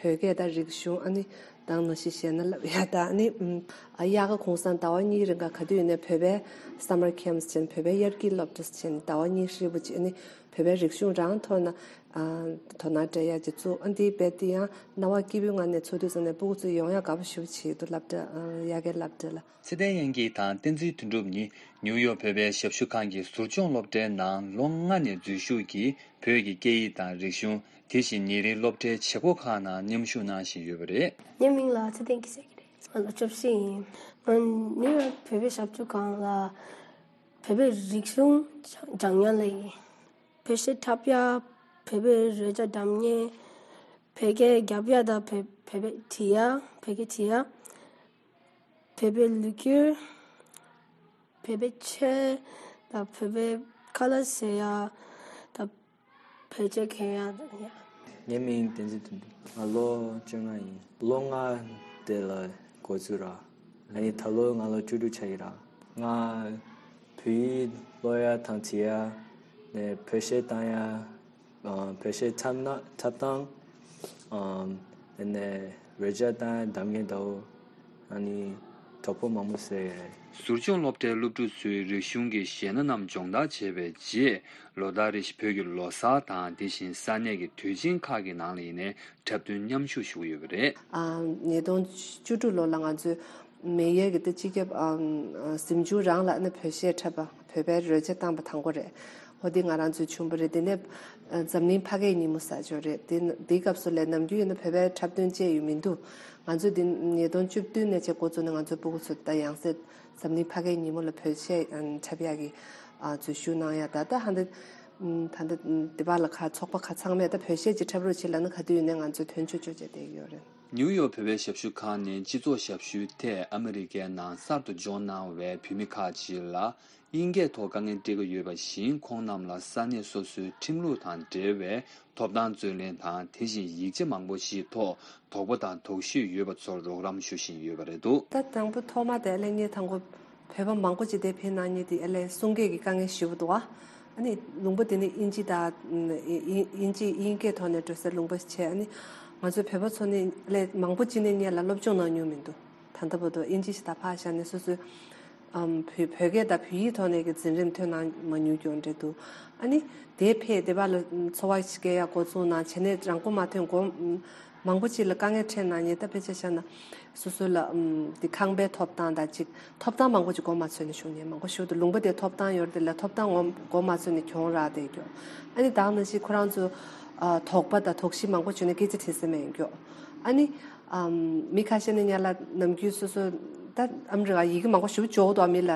བོད་སྐད་དང་རིག་གཞུང་། ཨ་ནི་ད་ག་ནང་བཞིན་གཞས་སྣ་བསླབ་ཡ་དང་། ཨ་ནི་ཨ་དབྱར་ཁ་གུང་སེང་ཟླ་བ་གཉིས་རིང་ག་ག་དུས་ཡིན་ནའི་བོད་པའི་summer camps་བྱས་ནས། བོད་པའི་དབྱར་སྐྱིད་སློབ་གྲྭ་བྱས་ནས་ཟླ་བ་གཉིས་ཧྲིལ་པོ་ཅིག་ཨ་ནི་བོད་པའི་རིག་གཞུང་རང་ཐོག་ནས་ཨ་དོ་སྣང་སྤྲད་ཡ་ཅིག་བཙུགས། ཨ་འདི་རྦད་དེ་ཡང་སྣང་བ་སྐྱིད་པོའི་ངང་ནས་ཚོགས་དུས་ཙམ་ནས་སྤུ་གུ་ཚོ་ཡོང་ཡ་དགའ་པོ་ཞེ་པོ་བྱེད་ཀྱི་འདུག་སློབ་གྲྭ་ཨ་དབྱར་ཁའི་སློབ་གྲྭ་ལ། ཚེ་བརྟན་དབྱངས་སྐྱིད་དང་བསྟན་འཛིན་དོན་གྲུབ་གཉིས་ནིའུ་ཡོག་བོད་པའི་ཞབས་ཞུ་ཁང་གི་ཟུར་སྦྱོང་སློབ་གྲྭའི་ནང་ལོ་ལྔ་ནས་འཛུལ་ཞུགས་ཀྱིས་བོད་ཀྱི་སྐད་ཡིག་དང་རིག་གཞུང་། དེ་བཞིན་ཉིན་རེའི་སློབ་གྲྭའི་བྱེད་སྒོ་ཁག་ནང་མཉམ་ཞུགས་གནང་བཞིན་ཡོད་པ་རེད། ངའི་མིང་ལ་ཚེ་བརྟན་སྐྱིད་ཟེར་གྱི་རེད། ང་ལོ་བཅུ་བཞི་ཡིན། ང་ནིའུ་ཡོག་བོད་པའི་ཞབས་ཞུ་ཁང་ལ་བོད་པའི་རིག་གཞུང་སྦྱང་སྦྱང་མཁན་ལ་ཡིན། བོད་གཞས་འཁྲབ་ཡ། བོད་པའི་རོལ་ཆ་འགྲམ་ཉེ། བོད་སྐད་རྒྱབ་ཡ་དང་། བོད་བོད་པའི་བྲིས་ཡ། བོད་སྐད་བྲིས་ཡ། བོད་པའི་ལོ་རྒྱུས། བོད་པའི་ཆོས་དང་། བོད་པའི་ཁ་ལག་ཟ་ཡ་དང་། བོད་ཆས་གྱོན་ཡ་དང་ཡ། ངའི་མིང་བསྟན་འཛིན་དོན་གྲུབ། ང་ལོ་བཅོ་ལྔ་ཡིན། ལོ་ལྔ་དེ་ལ་འགོ་འཛུགས་ར། ཨ་ནི་ད་ལོ་ང་ལོ་བཅུ་དྲུག་ཆགས་ཀྱི་ར། ང་བོད་ཡིག་ཀློག་ཡ་དང་བྲིས་ཡ། ནས་བོད་གཞས་བཏང་ཡ། ཨ་བོད་གཞས་འཁྲབ་ན་འཁྲབ་སྟངས། ཨམ། དེ་ནས་རོལ་ཆ་བཏང་ཡ་འགྲམ་ཉེ་དང་། ཨ་ནི་གྲོགས་པོ་མང་པོ་བཟོས་ཡོད་རེད། ཟུར་སྦྱོང་སློབ་གྲྭའི་སློབ་ཕྲུག་ཚོའི་རིག་གཞུང་གི་གཞས་སྣ་རྣམས་སྦྱོང་བརྡར་བྱས་པའི་རྗེས། ལོ་ལྟར་རེ་བཞིན་བོད་ཀྱི་ལོ་གསར་དང་། དེ་བཞིན་ས་གནས་ཀྱི་དུས་ཆེན་ཁག་གི་ནང་ལ་ཡིན་ནའི་འཁྲབ་སྟོན་མཉམ་ཞུགས་ཞུ་གི་ཡོད་པ་རེད། ཨ་ཉིས་སྟོང་བཅུ་དྲུག་ལོ་ལ་ང་ཚོས་མེ་ཡར་གྱི་ད་སྤྱི་ཁྱབ་ཨམ་གཟིམ་ཆུང་རང་ལ་ནི་བོད་གཞས་འཁྲབ་པ། བོད་པའི་རོལ་ཆ་བཏང་པ་དང་པོ་རེད། འོ་དེ་ང་རང་ཚོའི་བྱུང་བ་རེད། དེ་ནས་ཨ་འཛམ་གླིང་ཕ་སྐད་ཉིན་མོ་ཟེར་ཅིག་ཡོད་རེད། དེ་དེའི་སྐབས་སུ་ལ་ནམ་རྒྱུན་ཡིན་ན་བོད་པའི་འཁྲབ་སྟོན་བཅས་ཡོད་མི་འདུག་ང་ཚོས་དེ་ཉིས་སྟོང་བཅུ་བདུན་ནས་བྱས་འགོ་བཙུགས་ནས། ང་ཚོའི་སྤུ་གུ་ཚོ་ད་ཡང་སེ་འཛམ་གླིང་ཕ་སྐད་ཉིན་མོ་ལ་བོད་གཞས་ཨ་འཁྲབ་ཡག་གི་ཨ་འཛུལ་ཞུགས་གནང་ཡ། ད་ལྟ་ཧ་འདི་ ད་ལྟ་འདི་པ་ལ་ཁ་ཚོགས་པ་ཁ་ཚང་མས་ད་བོད་གཞས་ཅིག་འཁྲབ་རོགས་བྱེད་ལབ་ན་ག་དུས་ཡིན་ནའི་ང་ཚོས་དོན་ཆུ་ཆུ་བྱས་བསྡད་ཀྱི་ཡོད་རེད། ནིའུ་ཡོག་བོད་པའི་ཞབས་ཞུ་ཁང་ནས་སྤྱི་ཚོགས་ཞབས་ཞུའི་ཐད་ཨ་མི་རི་ཀའི་ནང་གསར་དུ་འབྱོར་གནང་བའི་བོད་མི་ཁག་ཅིག་ལ་དབྱིན་སྐད་ཐོག་དཀའ་ངལ་འཕྲད་ཀྱི་ཡོད་པ་བཞིན། ཁོང་རྣམས་ལ་ས་གནས་སོ་སོའི་ཁྲིམས་ལུགས་དང་འབྲེལ་བའི་ཐོབ་ཐང་རྩོད་ལེན་དང་། དེ་བཞིན་ཡིག་ཆ་མང་པོ་ཞིག་ཐོག་དོགས་པ་དང་དོགས་གཞི་ཡོད་པ་ཚོར་རོགས་རམ་ཞུ་བཞིན་ཡོད་པ་རེད་འདུག། ད་དང་པོ་ཐོག་མ་དེ་ལས་ངས་དང་པོ་བོད་པ་མང་པོ་ཅིག་དེ་ཕེབས་གནང་མཁན་དེ་ཨ་ལས་གསུང་སྐད་ཀྱི་དཀའ་ངལ་ཞེ་པོ་འདུག་ཨ། ཨ་ནི་ལུང་པ་དེ་ནི་དབྱིན་ཇི་དང་དབྱིན་དབྱིན་ཇི་དབྱིན་སྐད་ཐོག་ནས་འགྲོ་སའི་ལུང་པ་ཞིག་བྱས། ཨ་ནི་ང་ཚོའི་བོད་པ་ཚོ་ནི་ཨ་ལས་མང་པོ་ཅིག་ནས་ངེད་ལ་སློབ་སྦྱོང་གནང་མྱོང་མི་འདུག། ད་ལྟ་བར་དུ་དབྱིན་ཇི་ཞིག་ད་ཕར་བཞག་ནས་སོ་སོའི་ཨམ་བོད་བོད་སྐད་དང་བོད་ཡིག་ཐོག་ནས་ཀྱི་འཛིན་རིམ་ཐོན་གནང་མ་མྱོང་རྒྱུ་འདྲ་འདུག། ཨ་ནི་དེ་ཕེབས་དེ་བ་ལ་འཚོ་བ་ཞིག་སྐྱེལ་ཡག་འགོ་བཙུགས་གནང་བྱས་ནས་རང་མགོ་མ་ཐོན་གོང་མང་པོ་ཅིག་ལ་དཀའ་ངལ་འཕྲད་གནང་མཁན། ད་དཔེ་ཆ་བཞག་ན་སོ་སོ་ལ་ཨམ་དེ་ཁང་པའི་ཐོབ་ཐང་དང་ཅིག་ཐོབ་ཐང་མང་པོ་ཅིག་མགོ་མ་ཚོས་ནས་བཞུགས་མཁན་མང་པོ་ཞིག་འདུག། ལུང་པ་དེ་ཐོབ་ཐང་ཡོད་རེད་དེ་ལ་ཐོབ་ཐང་མགོ་མགོ་མ་ཚོས་ནས་གྱོང་རག་བསྡད་རྒྱུ། ཨ་ནི་ད་ག་ནང་བཞིན་ཁོ་རང་ཚོ་ཨ་དོགས་པ་དང་དོགས་གཞི་མང་པོ་བྱུང་ནས་སྐད་ཆ་དྲིས་ས་མེད་རྒྱུ། ཨ་ནི་ཨམ་མི་ཁ་ཤས་ནས་ང་ལ་ནམ་རྒྱུན་སོ་སོ་ད་ཨ་མི་རི་ཀ་ཡི་གེ་མང་པོ་ཞིག་འཇོག་འདུག། ཨ་མི་ལ་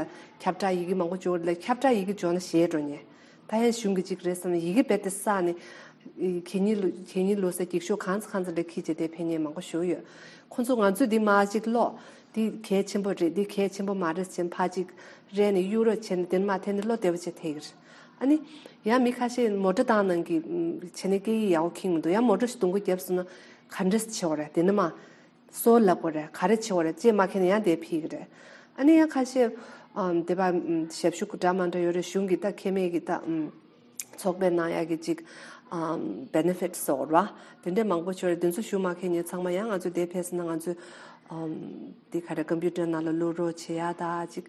ཁྱབ་བསྒྲགས་ཡི་གེ་མང་པོ་འཇོག་ལ་ཁྱབ་བསྒྲགས་ཡི་གེ་འཇོག་ན་ཞེད་འགྲོ་ངས། ད་ཡང་གཞུང་གི་ཅིག་རེད་བསམ་ན་ཡི་གེ་རྦད་དེ་བསགས་ནས་གད་སྙིགས་ལོ་གད་སྙིགས་ལོ་ས་འགྱིག་ཤོག་གང་ཚ་གང་ཚ་ལ་འཁྱེར་བྱས་དེ་ཕེབས་མཁན་མང་པོ་ཞིག་ཡོད། ཁོང་ཚོ་ང་ཚོས་འདི་མར་ཅིག་ཀློག། འདི་གལ་ཆེན་པོ་རེད། འདི་གལ་ཆེན་པོ་མ་རེད་ཟེར་ཕར་ཅིག་རལ་ནས་གཡུག་རོགས་བྱས་ནས་དེ་ནས་མར་འཐེན་ནས་ཀློག་བདེ་པོ་བྱས་ཐེག་གི་རེད། ཨ་ནི་ཡང་མི་ཁ་ཤས་མོ་ཊ་བཏང་གནང་གི་བྱས་ནས་སྐད་ཡིག་ཡག་པོ་ཁེངས་མི་འདུག། ཡང་མོ་ཊ་ཞིག་རྡུང་གི་བརྒྱབ་སོང་ན་ག་འདྲས་བྱེད་དགོས་རེད། དེ་ནས་མར་སོ་ལབ་དགོས་རེད། ག་རེ་བྱེད་དགོས་རེད། ཅེས་མ་མཁྱེན་ན་ཡང་དེ་ཕིག་གི་རེད། ཨ་ནི་ཡང་ཁ་ཤས་ཨམ་དེ་པ་ཨམ་ཞབས་ཞུ་འདྲ་མ་འདྲ་ཡོད་རེད། གཞུང་གི་ད་ཁེ་མེད་ཀྱི་ད་ཨམ་ཚོགས་པའི་ནང་ཡག་གི་ཅིག་ཨམ་བེ་ནེ་ཕིཊ་ཟེར་བ་དེ་འདྲས་མང་པོ་ཡོད་རེད། དེ་ཚོ་ཞུ་མ་མཁན་ཉོ་ཚང་མ་ཡང་ང་ཚོ་དེ་ཕེབས་ན་ང་ཚོ་ཨམ་དེ་ག་རེ་ཀམ་པུ་ཊར་ནང་ལ་བླུག་རོགས་བྱེད་ཡ་ད་ཅིག་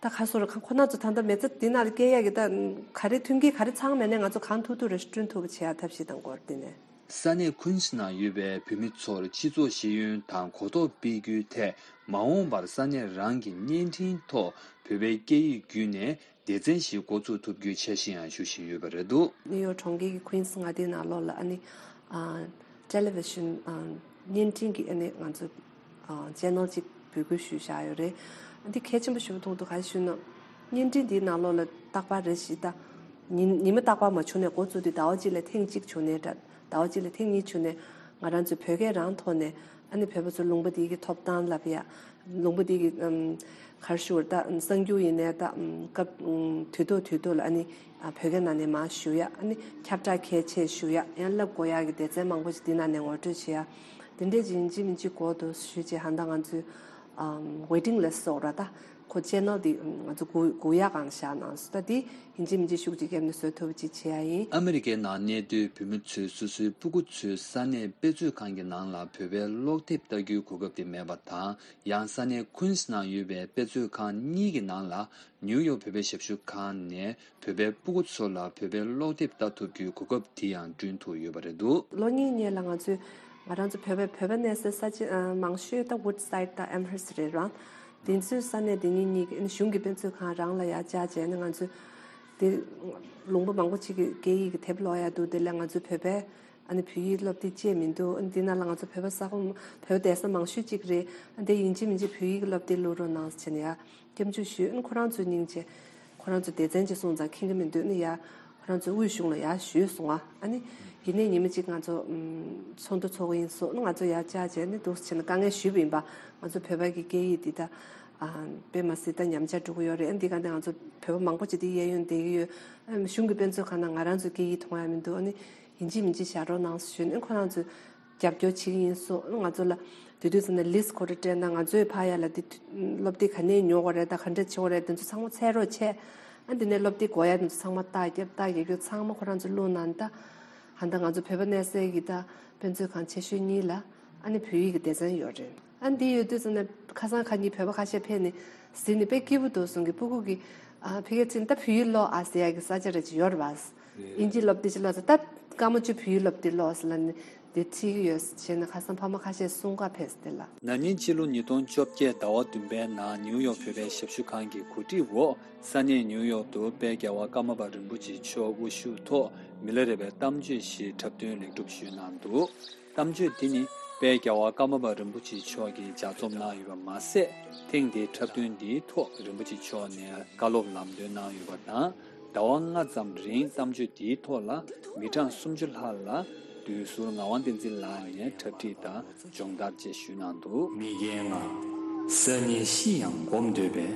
ད་ཁ་སོ་ར་ཁ་ཁོ་ན་ཚོ་ད་ལྟ་མི་ཚེ་འདི་ནང་ལ་སྐྱེལ་ཡག་གི་ད་ག་རེ་མཐུན་རྐྱེན་ག་རེ་ཚང་མེད་ནའི་ང་ཚོ་གང་ཐུབ་ཐུབ་རེ་བསྐྲུན་ཐུབ་པ་བྱེད་ཡ་ཐབས་ཤེས་དང་སྐོར་དེ་ནས། ས་གནས་ཁུན་སི་ནང་ཡོད་པའི་བོད་མི་ཚོར་སྤྱི་ཚོགས་ཤེས་ཡོན་དང་གོ་རྟོགས་སྤེལ་རྒྱུའི་ཐད་མ་འོངས་པར་ས་གནས་རང་གི་བརྙན་འཕྲིན་ཐོག་བོད་པའི་སྐད་ཡིག་བརྒྱུད་ནས་སྡེ་ཚན་ཞིག་འགོ་འཛུགས་ཐུབ་རྒྱུའི་འཆར་གཞི་ཡང་ཞུ་བཞིན་ཡོད་པ་རེད་འདུག། ནིའུ་ཡོག་གྲོང་ཁྱེར་གྱི་ཁུན་སི་མངའ་སྡེའི་ནང་ལོགས་ལ་ཨ་ནི་ཨ་ཊེ་ལི་ཝི་ཤན་ཨ་བརྙན་འཕྲིན་གྱི་ཨ་ནི་ང་ཚོ་ཨ་ཆེ་ནལ་གཅིག་འབོད་སྐུལ་ཞུས་བཞག་ཡོད་རེད། ཨ་འདི་གལ་ཆེན་པོ་ཞེ་པོ་མཐོང་འདུག། ག་རེ་ཞུས་ན་བརྙན་འཕྲིན་འདིའི་ནང་ལོགས་ལ་རྟག་པར་རེ་ཞིག་ད་ཉི་ཉི་མ་རྟག་པར་མ་བྱུང་ནས་འགོ་བཙུགས་དུས་ཟླ་བ་གཅིག་ལ་ཐེངས་གཅིག་བྱུང་ནའི་འདྲ། ཟླ་བ་གཅིག་ལ་ཐེངས་གཉིས་བྱུང་ནས་ང་རང་ཚོའི་བོད་སྐད་རང་ཐོག་ནས་ཨ་ནི་བོད་པ་ཚོ་ལུང་པ་འདི་གི་ཐོབ་ཐང་ལབ་ཡ། ལུང་པ་འདི་གི་ཨམ་ག་རེ་ཞུ་དགོས་རེད། ད་གསར་འགྱུར་ཡིན་ནའི་ད་ཨམ་སྐབས་ཨམ་དུས་ཐོག་དུས་ཐོག་ལ་ཨ་ནི་ཨ་བོད་སྐད་ནང་ནས་མར་ཞུ་ཡ། ཨ་ནི་ཁྱབ་བསྒྲགས་གལ་ཆེ་ཞུ་ཡ། ཡང་ལབ་དགོས་ཡ་གི་སྡེ་ཚན་མང་པོ་ཞིག་འདི་ནང་ནས་ངོ་སྤྲོད་བྱེད་ཡ། དེ་འདྲས་ཅིག་ཡིན་གཅིག་མིན་གཅིག་དགོས་འདུག་ཞུས་བྱས་ཧ་ད་ང་ཚོའི་ཨམ་ཝེ་ཊིང་ལིསི་ཊི་ཟེར་བ་ད་ཁོ་ཆེ་ནལ་འདི་ང་ཚོ་སྒུག་སྒུག་ཡ་སྒང་བཞག་གནང་སོང་། ད་འདི་ཡིན་གཅིག་མིན་གཅིག་ཤུགས་ཅིག་བརྒྱབ་ནས་བཟོ་ཐུབ་པ་ཅིག་བྱེད་ཡ་ཡིན། ཨ་མི་རི་ཀའི་ནང་གནས་སྡོད་བོད་མི་ཚོས་སོ་སོའི་སྤུ་གུ་ཚོའི་ས་གནས་དཔེ་མཛོད་ཁང་གི་ནང་ལ་བོད་པའི་ཀློག་དེབ་ལྟ་རྒྱུའི་གོ་སྐབས་དེ་མེད་པ་དང་། ཡང་ས་གནས་ཁུན་སི་ནང་ཡོད་པའི་དཔེ་མཛོད་ཁང་གཉིས་ཀྱི་ནང་ལ་ནིའུ་ཡོག་བོད་པའི་ཞབས་ཞུ་ཁང་ནས་བོད་པའི་སྤུ་གུ་ཚོ་ལ་བོད་པའི་ཀློག་དེབ་ལྟ་ཐུབ་རྒྱུའི་གོ་སྐབས་དེ་ཡང་བསྐྲུན་ཐུབ་ཡོད་པ་རེད་འདུག། ལོ་གཉིས་སྔོན་ལ་ང་ཚོས་ང་རང་ཚོ་བོད་པའི་བོད་པ་གནས་སའི་ས་ཆ་ཨ་མང་ཤོས་ད་Woodside་དང་Amherst་རེད་རང་། དེ་ཚོའི་ས་གནས་དེ་གཉིས་གཉིས་ཀྱི་གཞུང་གི་དཔེ་མཛོད་ཁང་རང་ལ་ཡར་བཅར་བྱས་ནས་ང་ཚོས་དེ་ལུང་པ་མང་པོ་ཅིག་གི་སྐད་ཡིག་གི་དེབ་ཀློག་ཡ་འདུག། དེ་ལས་ང་ཚོ་བོད་པའི་ཨ་ནི་བོད་ཡིག་སློབ་དེབ་ཅིག་མི་འདུག། ཨ་ནི་དེ་ནང་ལ་ང་ཚོ་བོད་པ་ས་ཁོངས་བོད་པ་བསྡད་ས་མང་ཤོས་ཅིག་རེད། ཨ་ནི་དེ་ཡིན་གཅིག་མིན་གཅིག་བོད་ཡིག་གི་སློབ་དེབ་བླུག་རོགས་གནང་ཟེར་བྱས་ནས་ཡ་སྐྱབས་འཇུག་ཞུས། ཨ་ནི་ཁོ་རང་ཚོ་སྙིང་རྗེ། ཁོ་རང་ཚོ་སྡེ་ཚན་གཅིག་སོང་ཙང་ཁེངས་ཀྱི་མི་འདུག། ཨ་ནི་ཡ་ཁོ་རང་ཚོ་དབུས་གཞུང་ལ་ཡར་ཞུས་སོང་ཨ། ཨ་ནི་ཡིན་ནའི་ཉི་མ་གཅིག་ང་ཚོ་ཨམ་ཚོགས་འདུ་ཚོགས་ཀྱི་ཡིན་སོང་། ཨ་ནི་ང་ཚོ་ཡར་བཅར་བྱས་ནས་འདུག་སེ་བྱས་ནས་དཀའ་ངལ་ཞུས་པ་ཡིན་པ། ང་ཚོ་བོད་པ་གི་སྐད་ཡིག་འདི་ད་ཨ་དཔེ་མ་སྲིད་ད་ཉམས་ཆག་འགྲོ་གི་ཡོད་རེད། ཨ་ནི་འདི་ག་ནས་ང་ཚོ་བོད་པ་མང་པོ་ཅིག་འདི་གཡས་གཡོན་བསྡད་ཀྱི་ཡོད། ཨ་གཞུང་གི་དཔེ་མཛོད་ཁང་ནང་ང་རང་ཚོའི་སྐད་ཡིག་མཐོང་ཡ་མི་འདུག། ཨ་ནི་ཡིན་གཅིག་མིན་གཅིག་བཞག་རོགས་གནང་ཞུས་ནས་ཁོ་རང་ཚོས་རྒྱབ་སྐྱོར་བྱེད་ཀྱི་ཡིན་གསུངས། ང་ཚོ་ལ་དེ་དུས་ཙམ་ནས་ལིསི་ཁོ་རང་སྤྲད་ན་ང་ཚོས་ཕར་ཡ་ལ་དེ་སློབ་དེབ་ག་ནས་ཉོ་དགོས་རེད་ད་ག་འདྲ་བྱེད་དགོས་རེད་དེ་ཚོ་ཚང་མ་འཚོལ་རོགས་བྱས། ཨ་དེ་ནས་སློབ་དེབ་དགོས་ཡ་དེ་ཚོ་ཚང་མ་རྟགས་བརྒྱབ། རྟགས་བརྒྱབ་རྒྱུ་ཚང་མ་ཁོ་རང་ཚོ་བླུགས་གནང་ད། ཧ་ད་ང་ཚོ་བོད་པ་གནས་སའི་གི་ད་དཔེ་མཛོད་ཁང་ཆེ་ཤོས་གཉིས་ལ་ཨ་ནི་བོད་ཡིག་གི་སྡེ་ཚན་ཡོད་རེད། ཨ་འདི་ཡོད་དུས་ཙམ་ནས་ཁ་སང་ཁ་ཉིན་བོད་པ་ཁ་ཤས་ཕེབས་ནས་གཟིགས་ནས་དཔེ་སྐྱིད་པོ་འདུག་གསུང་གི་སྤུ་གུ་གི་ཨ་ཕ་གིར་ཕྱིན་ད་བོད་ཡིག་ཀློག་ཨ་ཟེར་ཡ་གི་ས་ཆ་རེ་ཅིག་ཡོད་རེད་པ། དབྱིན་ཇི་སློབ་དེབ་ཅིག་ཀློག་ཟེར་ད་སྐར་མ་བཅུ་བོད་ཡིག་སློབ་དེབ་ཀློག་ཟེར་ལབ་ནས་དེ་ཁྲིད་ཀྱི་ཡོད་ཟེར་བྱས་ནས་ཁ་སང་ཕ་མ་ཁ་ཤས་གསུང་ག་ཕེབས་ཟེར་དེ་ལ། ན་ནིང་ཕྱི་ལོ་ཉིས་སྟོང་བཅོ་བརྒྱད་ཟླ་བ་བདུན་པའི་ནང་ནིའུ་ཡོག་བོད་པའི་ཞབས་ཞུ་ཁང་གི་གོ་སྒྲིག་འོག་ས་གནས་ནིའུ་ཡོག་ཏུ་དཔལ་རྒྱལ་བ་ཀརྨ་པ་རིན་པོ་ཆེ་མཆོག་དབུ་བཞུགས་ཐོག་མི་ལ་རས་པའི་གཏམ་བརྗོད་ཞིག་འཁྲབ་སྟོན་ལེགས་གྲུབ་ཞུས་གནང་འདུག། གཏམ་བརྗོད་འདི་ནི་དཔལ་རྒྱལ་བ་ཀརྨ་པ་རིན་པོ་ཆེ་མཆོག་གིས་ལྗགས་རྩོམ་གནང་ཡོད་པ་མ་ཟད། ཐེངས་འདིའི་འཁྲབ་སྟོན་འདིའི་ཐོག་རིན་པོ་ཆེ་མཆོག་ནས་བཀའ་སློབ་ལམ་སྟོན་གནང་ཡོད་པ་དང་། ཟླ་བ་ལྔ་ཙམ་རིང་གཏམ་བརྗོད་འདིའི་ཐོག་ལ་མི་གྲངས་སུམ་ཅུ་ལྷག་ལ་བདུད་ཟུར་ངག་དབང་བསྟན་འཛིན་ལགས་ནས་གྲ་སྒྲིག་དང་སྦྱོང་བརྡར་བཅས་ཞུས་གནང་འདུག་མི་རྒན་ང་། སང་ཉིན་ཤི་ཡང་སྒོམ་འདོད་པས།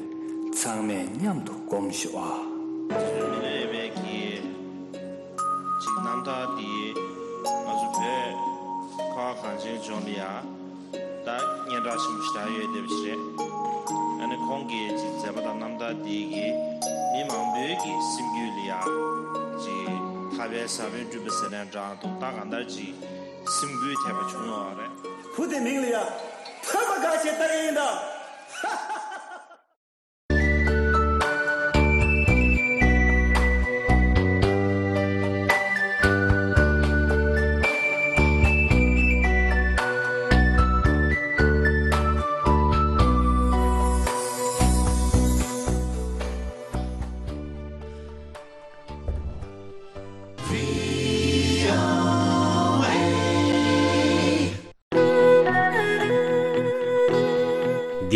ཚང་མས་མཉམ་དུ་སྒོམ་ཤོག་ཨ། མི་ལས་པའི་གི་ཅིག་རྣམ་ཐར་འདི་ང་ཚོ་བོད་ཁ་བ་གངས་ཅན་ལྗོངས་ལ་ཡ་ད་སྙན་གྲགས་ཆེན་པོ་ཞེ་དྲག་ཡོད་བསྡད་པ་ཞིག་རེད། ཨ་ནི་ཁོང་གི་ཅིག་མཛད་པ་དང་རྣམ་ཐར་འདི་གིས་མི་མང་པོའི་གི་སེམས་རྒྱུད་ལ་ཡ་ཅིག་ཐར་པའི་ས་བོན་བསྐྲུན་པ་ཟེར་ནའང་འདྲ་འདུག་ད་གང་ལྟར་ཅིག་སེམས་འགུལ་ཐེབས་པ་བྱུང་ཡོད་རེད། བུ་དེ་མིང་ལ་ཡ་བོད་པ་དགའ་ཆེ་ལྟ་ཡིན་ད།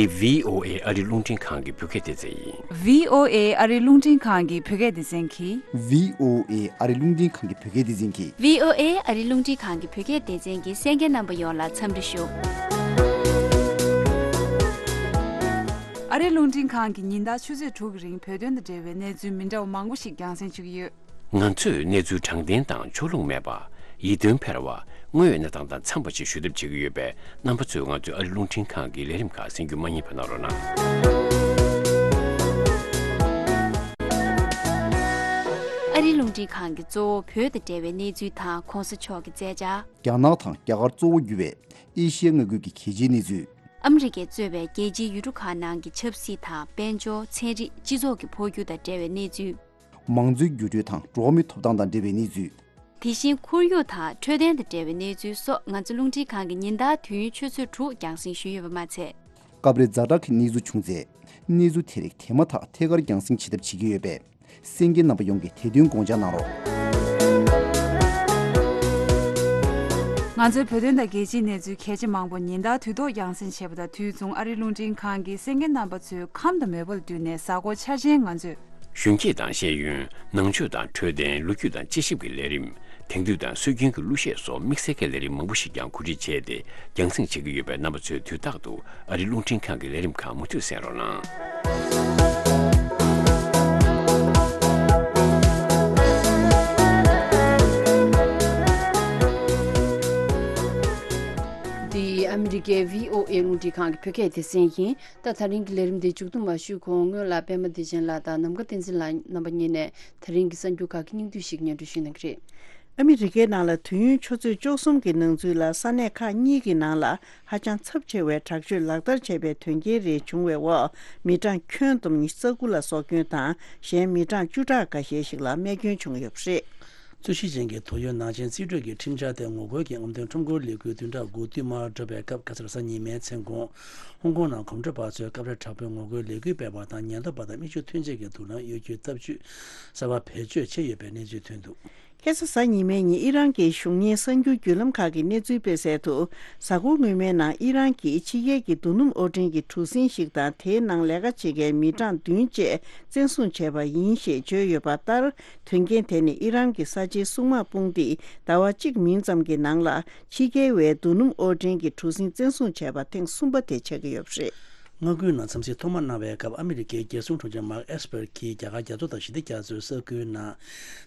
འདི་བི་ཨོ་ཨེ་ཨ་རི་རླུང་འཕྲིན་ཁང་གི་བོད་སྐད་སྡེ་ཚན་ཡིན། བི་ཨོ་ཨེ་ཨ་རི་རླུང་འཕྲིན་ཁང་གི་བོད་སྐད་སྡེ་ཚན་གྱིས། བི་ཨོ་ཨེ་ཨ་རི་རླུང་འཕྲིན་ཁང་གི་བོད་སྐད་སྡེ་ཚན་གྱིས། བི་ཨོ་ཨེ་ཨ་རི་རླུང་འཕྲིན་ཁང་གི་བོད་སྐད་སྡེ་ཚན་གྱི་གསན་མཁན་རྣམ་པ་ཡོངས་ལ་འཚམས་འདྲི་ཞུ། ཨ་རི་རླུང་འཕྲིན་ཁང་གིས་ཉིན་ལྟར་ཆུ་ཚོད་དྲུག་གི་རིང་བོད་དོན་དང་འབྲེལ་བའི་གནས་ཚུལ་མི་འདྲ་བ་མང་པོ་ཞིག་རྒྱང་སྲིང་ཞུ་གི་ཡོད། ང་ཚོས་གནས་ཚུལ་དྲང་བདེན་དང་ཕྱོགས་ལྷུང་མེད་པ། ཡིད་རྟོན་འཕེར་བ། དངོས་ཡོད་གནས་སྟངས་དང་འཚམས་པ་ཞིག་ཞུ་ཐབས་བྱེད་ཀྱི་ཡོད་པས། རྣམ་པ་ཚོས་ང་ཚོའི་ཨ་རི་རླུང་འཕྲིན་ཁང་གི་ལས་རིམ་ཁག་གསན་རྒྱུ་མ་བསྙེལ་བ་གནང་རོགས་གནང་། ཨ་རི་རླུང་འཕྲིན་ཁང་གིས་གཙོ་བོ་བོད་དང་འབྲེལ་བའི་གནས་ཚུལ་དང་གོང་ས་མཆོག་གི་མཛད་འཆར། རྒྱ་ནག་དང་རྒྱ་གར་གཙོ་བོ་གྱུར་བའི་ཨེ་ཤི་ཡ་མངའ་ཁུལ་གྱི་གལ་ཆེའི་གནས་ཚུལ། ཨ་མི་རི་ཀས་གཙོས་པའི་རྒྱལ་སྤྱིའི་ཡུལ་གྲུ་ཁག་ནང་གི་ཆབ་སྲིད་དང་དཔལ་འབྱོར། ཚན་རིག་སྤྱི་ཚོགས་ཀྱི་འཕོ་འགྱུར་དང་འབྲེལ་བའི་གནས་ཚུལ། མང་གཙོའི་འགྱུར་འགྲོས་དང་འགྲོ་བ་མིའི་ཐོབ་ཐང་དང་འབྲེལ་བའི་གནས་ཚུལ། དེ་བཞིན་ཁོར་ཡུག་དང་འཕྲོད་བསྟེན་དང་འབྲེལ་བའི་གནས་ཚུལ་སོགས་ང་ཚོ་རླུང་འཕྲིན་ཁང་གིས་ཉིན་ལྟར་དུས་ཡུན་ཆུ་ཚོད་དྲུག་རྒྱང་སྲིང་ཞུས་ཡོད་པ་མ་ཚད། སྐབས་རེ་ཛ་དྲག་གི་གནས་ཚུལ་བྱུང་ཚེ། གནས་ཚུལ་དེ་རིགས་དེ་མ་ཐག་ཐད་ཀར་རྒྱང་སྲིང་བྱེད་ཐབས་བྱེད་ཀྱི་ཡོད་པས། གསན་མཁན་རྣམ་པ་ཡོངས་ཀྱིས་དེ་དོན་དགོངས་འཇགས་གནང་རོགས། ང་ཚོའི་བོད་དོན་དང་རྒྱལ་སྤྱིའི་གནས་ཚུལ་གལ་ཆེ་མང་པོ་ཉིན་ལྟར་དུས་ཐོག་རྒྱང་སྲིང་བྱེད་པ་དང་དུས་མཚུངས་ཨ་རིའི་རླུང་འཕྲིན་ཁང་གིས་གསན་མཁན་རྣམ་པ་ཚོའི་ཁམས་དང་མོས་པ་ལ་བསྟུན་ནས་གཟའ་འཁོར་འཆར་ཅན་ང་ཚོས། གཞོན་སྐྱེས་དང་ཤེས་ཡོན། ནང་ཆོས་དང་འཕྲོད་བསྟེན། ལོ་རྒྱུས་དང་དཔྱད་ཞིབ་ཀྱི་ལས་རིམ། དེང་དུས་དང་སྲོལ་རྒྱུན་གྱི་གླུ་གཞས་སོགས་དམིགས་བསལ་གྱི་ལས་རིམ་མང་པོ་ཞིག་ཀྱང་གོ་སྒྲིག་བྱས་ཏེ་རྒྱང་སྲིང་བྱེད་ཀྱི་ཡོད་པས། རྣམ་པ་ཚོས་དུས་རྟག་ཏུ་ཨ་རིའི་རླུང་འཕྲིན་ཁང་གི་ལས་རིམ་ཁག་མུ་མཐུད་གསན་རོགས་གནང་། འདི་ཨ་མི་རི་ཀའི་བྷི་ཨོ་ཨེ་རླུང་འཕྲིན་ཁང་གི་བོད་སྐད་སྡེ་ཚན་ཡིན། ད་ད་རིང་གི་ལས་རིམ་འདི་མཇུག་བསྡོམས་མ་ཞུས་གོང་སྔོན་ལ་པད་མ་བདེ་ཆེན་ལགས་དང་ནམ་མཁའ་བསྟན་འཛིན་ལགས་རྣམ་པ་གཉིས་ནས་ད་རིང་གི་གསར་འགྱུར་ཁག་གི་སྙིང་བསྡུས་ཤིག་སྙན་སྒྲོན་ཞུས་གནང་གི་རེད། ཨ་མི་རི་ཀའི་ནང་ལ་དུས་ཡུན་ཆུ་ཚོད་བཅུ་གསུམ་གྱི་ནང་ཚུད་ལ་ས་གནས་ཁག་གཉིས་ཀྱི་ནང་ལ་ཧ་ཅང་ཚབས་ཆེ་བའི་དྲག་སྤྱོད་ལག་བསྟར་བྱས་པའི་དོན་རྐྱེན་རེ་བྱུང་བའི་འོག་མི་གྲངས་ཁྱོན་བསྡོམས་ཉི་ཤུ་རྩ་དགུ་ལ་སྲོག་སྐྱོན་དང་གཞན་མི་གྲངས་བཅུ་ཕྲག་འགའ་ཤས་ཤིག་ལ་རྨས་སྐྱོན་བྱུང་ཡོད་པ་རེད། རྩོད་གཞི་ཅན་གྱི་དོགས་ཡོད་ནག་ཅན་རྩིས་སྤྲོད་ཀྱི་ཁྲིམས་འཆར་དེ་ངོ་རྒོལ་གྱི་རྔམ་སྟོན་ཁྲོམ་སྐོར་ལས་འགུལ་བདུན་ཕྲག་དགུ་བསྟུད་མར་འགྲོ་བའི་སྐབས་ཁ་སང་གཟའ་ཉི་མའི་མཚན་གུང་ཧོང་ཀོང་ནང་གོམ་བགྲོད་པ་ཚོས་སྐབས་རེ་དྲག་པོའི་ངོ་རྒོལ་ལས་འགུལ་སྤེལ་བ་དང་ཉེན་རྟོག་པ་དང་མི་ཆོས་མཐུན་རྐྱེན་གྱི་དུག་རླངས་གཡོ་སྒྱུའི་སྟབས་ཇུས་གསར་པ་བེད་སྤྱོད་བྱས་ཡོད་པའི་གནས་ཚུལ་ཐོན་འདུག་ཁ་སང་གཟའ་ཉི་མའི་ཉིན་ཨི་རན་གྱི་གཞུང་གཉེར་གསར་འགྱུར་བརྒྱུད་ལམ་ཁག་གིས་གནས་ཚུལ་སྤེལ་གསལ་དུ། གཟའ་འཁོར་སྔོན་མའི་ནང་ཨི་རན་གྱིས་ཕྱི་རྒྱལ་གྱི་རྡོ་སྣུམ་དབོར་འདྲེན་གྱི་གྲུ་གཟིངས་ཤིག་དང་དེའི་ནང་ལས་ཀ་བྱེད་མཁན་མི་གྲངས་བདུན་བཅས་བཙན་བཟུང་བྱས་པ་ཡིན་ཞེས་བརྗོད་ཡོད་པ་ལྟར། དོན་རྐྱེན་དེ་ནི་ཨི་རན་གྱི་གསར་བརྗེའི་སྲུང་དམག་དཔུང་སྡེས་ཟླ་བ་གཅིག་མིན་ཙམ་གྱི་ནང་ལ་ཕྱི་རྒྱལ་བའི་རྡོ་སྣུམ་དབོར་འདྲེན་གྱི་གྲུ་གཟིངས་བཙན་བཟུང་བྱས་པ་ཐེངས་གསུམ་པ་དེ་ཆགས་ཀྱི་ཡོད་པ་རེད། མངའ་ཁུལ་ནང་འཚམས་གཟིགས་ཐོག་མ་གནང་བའི་སྐབས་ཨ་མི་རི་ཀའི་རྒྱལ་སྲུང་དྲུང་ཆེ་མཱརྐ་ཨེས་པར་གྱིས་རྒྱ་གར་རྒྱ་མཚོ་དང་ཞི་བདེ་རྒྱ་མཚོའི་ས་ཁུལ་ནང་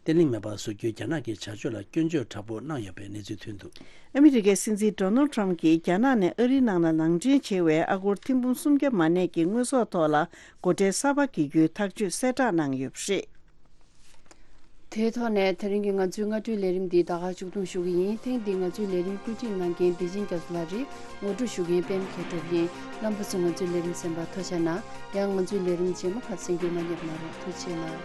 བརྟན་ལྷིང་མེད་པར་བཟོ་རྒྱུའི་རྒྱ་ནག་གི་བྱ་སྤྱོད་ལ་སྐྱོན་བརྗོད་དྲག་པོ་གནང་ཡོད་པའི་གནས་ཚུལ་ཐོན་འདུག་ཨ་མི་རི་ཀའི་སྲིད་འཛིན་ཌོ་ནལ་ཊམ་གྱིས་རྒྱ་ནག་ནས་ཨ་རིའི་ནང་ལ་ནང་འདྲེན་བྱེད་པའི་ཨ་སྒོར་ཐེར་འབུམ་སུམ་བརྒྱ་མ་གནས་ཀྱི་དངོས་ཟོག་ཐོག་ལ་སྒོ་ཁྲལ་གསར་པ་འགེལ་རྒྱུའི་ཐག་གཅོད་གསལ་བསྒྲགས་གནང་ཡོད་པ་རེད། དེའི་ཐོག་ནས་དེ་རིང་གི་ང་ཚོའི་སྔ་དྲོའི་ལས་རིམ་འདི་ད་ག་མཇུག་བསྡོམས་ཞུ་གི་ཡིན། ཐེངས་འདིའི་ང་ཚོའི་ལས་རིམ་བཀོད་སྒྲིག་གནང་མཁན་བདེ་ཆེན་རྒྱ་མཚོ་ལགས་རེད། ངོ་སྤྲོད་ཞུ་མཁན་པད་མ་མཁས་གྲུབ་ཡིན། རྣམ་པ་ཚོས་ང་ཚོའི་ལས་རིམ་གསན་པར་ཐུགས་རྗེ་གནང་། ཡང་ང་ཚོའི་ལས་རིམ་རྗེས་མ་ཁག་གསན་རྒྱུ་མ་བསྙེལ་གནང་རོགས། ཐུགས་རྗེ་གནང་།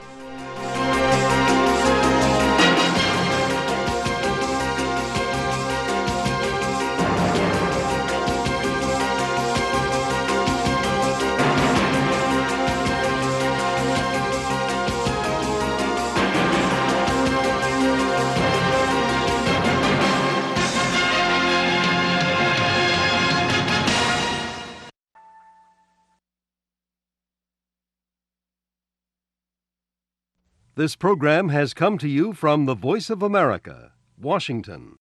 This program has come to you from the Voice of America, Washington.